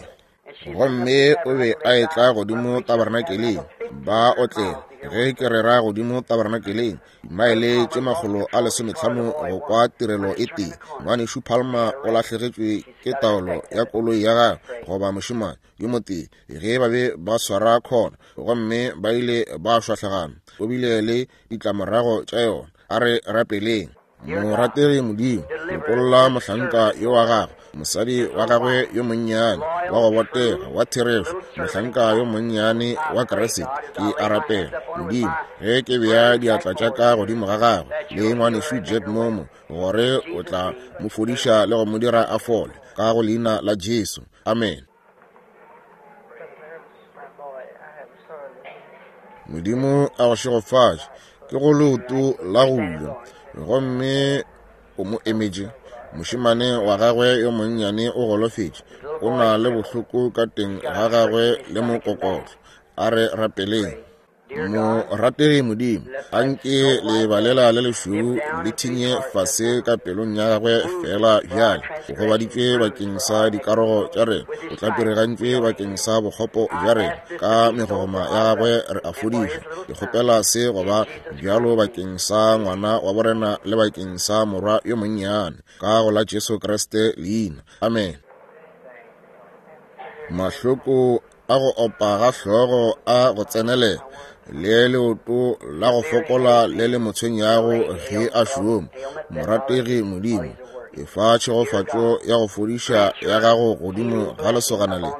Gomme o be a etla godimo tabernakeleng, ba otlela ge ke rera godimo tabernakeleng, dimaele tše makgolo a lesometlhano go kwa tirelo e tee. Ngwanešu Palmer o lahlegetšwe ke taolo ya koloi ya gagwe goba mošemane yo motee ge ba be ba swara khona, gomme ba ile ba šwahlegana. O bile le ditlamorago tša yona. A re rapeleng. Morategi Modimo, lokolla mohlanka yo wa gagwe Mosadi wa gagwe yo monnyane wa go botega wa therešo, mohlanka yo monnyane wa Kriste, ke a rapela Modimo, ge ke bea diatla tša ka godimo ga gagwe le ngwanešu Jack Momo, gore o tla mo fodiša le go mo dira a fole, ka go leina la Jesu. Amen. Modimo a go šegofatše. Ke go leoto la go ja, gomme o mo emetše. Mošemane wa gagwe yo monnyane o golofetše, o na le bohloko ka teng ga gagwe le mokokotlo. A re rapeleng. Morategi Modimo, anke lebalela le lešweu le thinye fase ka pelong ya gagwe fela bjale. O gobaditšwe bakeng sa dikarogo tša rena, o tlapirigantšwe bakeng sa bokgopo bja rena, ka megogoma ya gagwe re a fodišwa. Ke kgopela se go ba bjalo bakeng sa ngwana wa borena le bakeng sa morwa yo monnyane, ka go la Jesu Kriste leina. Amen. Mahloko a go opa ga hlogo a go tsenelela, le leoto la go fokola le le mo tshwenyago ge a šoma. Morategi Modimo, efa tšhegofatšo ya go fodiša ya gago godimo ga lesogana le,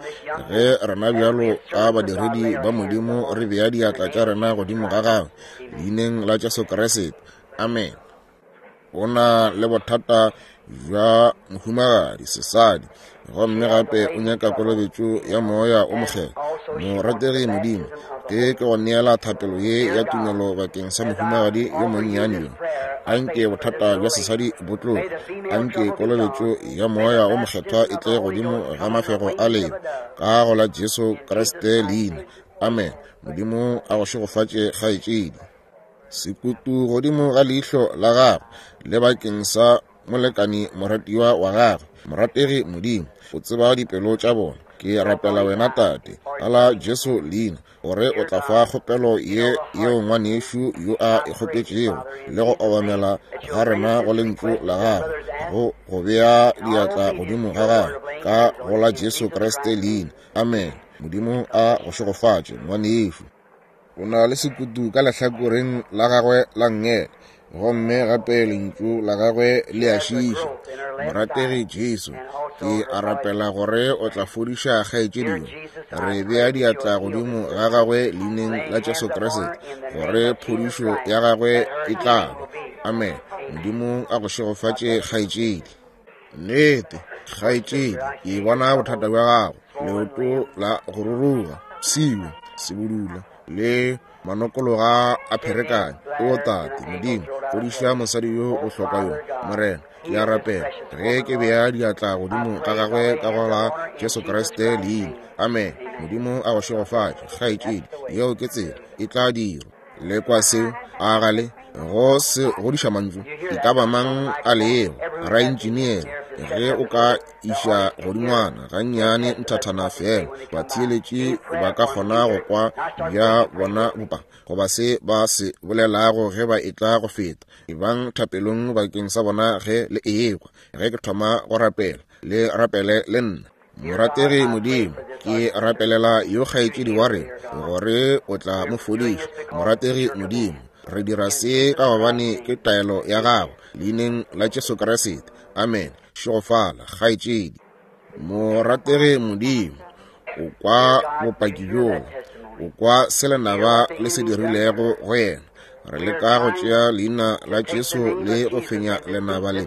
ge rena bjalo ka badiredi ba Modimo re bea diatla tša rena godimo ga gagwe, leineng la Jesu Kriste. Amen. O na le bothata bja mohumagadi sesadi, gomme gape o nyaka kolobetšo ya moya o mokgethwa. Morategi Modimo, ke ke go neela thapelo ye ya tumelo bakeng sa mohumagadi yo monnyane yo. Anke bothata bja sesadi bo tloge, anke kolobetšo ya moya o mokgethwa e tle godimo ga mafego a leo, ka go la Jesu Kriste leina. Amen. Modimo a go šegofatše kgaetšedi. Sekutu godimo ga leihlo la gagwe le bakeng sa molekani moratiwa wa gagwe. Morategi Modimo, o tseba dipelo tša bona. Ke rapela wena Tate, ka la Jesu leina, gore o tla fa kgopelo ye yeo ngwanešu yo a e kgopetšego, le go obamela ga rena go lentšu la gagwe, go go bea diatla godimo ga gagwe, ka go la Jesu Kriste leina. Amen. Modimo a go šegofatše ngwanešu. O na le sekutu ka lehlakoreng la gagwe la nngele, gomme gape lentšu la gagwe le a šiiša. Morategi Jesu, ke a rapela gore o tla fodiša kgaetšedi yo. Re bea diatla godimo ga gagwe leineng la Jesu Kriste, gore phodišo ya gagwe e tla ba. Amen. Modimo a go šegofatše kgaetšedi. Nnete kgaetšedi, ke bona bothata bja gago, leoto la go ruruga, pshiwe, sebudula le manokologa a pherekane. O Tate Modimo, fodiša mosadi yo bohlokwa yo. Morena, ke a rapela ge ke bea diatla godimo ga gagwe ka go la Jesu Kriste leina. Amen. Modimo a go šegofatše kgaetšedi. Yeo ke tsela e tla dirwa. Le kwa seo a gale go se godiša mantšu e ka ba mang a lego raentšiniere, ge o ka iša godingwana gannyane nthathana fela, batheeletši ba ka kgona go kwa bja bona bopa goba se ba se bolelago ge ba etla go feta. Ebang thapelong bakeng sa bona ge le ekwa. Ge ke thoma go rapela, le rapele le nna. Morategi Modimo, ke rapelela yo kgaetšedi wa rena, gore o tla mo fodiša. Morategi Modimo, re dira se ka gobane ke taelo ya gago, leineng la Jesu Kriste. Amen. Šegofala kgaetšedi. Morategi Modimo, o kwa bopaki bjola, o kwa se lenaba le se dirilego go yena. Re leka go tšea leina la Jesu le go fenya lenaba le.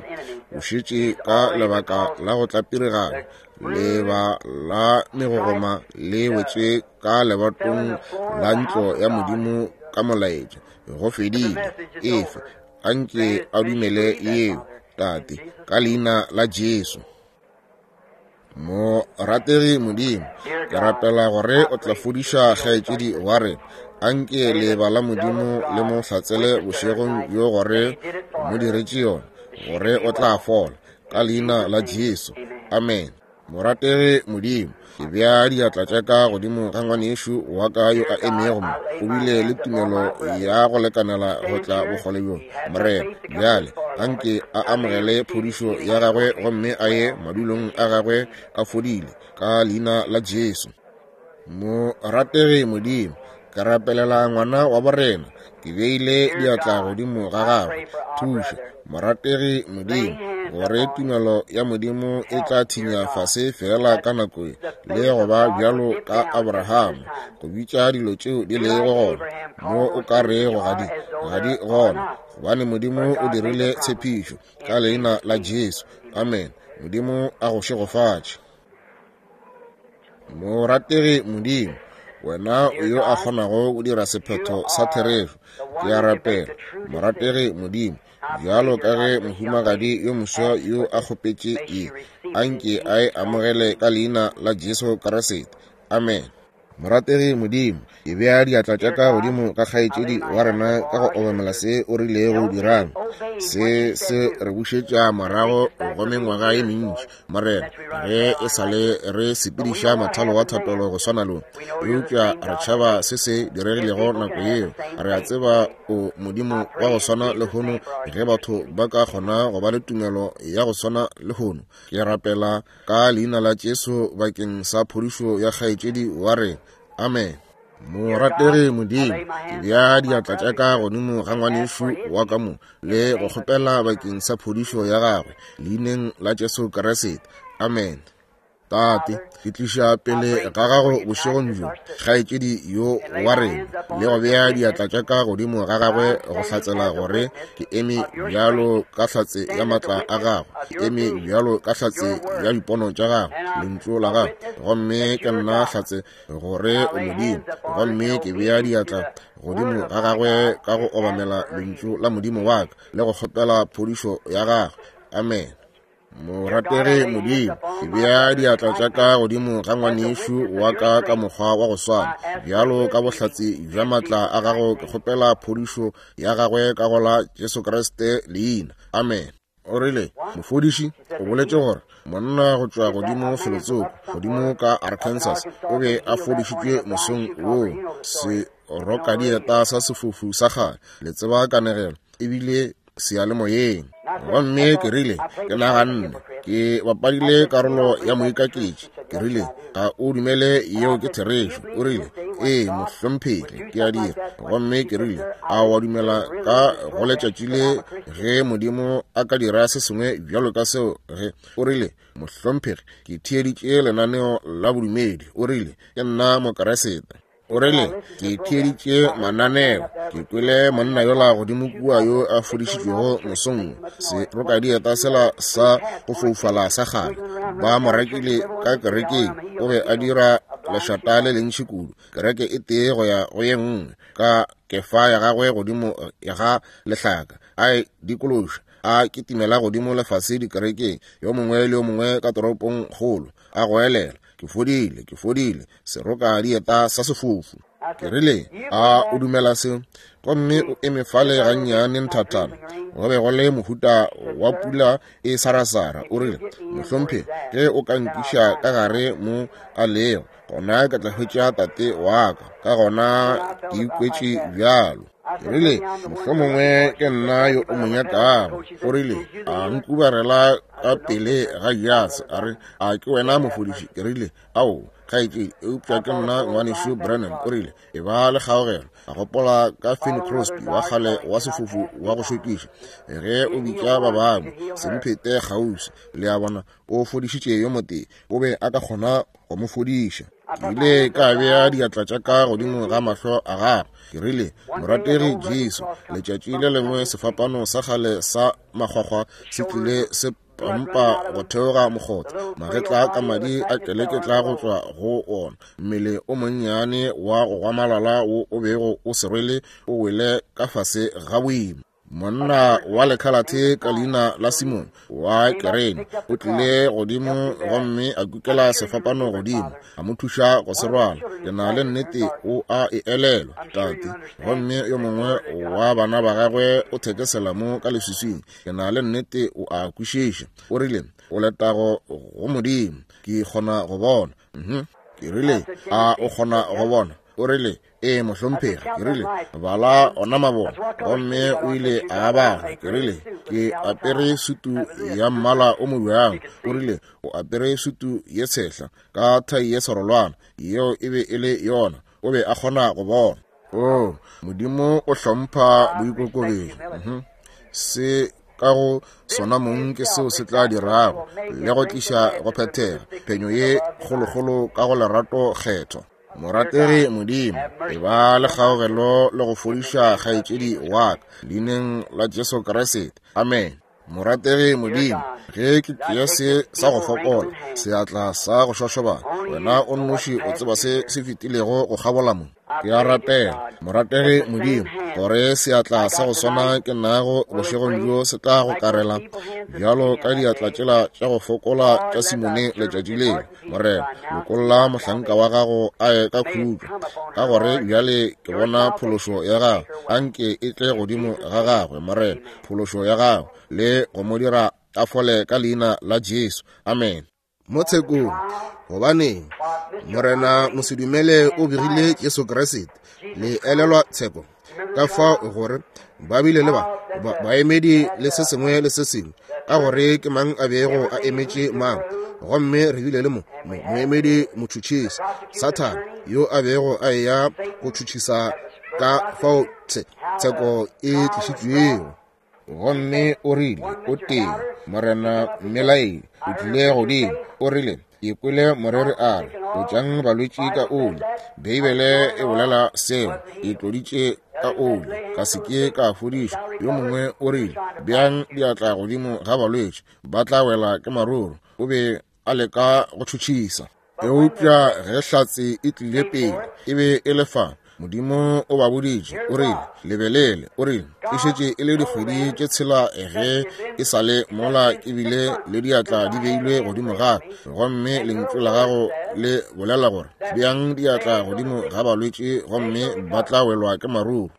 O šetše ka lebaka la go tlapirigana, leba la megogoma le wetše ka lebatong la ntlo ya Modimo ka molaetša. Go fedile. Efe anke a dumele yeo, Tate, ka leina la Jesu. Morategi Modimo, ke rapela gore o tla fodiša kgaetšedi wa rena. Anke leba la Modimo le mo hlatsele bošegong bjo gore o mo diretše yona, gore o tla fola, ka leina la Jesu. Amen. Morategi Modimo, ke bea diatla tša ka godimo ga ngwanešu wa ka yo a emego mo. O bile le tumelo ya go lekanela go tla bokgole bjo. Morena, bjale anke a amogele phodišo ya gagwe gomme a ye madulong a gagwe a fodile, ka leina la Jesu. Morategi Modimo, ke rapelela ngwana wa borena, ke beile diatla godimo ga gagwe. Thuša morategi Modimo, gore tumelo ya Modimo e tla thinya fase feela ka nako ye, le go ba bjalo ka Abraham, go bitša dilo tšeo di lego gona mo o ka rego ga di ga di gona, gobane Modimo o dirile tshepišo ka leina la Jesu. Amen. Modimo a go šegofatše. Morategi Modimo, wena yo a kgonago go dira sephetho sa therešo, ke a rapela, morategi Modimo, bjalo ka ge mohumagadi yo moswa yo a kgopetše ye, anke a e amogele ka leina la Jesu Kriste. Amen. Morategi Modimo, ke bea diatla tša ka godimo ga kgaetšedi wa rena ka go obamela se o rilego dirang. Se se re bušetša morago go mengwaga ye mentši, Morena, ge e sa le re sepediša mothalo wa thapelo go swana lo, eupša re tšhaba se se diregilego nako yeo. Re a tseba o Modimo wa go swana lehono, ge batho ba ka kgona go ba le tumelo ya go swana lehono. Ke rapela ka leina la Jesu bakeng sa phodišo ya kgaetšedi wa rena. Amen. Morategi Modimo, ke bea diatla tša ka godimo ga ngwanešu wa ka mo le go kgopela bakeng sa phodišo ya gagwe leineng la Jesu Kriste. Amen. Tate, ke tliša pele ga gago bošegong bjo kgaetšedi yo wa rena le go bea diatla tša ka godimo ga gagwe go hlatsela gore ke eme bjalo ka hlatse ya matla a gagwe, ke eme bjalo ka hlatse ya dipono tša gagwe, lentšu la gagwe, gomme ke nna hlatse gore o Modimo, gomme ke bea diatla godimo ga gagwe ka go obamela lentšu la Modimo wa ka le go kgopela phodišo ya gagwe. Amen. Morategi Modimo, ke bea diatla tša ka godimo ga ngwanešu wa ka ka mokgwa wa go swana, bjalo ka bohlatse bja matla a gago, ke kgopela phodišo ya gagwe ka go la Jesu Kriste leina. Amen. O rile, mofodiši o boletše gore monna go tšwa godimo felotsoko godimo ka Arkansas o be a fodišitšwe mosong woo, se rokadieta sa sefofu sa kgale, le tseba kanegelo, ebile seyalemoyeng. Gomme ke rile, ke naganne ke bapadile karolo ya moikaketši. Ke rile, ga o dumele yeo ke therešo? O rile, ee mohlomphegi, ke a dira. Gomme ke rile, a wa dumela ka go letšatši le ge Modimo a ka dira se sengwe bjalo ka seo? Ge o rile, mohlomphegi, ke theeditše lenaneo la bodumedi. O rile, ke nna Mokeresete. O rile, ke theeditše mananeo, ke kwele monna yola godimo kua yo a fodišitšwego mosong, se rokadieta sela sa go foufala sa kgale, ba mo rekile ka kerekeng, o be a dira lešata le lentši kudu, kereke e tee go ya go ye nngwe, ka kefa ya gagwe godimo ga lehlaka, a e dikološa, a kitimela godimo lefase dikerekeng, yo mongwe le yo mongwe ka toropong kgolo, a goelela, ke fodile, ke fodile, seroka dieta sa sefofu. Ke rile, a o dumela seo? Gomme o eme fale gannyane nthathana, go be go le mohuta wa pula e sarasara. O rile, mohlomphegi, ge o ka nkiša ka gare mo a lego, gona ke tla hwetša tate wa ka, ka gona ke ikwetše bjalo. Ke rile, mohlomongwe ke nna yo o mo nyakago. O rile, a nkubarela ka pele ga jase, a re, a ke wena mofodiši? Ke rile, ao, kgaetšedi, eupša ke nna ngwanešu Branham. O rile, e ba le kgaogelo. A gopola ka Finn Crosby wa kgale wa sefofu wa go šokiša, ge o bitša ba bangwe, se mphete kgauswi. Le a bona, o fodišitše yo motee, o be a ka kgona go mo fodiša. Ke ile ka bea diatla tša ka godimo ga mahlo a gagwe. Ke rile, morategi Jesu, letšatši le lengwe sefapano sa kgale sa makgwakgwa se tlile se pampa go theoga mokgotha, magetla ka madi a keleketla go tšwa go ona, mmele o monnyane wa go gwamalala wo o bego o se rwele o wele ka fase ga boima. Monna wa lekhalathe ka leina la Simon wa Kerene o tlile godimo gomme a kukela sefapano godimo, a mo thuša go se rwala. Ke na le nnete o a e elelwa, tate. Gomme yo mongwe wa bana ba gagwe o thekesela mo ka leswiswing. Ke na le nnete o a kwešiša. O rile, o letago go Modimo, ke kgona go bona. Mhm. Ke rile, a o kgona go bona? O rile, ee mohlomphegi. Ke rile, bala ona mabone. Gomme o ile a bala. Ke rile, ke apere sutu ya mmala o mobjang. O rile, o apere sutu ye tshehla ka thai ye serolwana. Yeo e be e le yona. O be a kgona go bona. Oh, Modimo o hlompha boikokobetšo. Mhm. Se ka go sona mong ke seo se tla dirago le go tliša go phethega phenyo ye kgolokgolo ka go lerato kgetho. Morategi Modimo, e ba le kgaogelo le go fodiša kgaetšedi wa ka leineng la Jesu Kriste. Amen. Morategi Modimo, ge ke tšea se sa go fokola, seatla sa go šošobana, wena o nnoši o tseba se se fetilego go kgabola mo. Ke a rapela, morategi Modimo, gore seatla sa go swana ke nago bošegong bjo se tla go karela bjalo ka diatla tšela tša go fokola tša Simone letšatši leo. Morena, lokolla mohlanka wa gago a ye ka khutšo, ka gore bjale ke bona phološo ya gago. Anke e tle godimo ga gagwe, Morena, phološo ya gago, le go mo dira a fole ka leina la Jesu. Amen. Mo tshekong, gobaneng Morena mosedumele o begile Jesu Kriste, le elelwa tsheko ka fao gore ba bile le ba baemedi le se sengwe le se sengwe, ka gore ke mang a bego a emetše mang. Gomme re bile le mo moemedi motšhotšhisi Sathane yo a bego a eya go tšhotšhisa ka fao tsheko e tlišitšwego. Gomme o rile, o tee Morena mmelaedi o tlile godimo, o rile, ke kwele moreri a re, tlotšang balwetši ka oli. Beibele e bolela seo, e tloditše ka oli, ka se ke ka fodišwa. Yo mongwe o rile, beang diatla godimo ga balwetši, ba tla wela ke maruru. O be a leka go tšhotšhisa. Eupša ge hlatse e tlile pele, e be e le fa. Modimo o ba boditše, o rile, lebelele, o rile, e šetše e le dikgwedi tše tshela ge e sa le mola ke bile le diatla di beilwe godimo ga ka, gomme lentšu la gago le bolela gore beang diatla godimo ga balwetši gomme ba tla welwa ke maruru.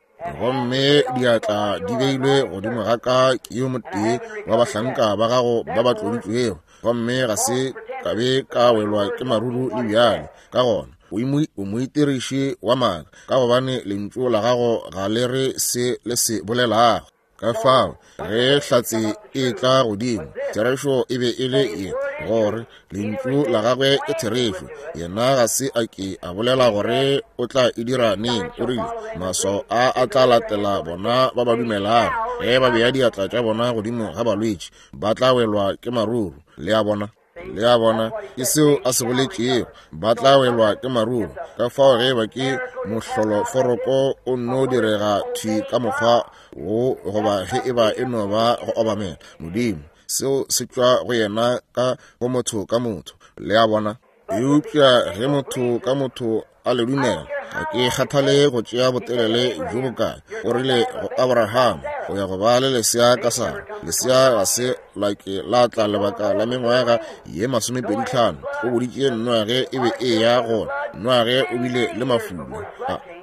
Gomme diatla di beilwe godimo ga ka ke yo motee wa bahlanka ba gago ba ba tloditšwego, gomme ga se ka be ka welwa ke maruru le bjale. Ka gona o moitiriši wa maaka, ka gobane lentšu la gago ga le re se le se bolelago. Ka fao ge hlatse e tla godimo, therešo e be e le ye, gore lentšu la gagwe ke therešo. Yena ga se a ke a bolela gore o tla e dira neng. O rile, maswao a a tla latela bona ba ba dumelago, ge ba bea diatla tša bona godimo ga balwetši, ba tla welwa ke maruru. Le a bona? Le a bona, ke seo a se boletšego, ba tla welwa ke maruru. Ka fao ge ba ke mohloloforoko o nno direga thwi ka mokgwa wo, goba ge e ba e no ba go obamela Modimo, seo se tšwa go yena ka go motho ka motho. Le a bona? Eupša ge motho ka motho a le dumela, ga ke kgathale go tšea botelele bjo bokae. O rile go Abraham, o ya go ba le lesea ka Sara. Lesea ga se la ke la tla lebaka la mengwaga ye masomepedi tlhano. O boditše Noage e be e ya gona. Noage o bile le mafula,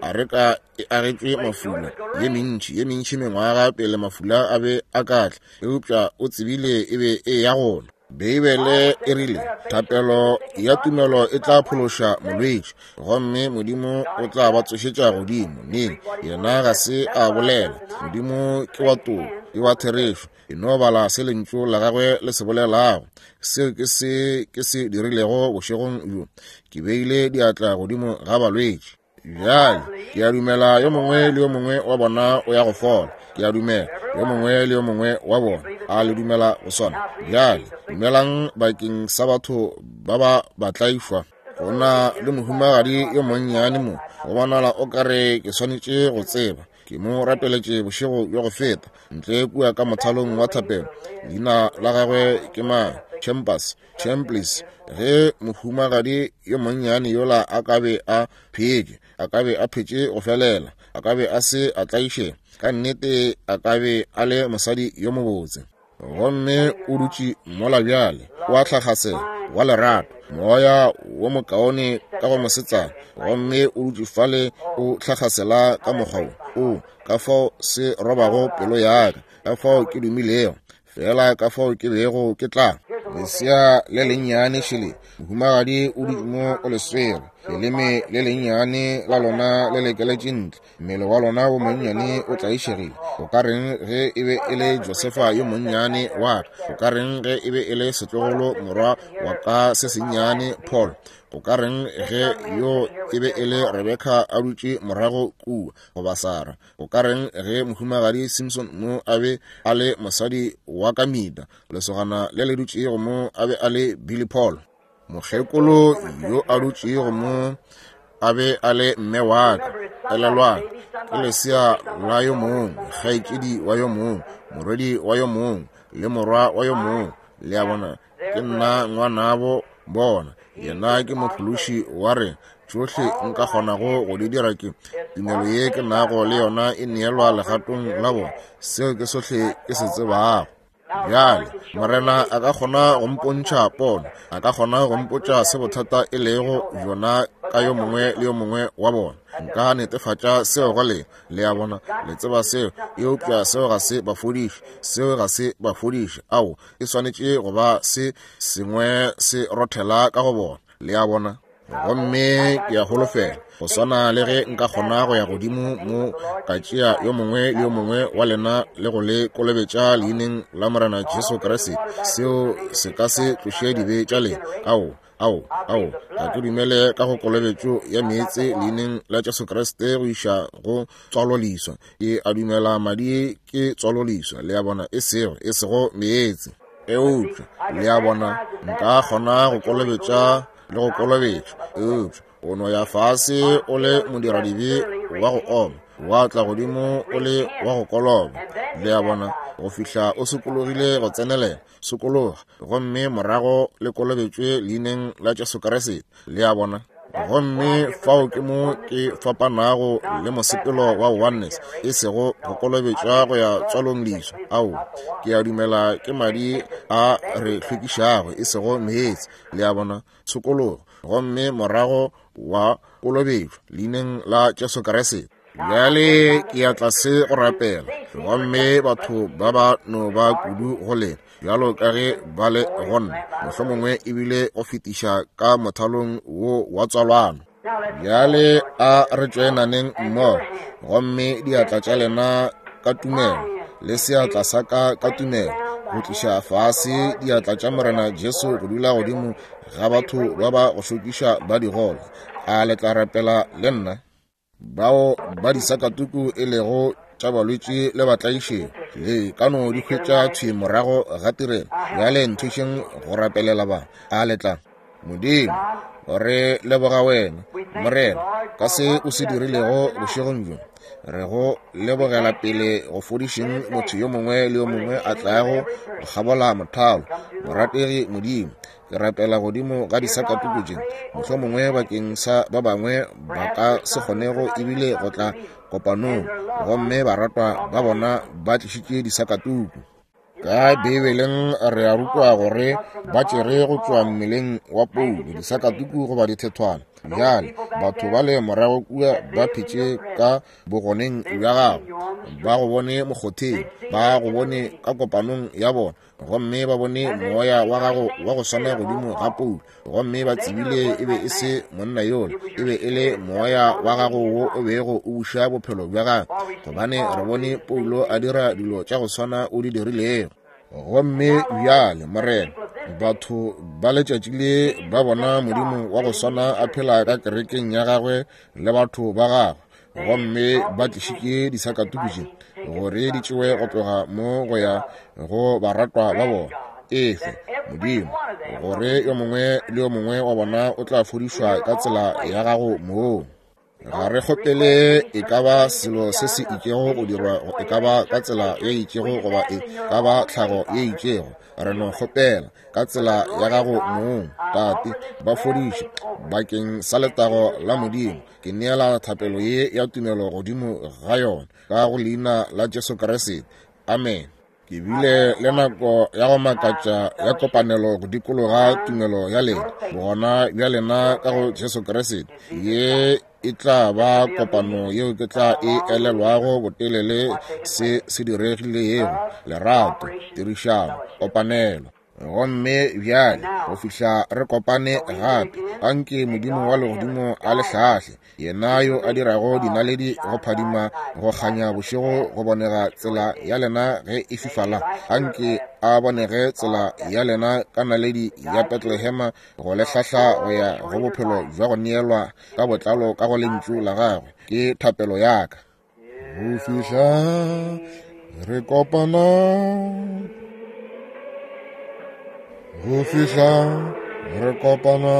a re ka e agetšwe mafula ye mentši ye mentši mengwaga pele mafula a be a ka tla, eupša o tsebile e be e ya gona. Beibele e rile, thapelo ya tumelo e tla phološa molwetši, gomme Modimo o tla ba tsošetša godimo. Neng? Yena ga se a bolela. Modimo ke wa toko, ke wa therešo. E no bala se lentšu la gagwe le se bolelago. Seo ke se ke se dirilego bošegong bjo. Ke beile diatla godimo ga balwetši. Bjale ke a dumela yo mongwe le yo mongwe wa bona o ya go fola. Ke a dumela yo mongwe le yo mongwe wa bona a le dumela go sona. Bjale dumelang bakeng sa batho ba ba batlaišwa. Go na le mohumagadi yo monnyane mo, go bonala o kare ke swanetše go tseba. Ke mo rapeletše bošego bjo go feta ntle kua ka mothalong wa thapelo. Leina la gagwe ke mang? Chambers, Chambers. Ge mohumagadi yo monnyane yola a ka be a phetše, a ka be a phetše go felela, a ka be a se a tlaišega, ka nnete a ka be a le mosadi yo mobotse. Gomme o dutše mola bjale, o a tlhakgasela, wa lerato, moya wo mokaone ka go mosetsana, gomme o dutše fale o tlhakgasela ka mokgwa wo o ka fao se robago pelo ya ka, ka fao ke dumilego fela, ka fao ke bego ke tla. Lesea le lennyane šele, mohumagadi o dutše mo o le swere. Leleme le lennyane la lona le lekeletše ntle, mmele wa lona wo monnyane o tlaišegile. O ka reng ge e be e le Josefa yo monnyane wa ka? O ka reng ge e be e le setlogolo morwa wa ka se sennyane Paul? O ka reng ge yo e be e le Rebecca a dutše morago kua, goba Sarah? O ka reng ge mohumagadi Simpson mo a be a le mosadi wa ka Mida, lesogana le le dutšego mo a be a le Billy Paul? Mokgekolo yo a dutšego mo a be a le mme wa ka. Elelwang, ke lesea la yo mongwe, kgaetšedi wa yo mongwe, morwedi wa yo mongwe, le morwa wa yo mongwe. Le a bona, ke nna ngwanabo bona. Yena ke mophološi wa rena. Tšohle nka kgonago go di dira ke tumelo ye ke nago le yona e neelwa legatong la bona. Seo ke sohle ke se tsebago. Bjale Morena a ka kgona go mpontšha pono, a ka kgona go mpotša se bothata e lego bjona ka yo mongwe le yo mongwe wa bona. Nka netefatša seo go lena. Le a bona, le tseba seo, eupša seo ga se ba fodiše, seo ga se ba fodiše. Ao, e swanetše go ba se sengwe se rothela ka go bona. Le a bona. Gomme ke a holofela go swana le ge nka kgona go ya godimo mo ka tšea yo mongwe le yo mongwe wa lena le go le kolobetša leineng la Morena Jesu Kriste, seo se ka se tloše dibe tša lena. Ao, ao, ao, ga ke dumele ka go kolobetšo ya meetse leineng la Jesu Kriste go iša go tswaloleswa. Ke a dumela madi ke tswaloleswa, le a bona, e sego, e sego meetse. Eupša, le a bona, nka kgona go kolobetša le go kolobetšwa, eupša o no ya fase o le modiradibe wa go oma, wa tla godimo o le wa go koloba. Le a bona, go fihla o sokologile go tsenelela, sokologa, gomme morago le kolobetšwe leineng la Jesu Kriste. Le a bona. Gomme fao ke mo ke fapanago le mosepelo wa oneness, e sego go kolobetšwa go ya tswalong leswa. Ao, ke a dumela ke madi a re hlwekišago, e sego meetse. Le a bona, tshokologo, gomme morago wa kolobetšwa leineng la Jesu Kriste. Bjale ke ya tlase go rapela, gomme batho ba ba no ba kudu go lena bjalo ka ge ba le go nna, mohlomongwe ebile go fetiša ka mothalong wo wa tswalano. Bjale a re tšoenaneng mmogo, gomme diatla tša lena ka tumelo le seatla sa ka ka tumelo, go tliša fase diatla tša Morena Jesu go dula godimo ga batho ba ba go šokiša ba digole. A le tla rapela le nna? Bao ba disakatuku e lego tša balwetši le batlaišego, le ka no di hwetša thwi morago ga tirelo. Bjale nthušeng go rapelela ba. A le tla? Modimo, re leboga wena, Morena, ka se o se dirilego bošegong bjo. Re go lebogela pele go fodišeng motho yo mongwe le yo mongwe a tlago go kgabola mothalo. Morategi Modimo, ke rapela godimo ga disakatuku tše, mohlomongwe bakeng sa ba bangwe ba ka se kgonego ebile go tla kopanong, gomme baratwa ba bona ba tlišitše disakatuku. Ka Beibeleng re a rutwa gore ba tšere go tšwa mmeleng wa Paulo disakatuku goba dithethwana. Bjale batho ba le morago kua ba phetše ka bogoneng bja gago, ba go bone mokgotheng, ba go bone ka kopanong ya bona, gomme ba bone moya wa gago wa go swana godimo ga Paulo, gomme ba tsebile e be e se monna yola, e be e le moya wa gago wo o bego o buša bophelo bja gagwe, gobane re bone Paulo a dira dilo tša go swana o di dirilego. Gomme bjale Morena, batho ba letšatši le ba bona Modimo wa go swana a phela ka kerekeng ya gagwe le batho ba gagwe, gomme ba tlišitše disakatuku tše gore di tšewe go tloga mo go ya go baratwa ba bona. Efe Modimo, gore yo mongwe le yo mongwe wa bona o tla fodišwa ka tsela ya gago moo. Ga re kgopele e ka ba selo se se itšego go dirwa, e ka ba ka tsela ye itšego goba e ka ba tlhago ye itšego. Re no kgopela ka tsela ya gago mong, Tate, ba fodiše bakeng sa letago la Modimo. Ke neela thapelo ye ya tumelo godimo ga yona ka go leina la Jesu Kriste. Amen. Ke bile le nako ya go makatša ya kopanelo go dikologa tumelo ya lena, bogona bja lena ka go Jesu Kriste. Ye e tla ba kopano yeo ke tla e elelwago botelele se se diregilego. Lerato, tirišano, kopanelo. Gomme bjale go fihla re kopane gape, anke Modimo wa legodimo a le hlahle, yena yo a dirago dinaledi go phadima go kganya bošego go bonega tsela ya lena ge e fifala, anke a bonege tsela ya lena ka naledi ya Betlehema go le hlahla go ya go bophelo bja go neelwa ka botlalo ka go lentšu la gagwe. Ke thapelo ya ka. Go fihla re kopana, go fihla re kopana,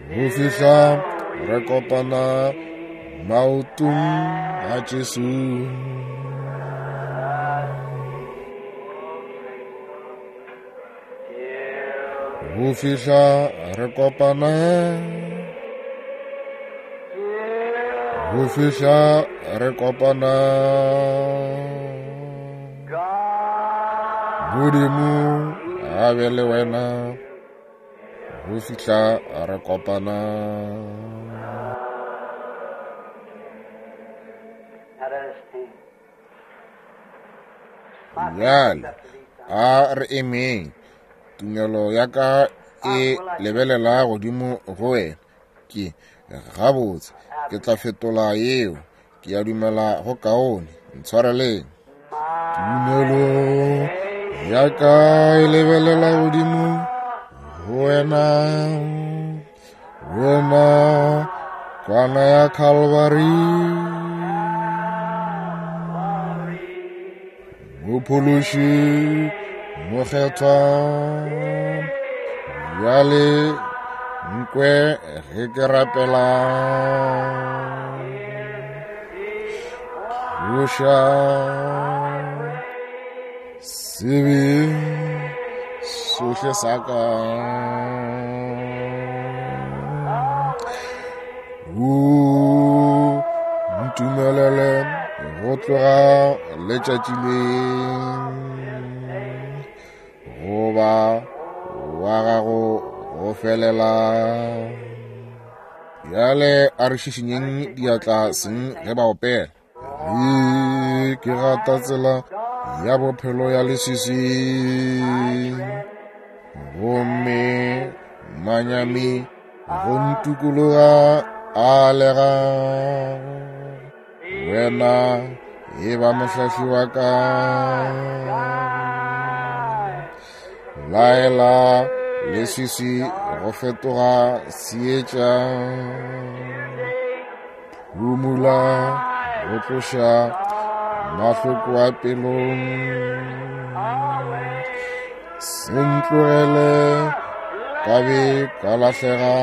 go fihla re kopana maotong a Jesu. Go fihla re kopana, go fihla re kopana, Modimo a be le wena go fihla re kopana. Bjale a re emeng. Tumelo ya ka e lebelela godimo go wena. Ke gabotse ke tla fetola yeo. Ke a dumela go kaone. Ntshwareleng. Tumelo ya ka e lebelela godimo go wena, wena kwana ya Calvary, Mophološi mokgethwa. Bjale nkwe ge ke rapela, tloša sebe sohle sa ka, o ntumelele go tloga letšatši le goba wa gago go felela. Bjale a re šišinyeng diatla seng ge ba opela. Ge ke gata tsela ya bophelo ya leswiswi, gomme manyami go ntukologa a lega, wena e ba mohlahli wa ka. Laela leswiswi go fetoga seetša, phumula go tloša mahloko a pelong, se ntlogele ka be ka lahlega,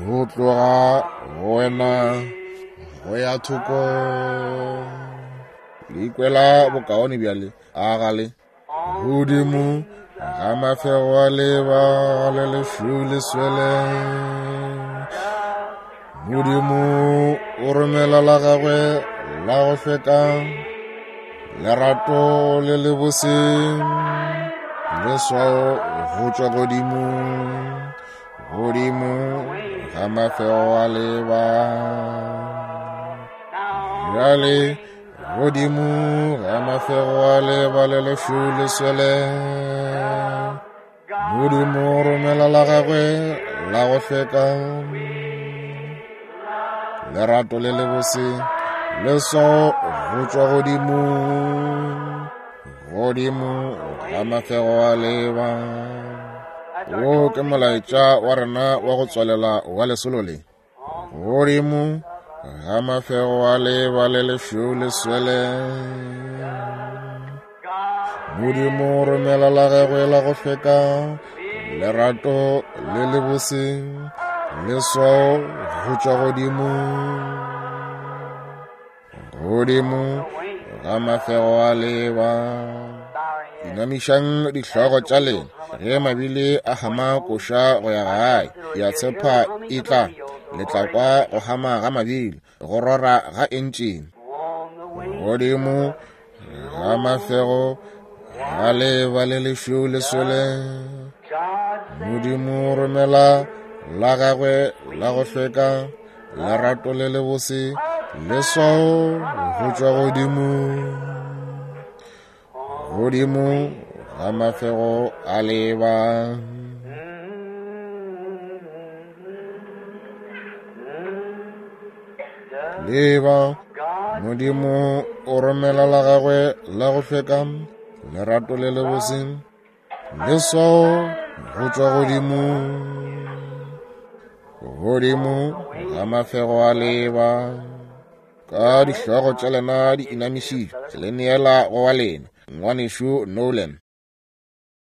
go tloga go wena go ya thoko. Le ikwela bokaone bjale, a gale godimo ga mafego a leba le lešweu le swele, Modimo o romela la gagwe la go hlweka, lerato le lebose, leswao go tšwa godimo, godimo ga mafego a leba. Bjale godimo ga mafego a leba le lešweu le swele, Modimo o romela la gagwe la go hlweka, lerato le lebose, leswao go tšwa godimo, godimo ga mafego a leba. Wo ke molaetša wa rena wa go tswalela wa lesolo le. Godimo ga mafego a leba le lešweu le swele, Modimo o romela la gagwe la go hlweka, lerato le lebose, leswao go tšwa godimo, godimo ga mafego a leba. Inamišang dihlogo tša lena ge mabile a hama koša go ya gae. Ke a tshepa e tla le tla kwa go hama ga mabile, go rora ga entšene. Godimo ga mafego ga leba le lešweu le swele, Modimo romela la gagwe la go hlweka, lerato le lebose, Leswao go tšwa godimo, godimo ga mafego a leba. Leba, Modimo o romela la gagwe la go hlweka, lerato le lebose, leswao go tšwa godimo, godimo ga mafego a leba. Ka dihlogo tša lena di inamišitšwe, le neela go wa lena, ngwanešu Nolan.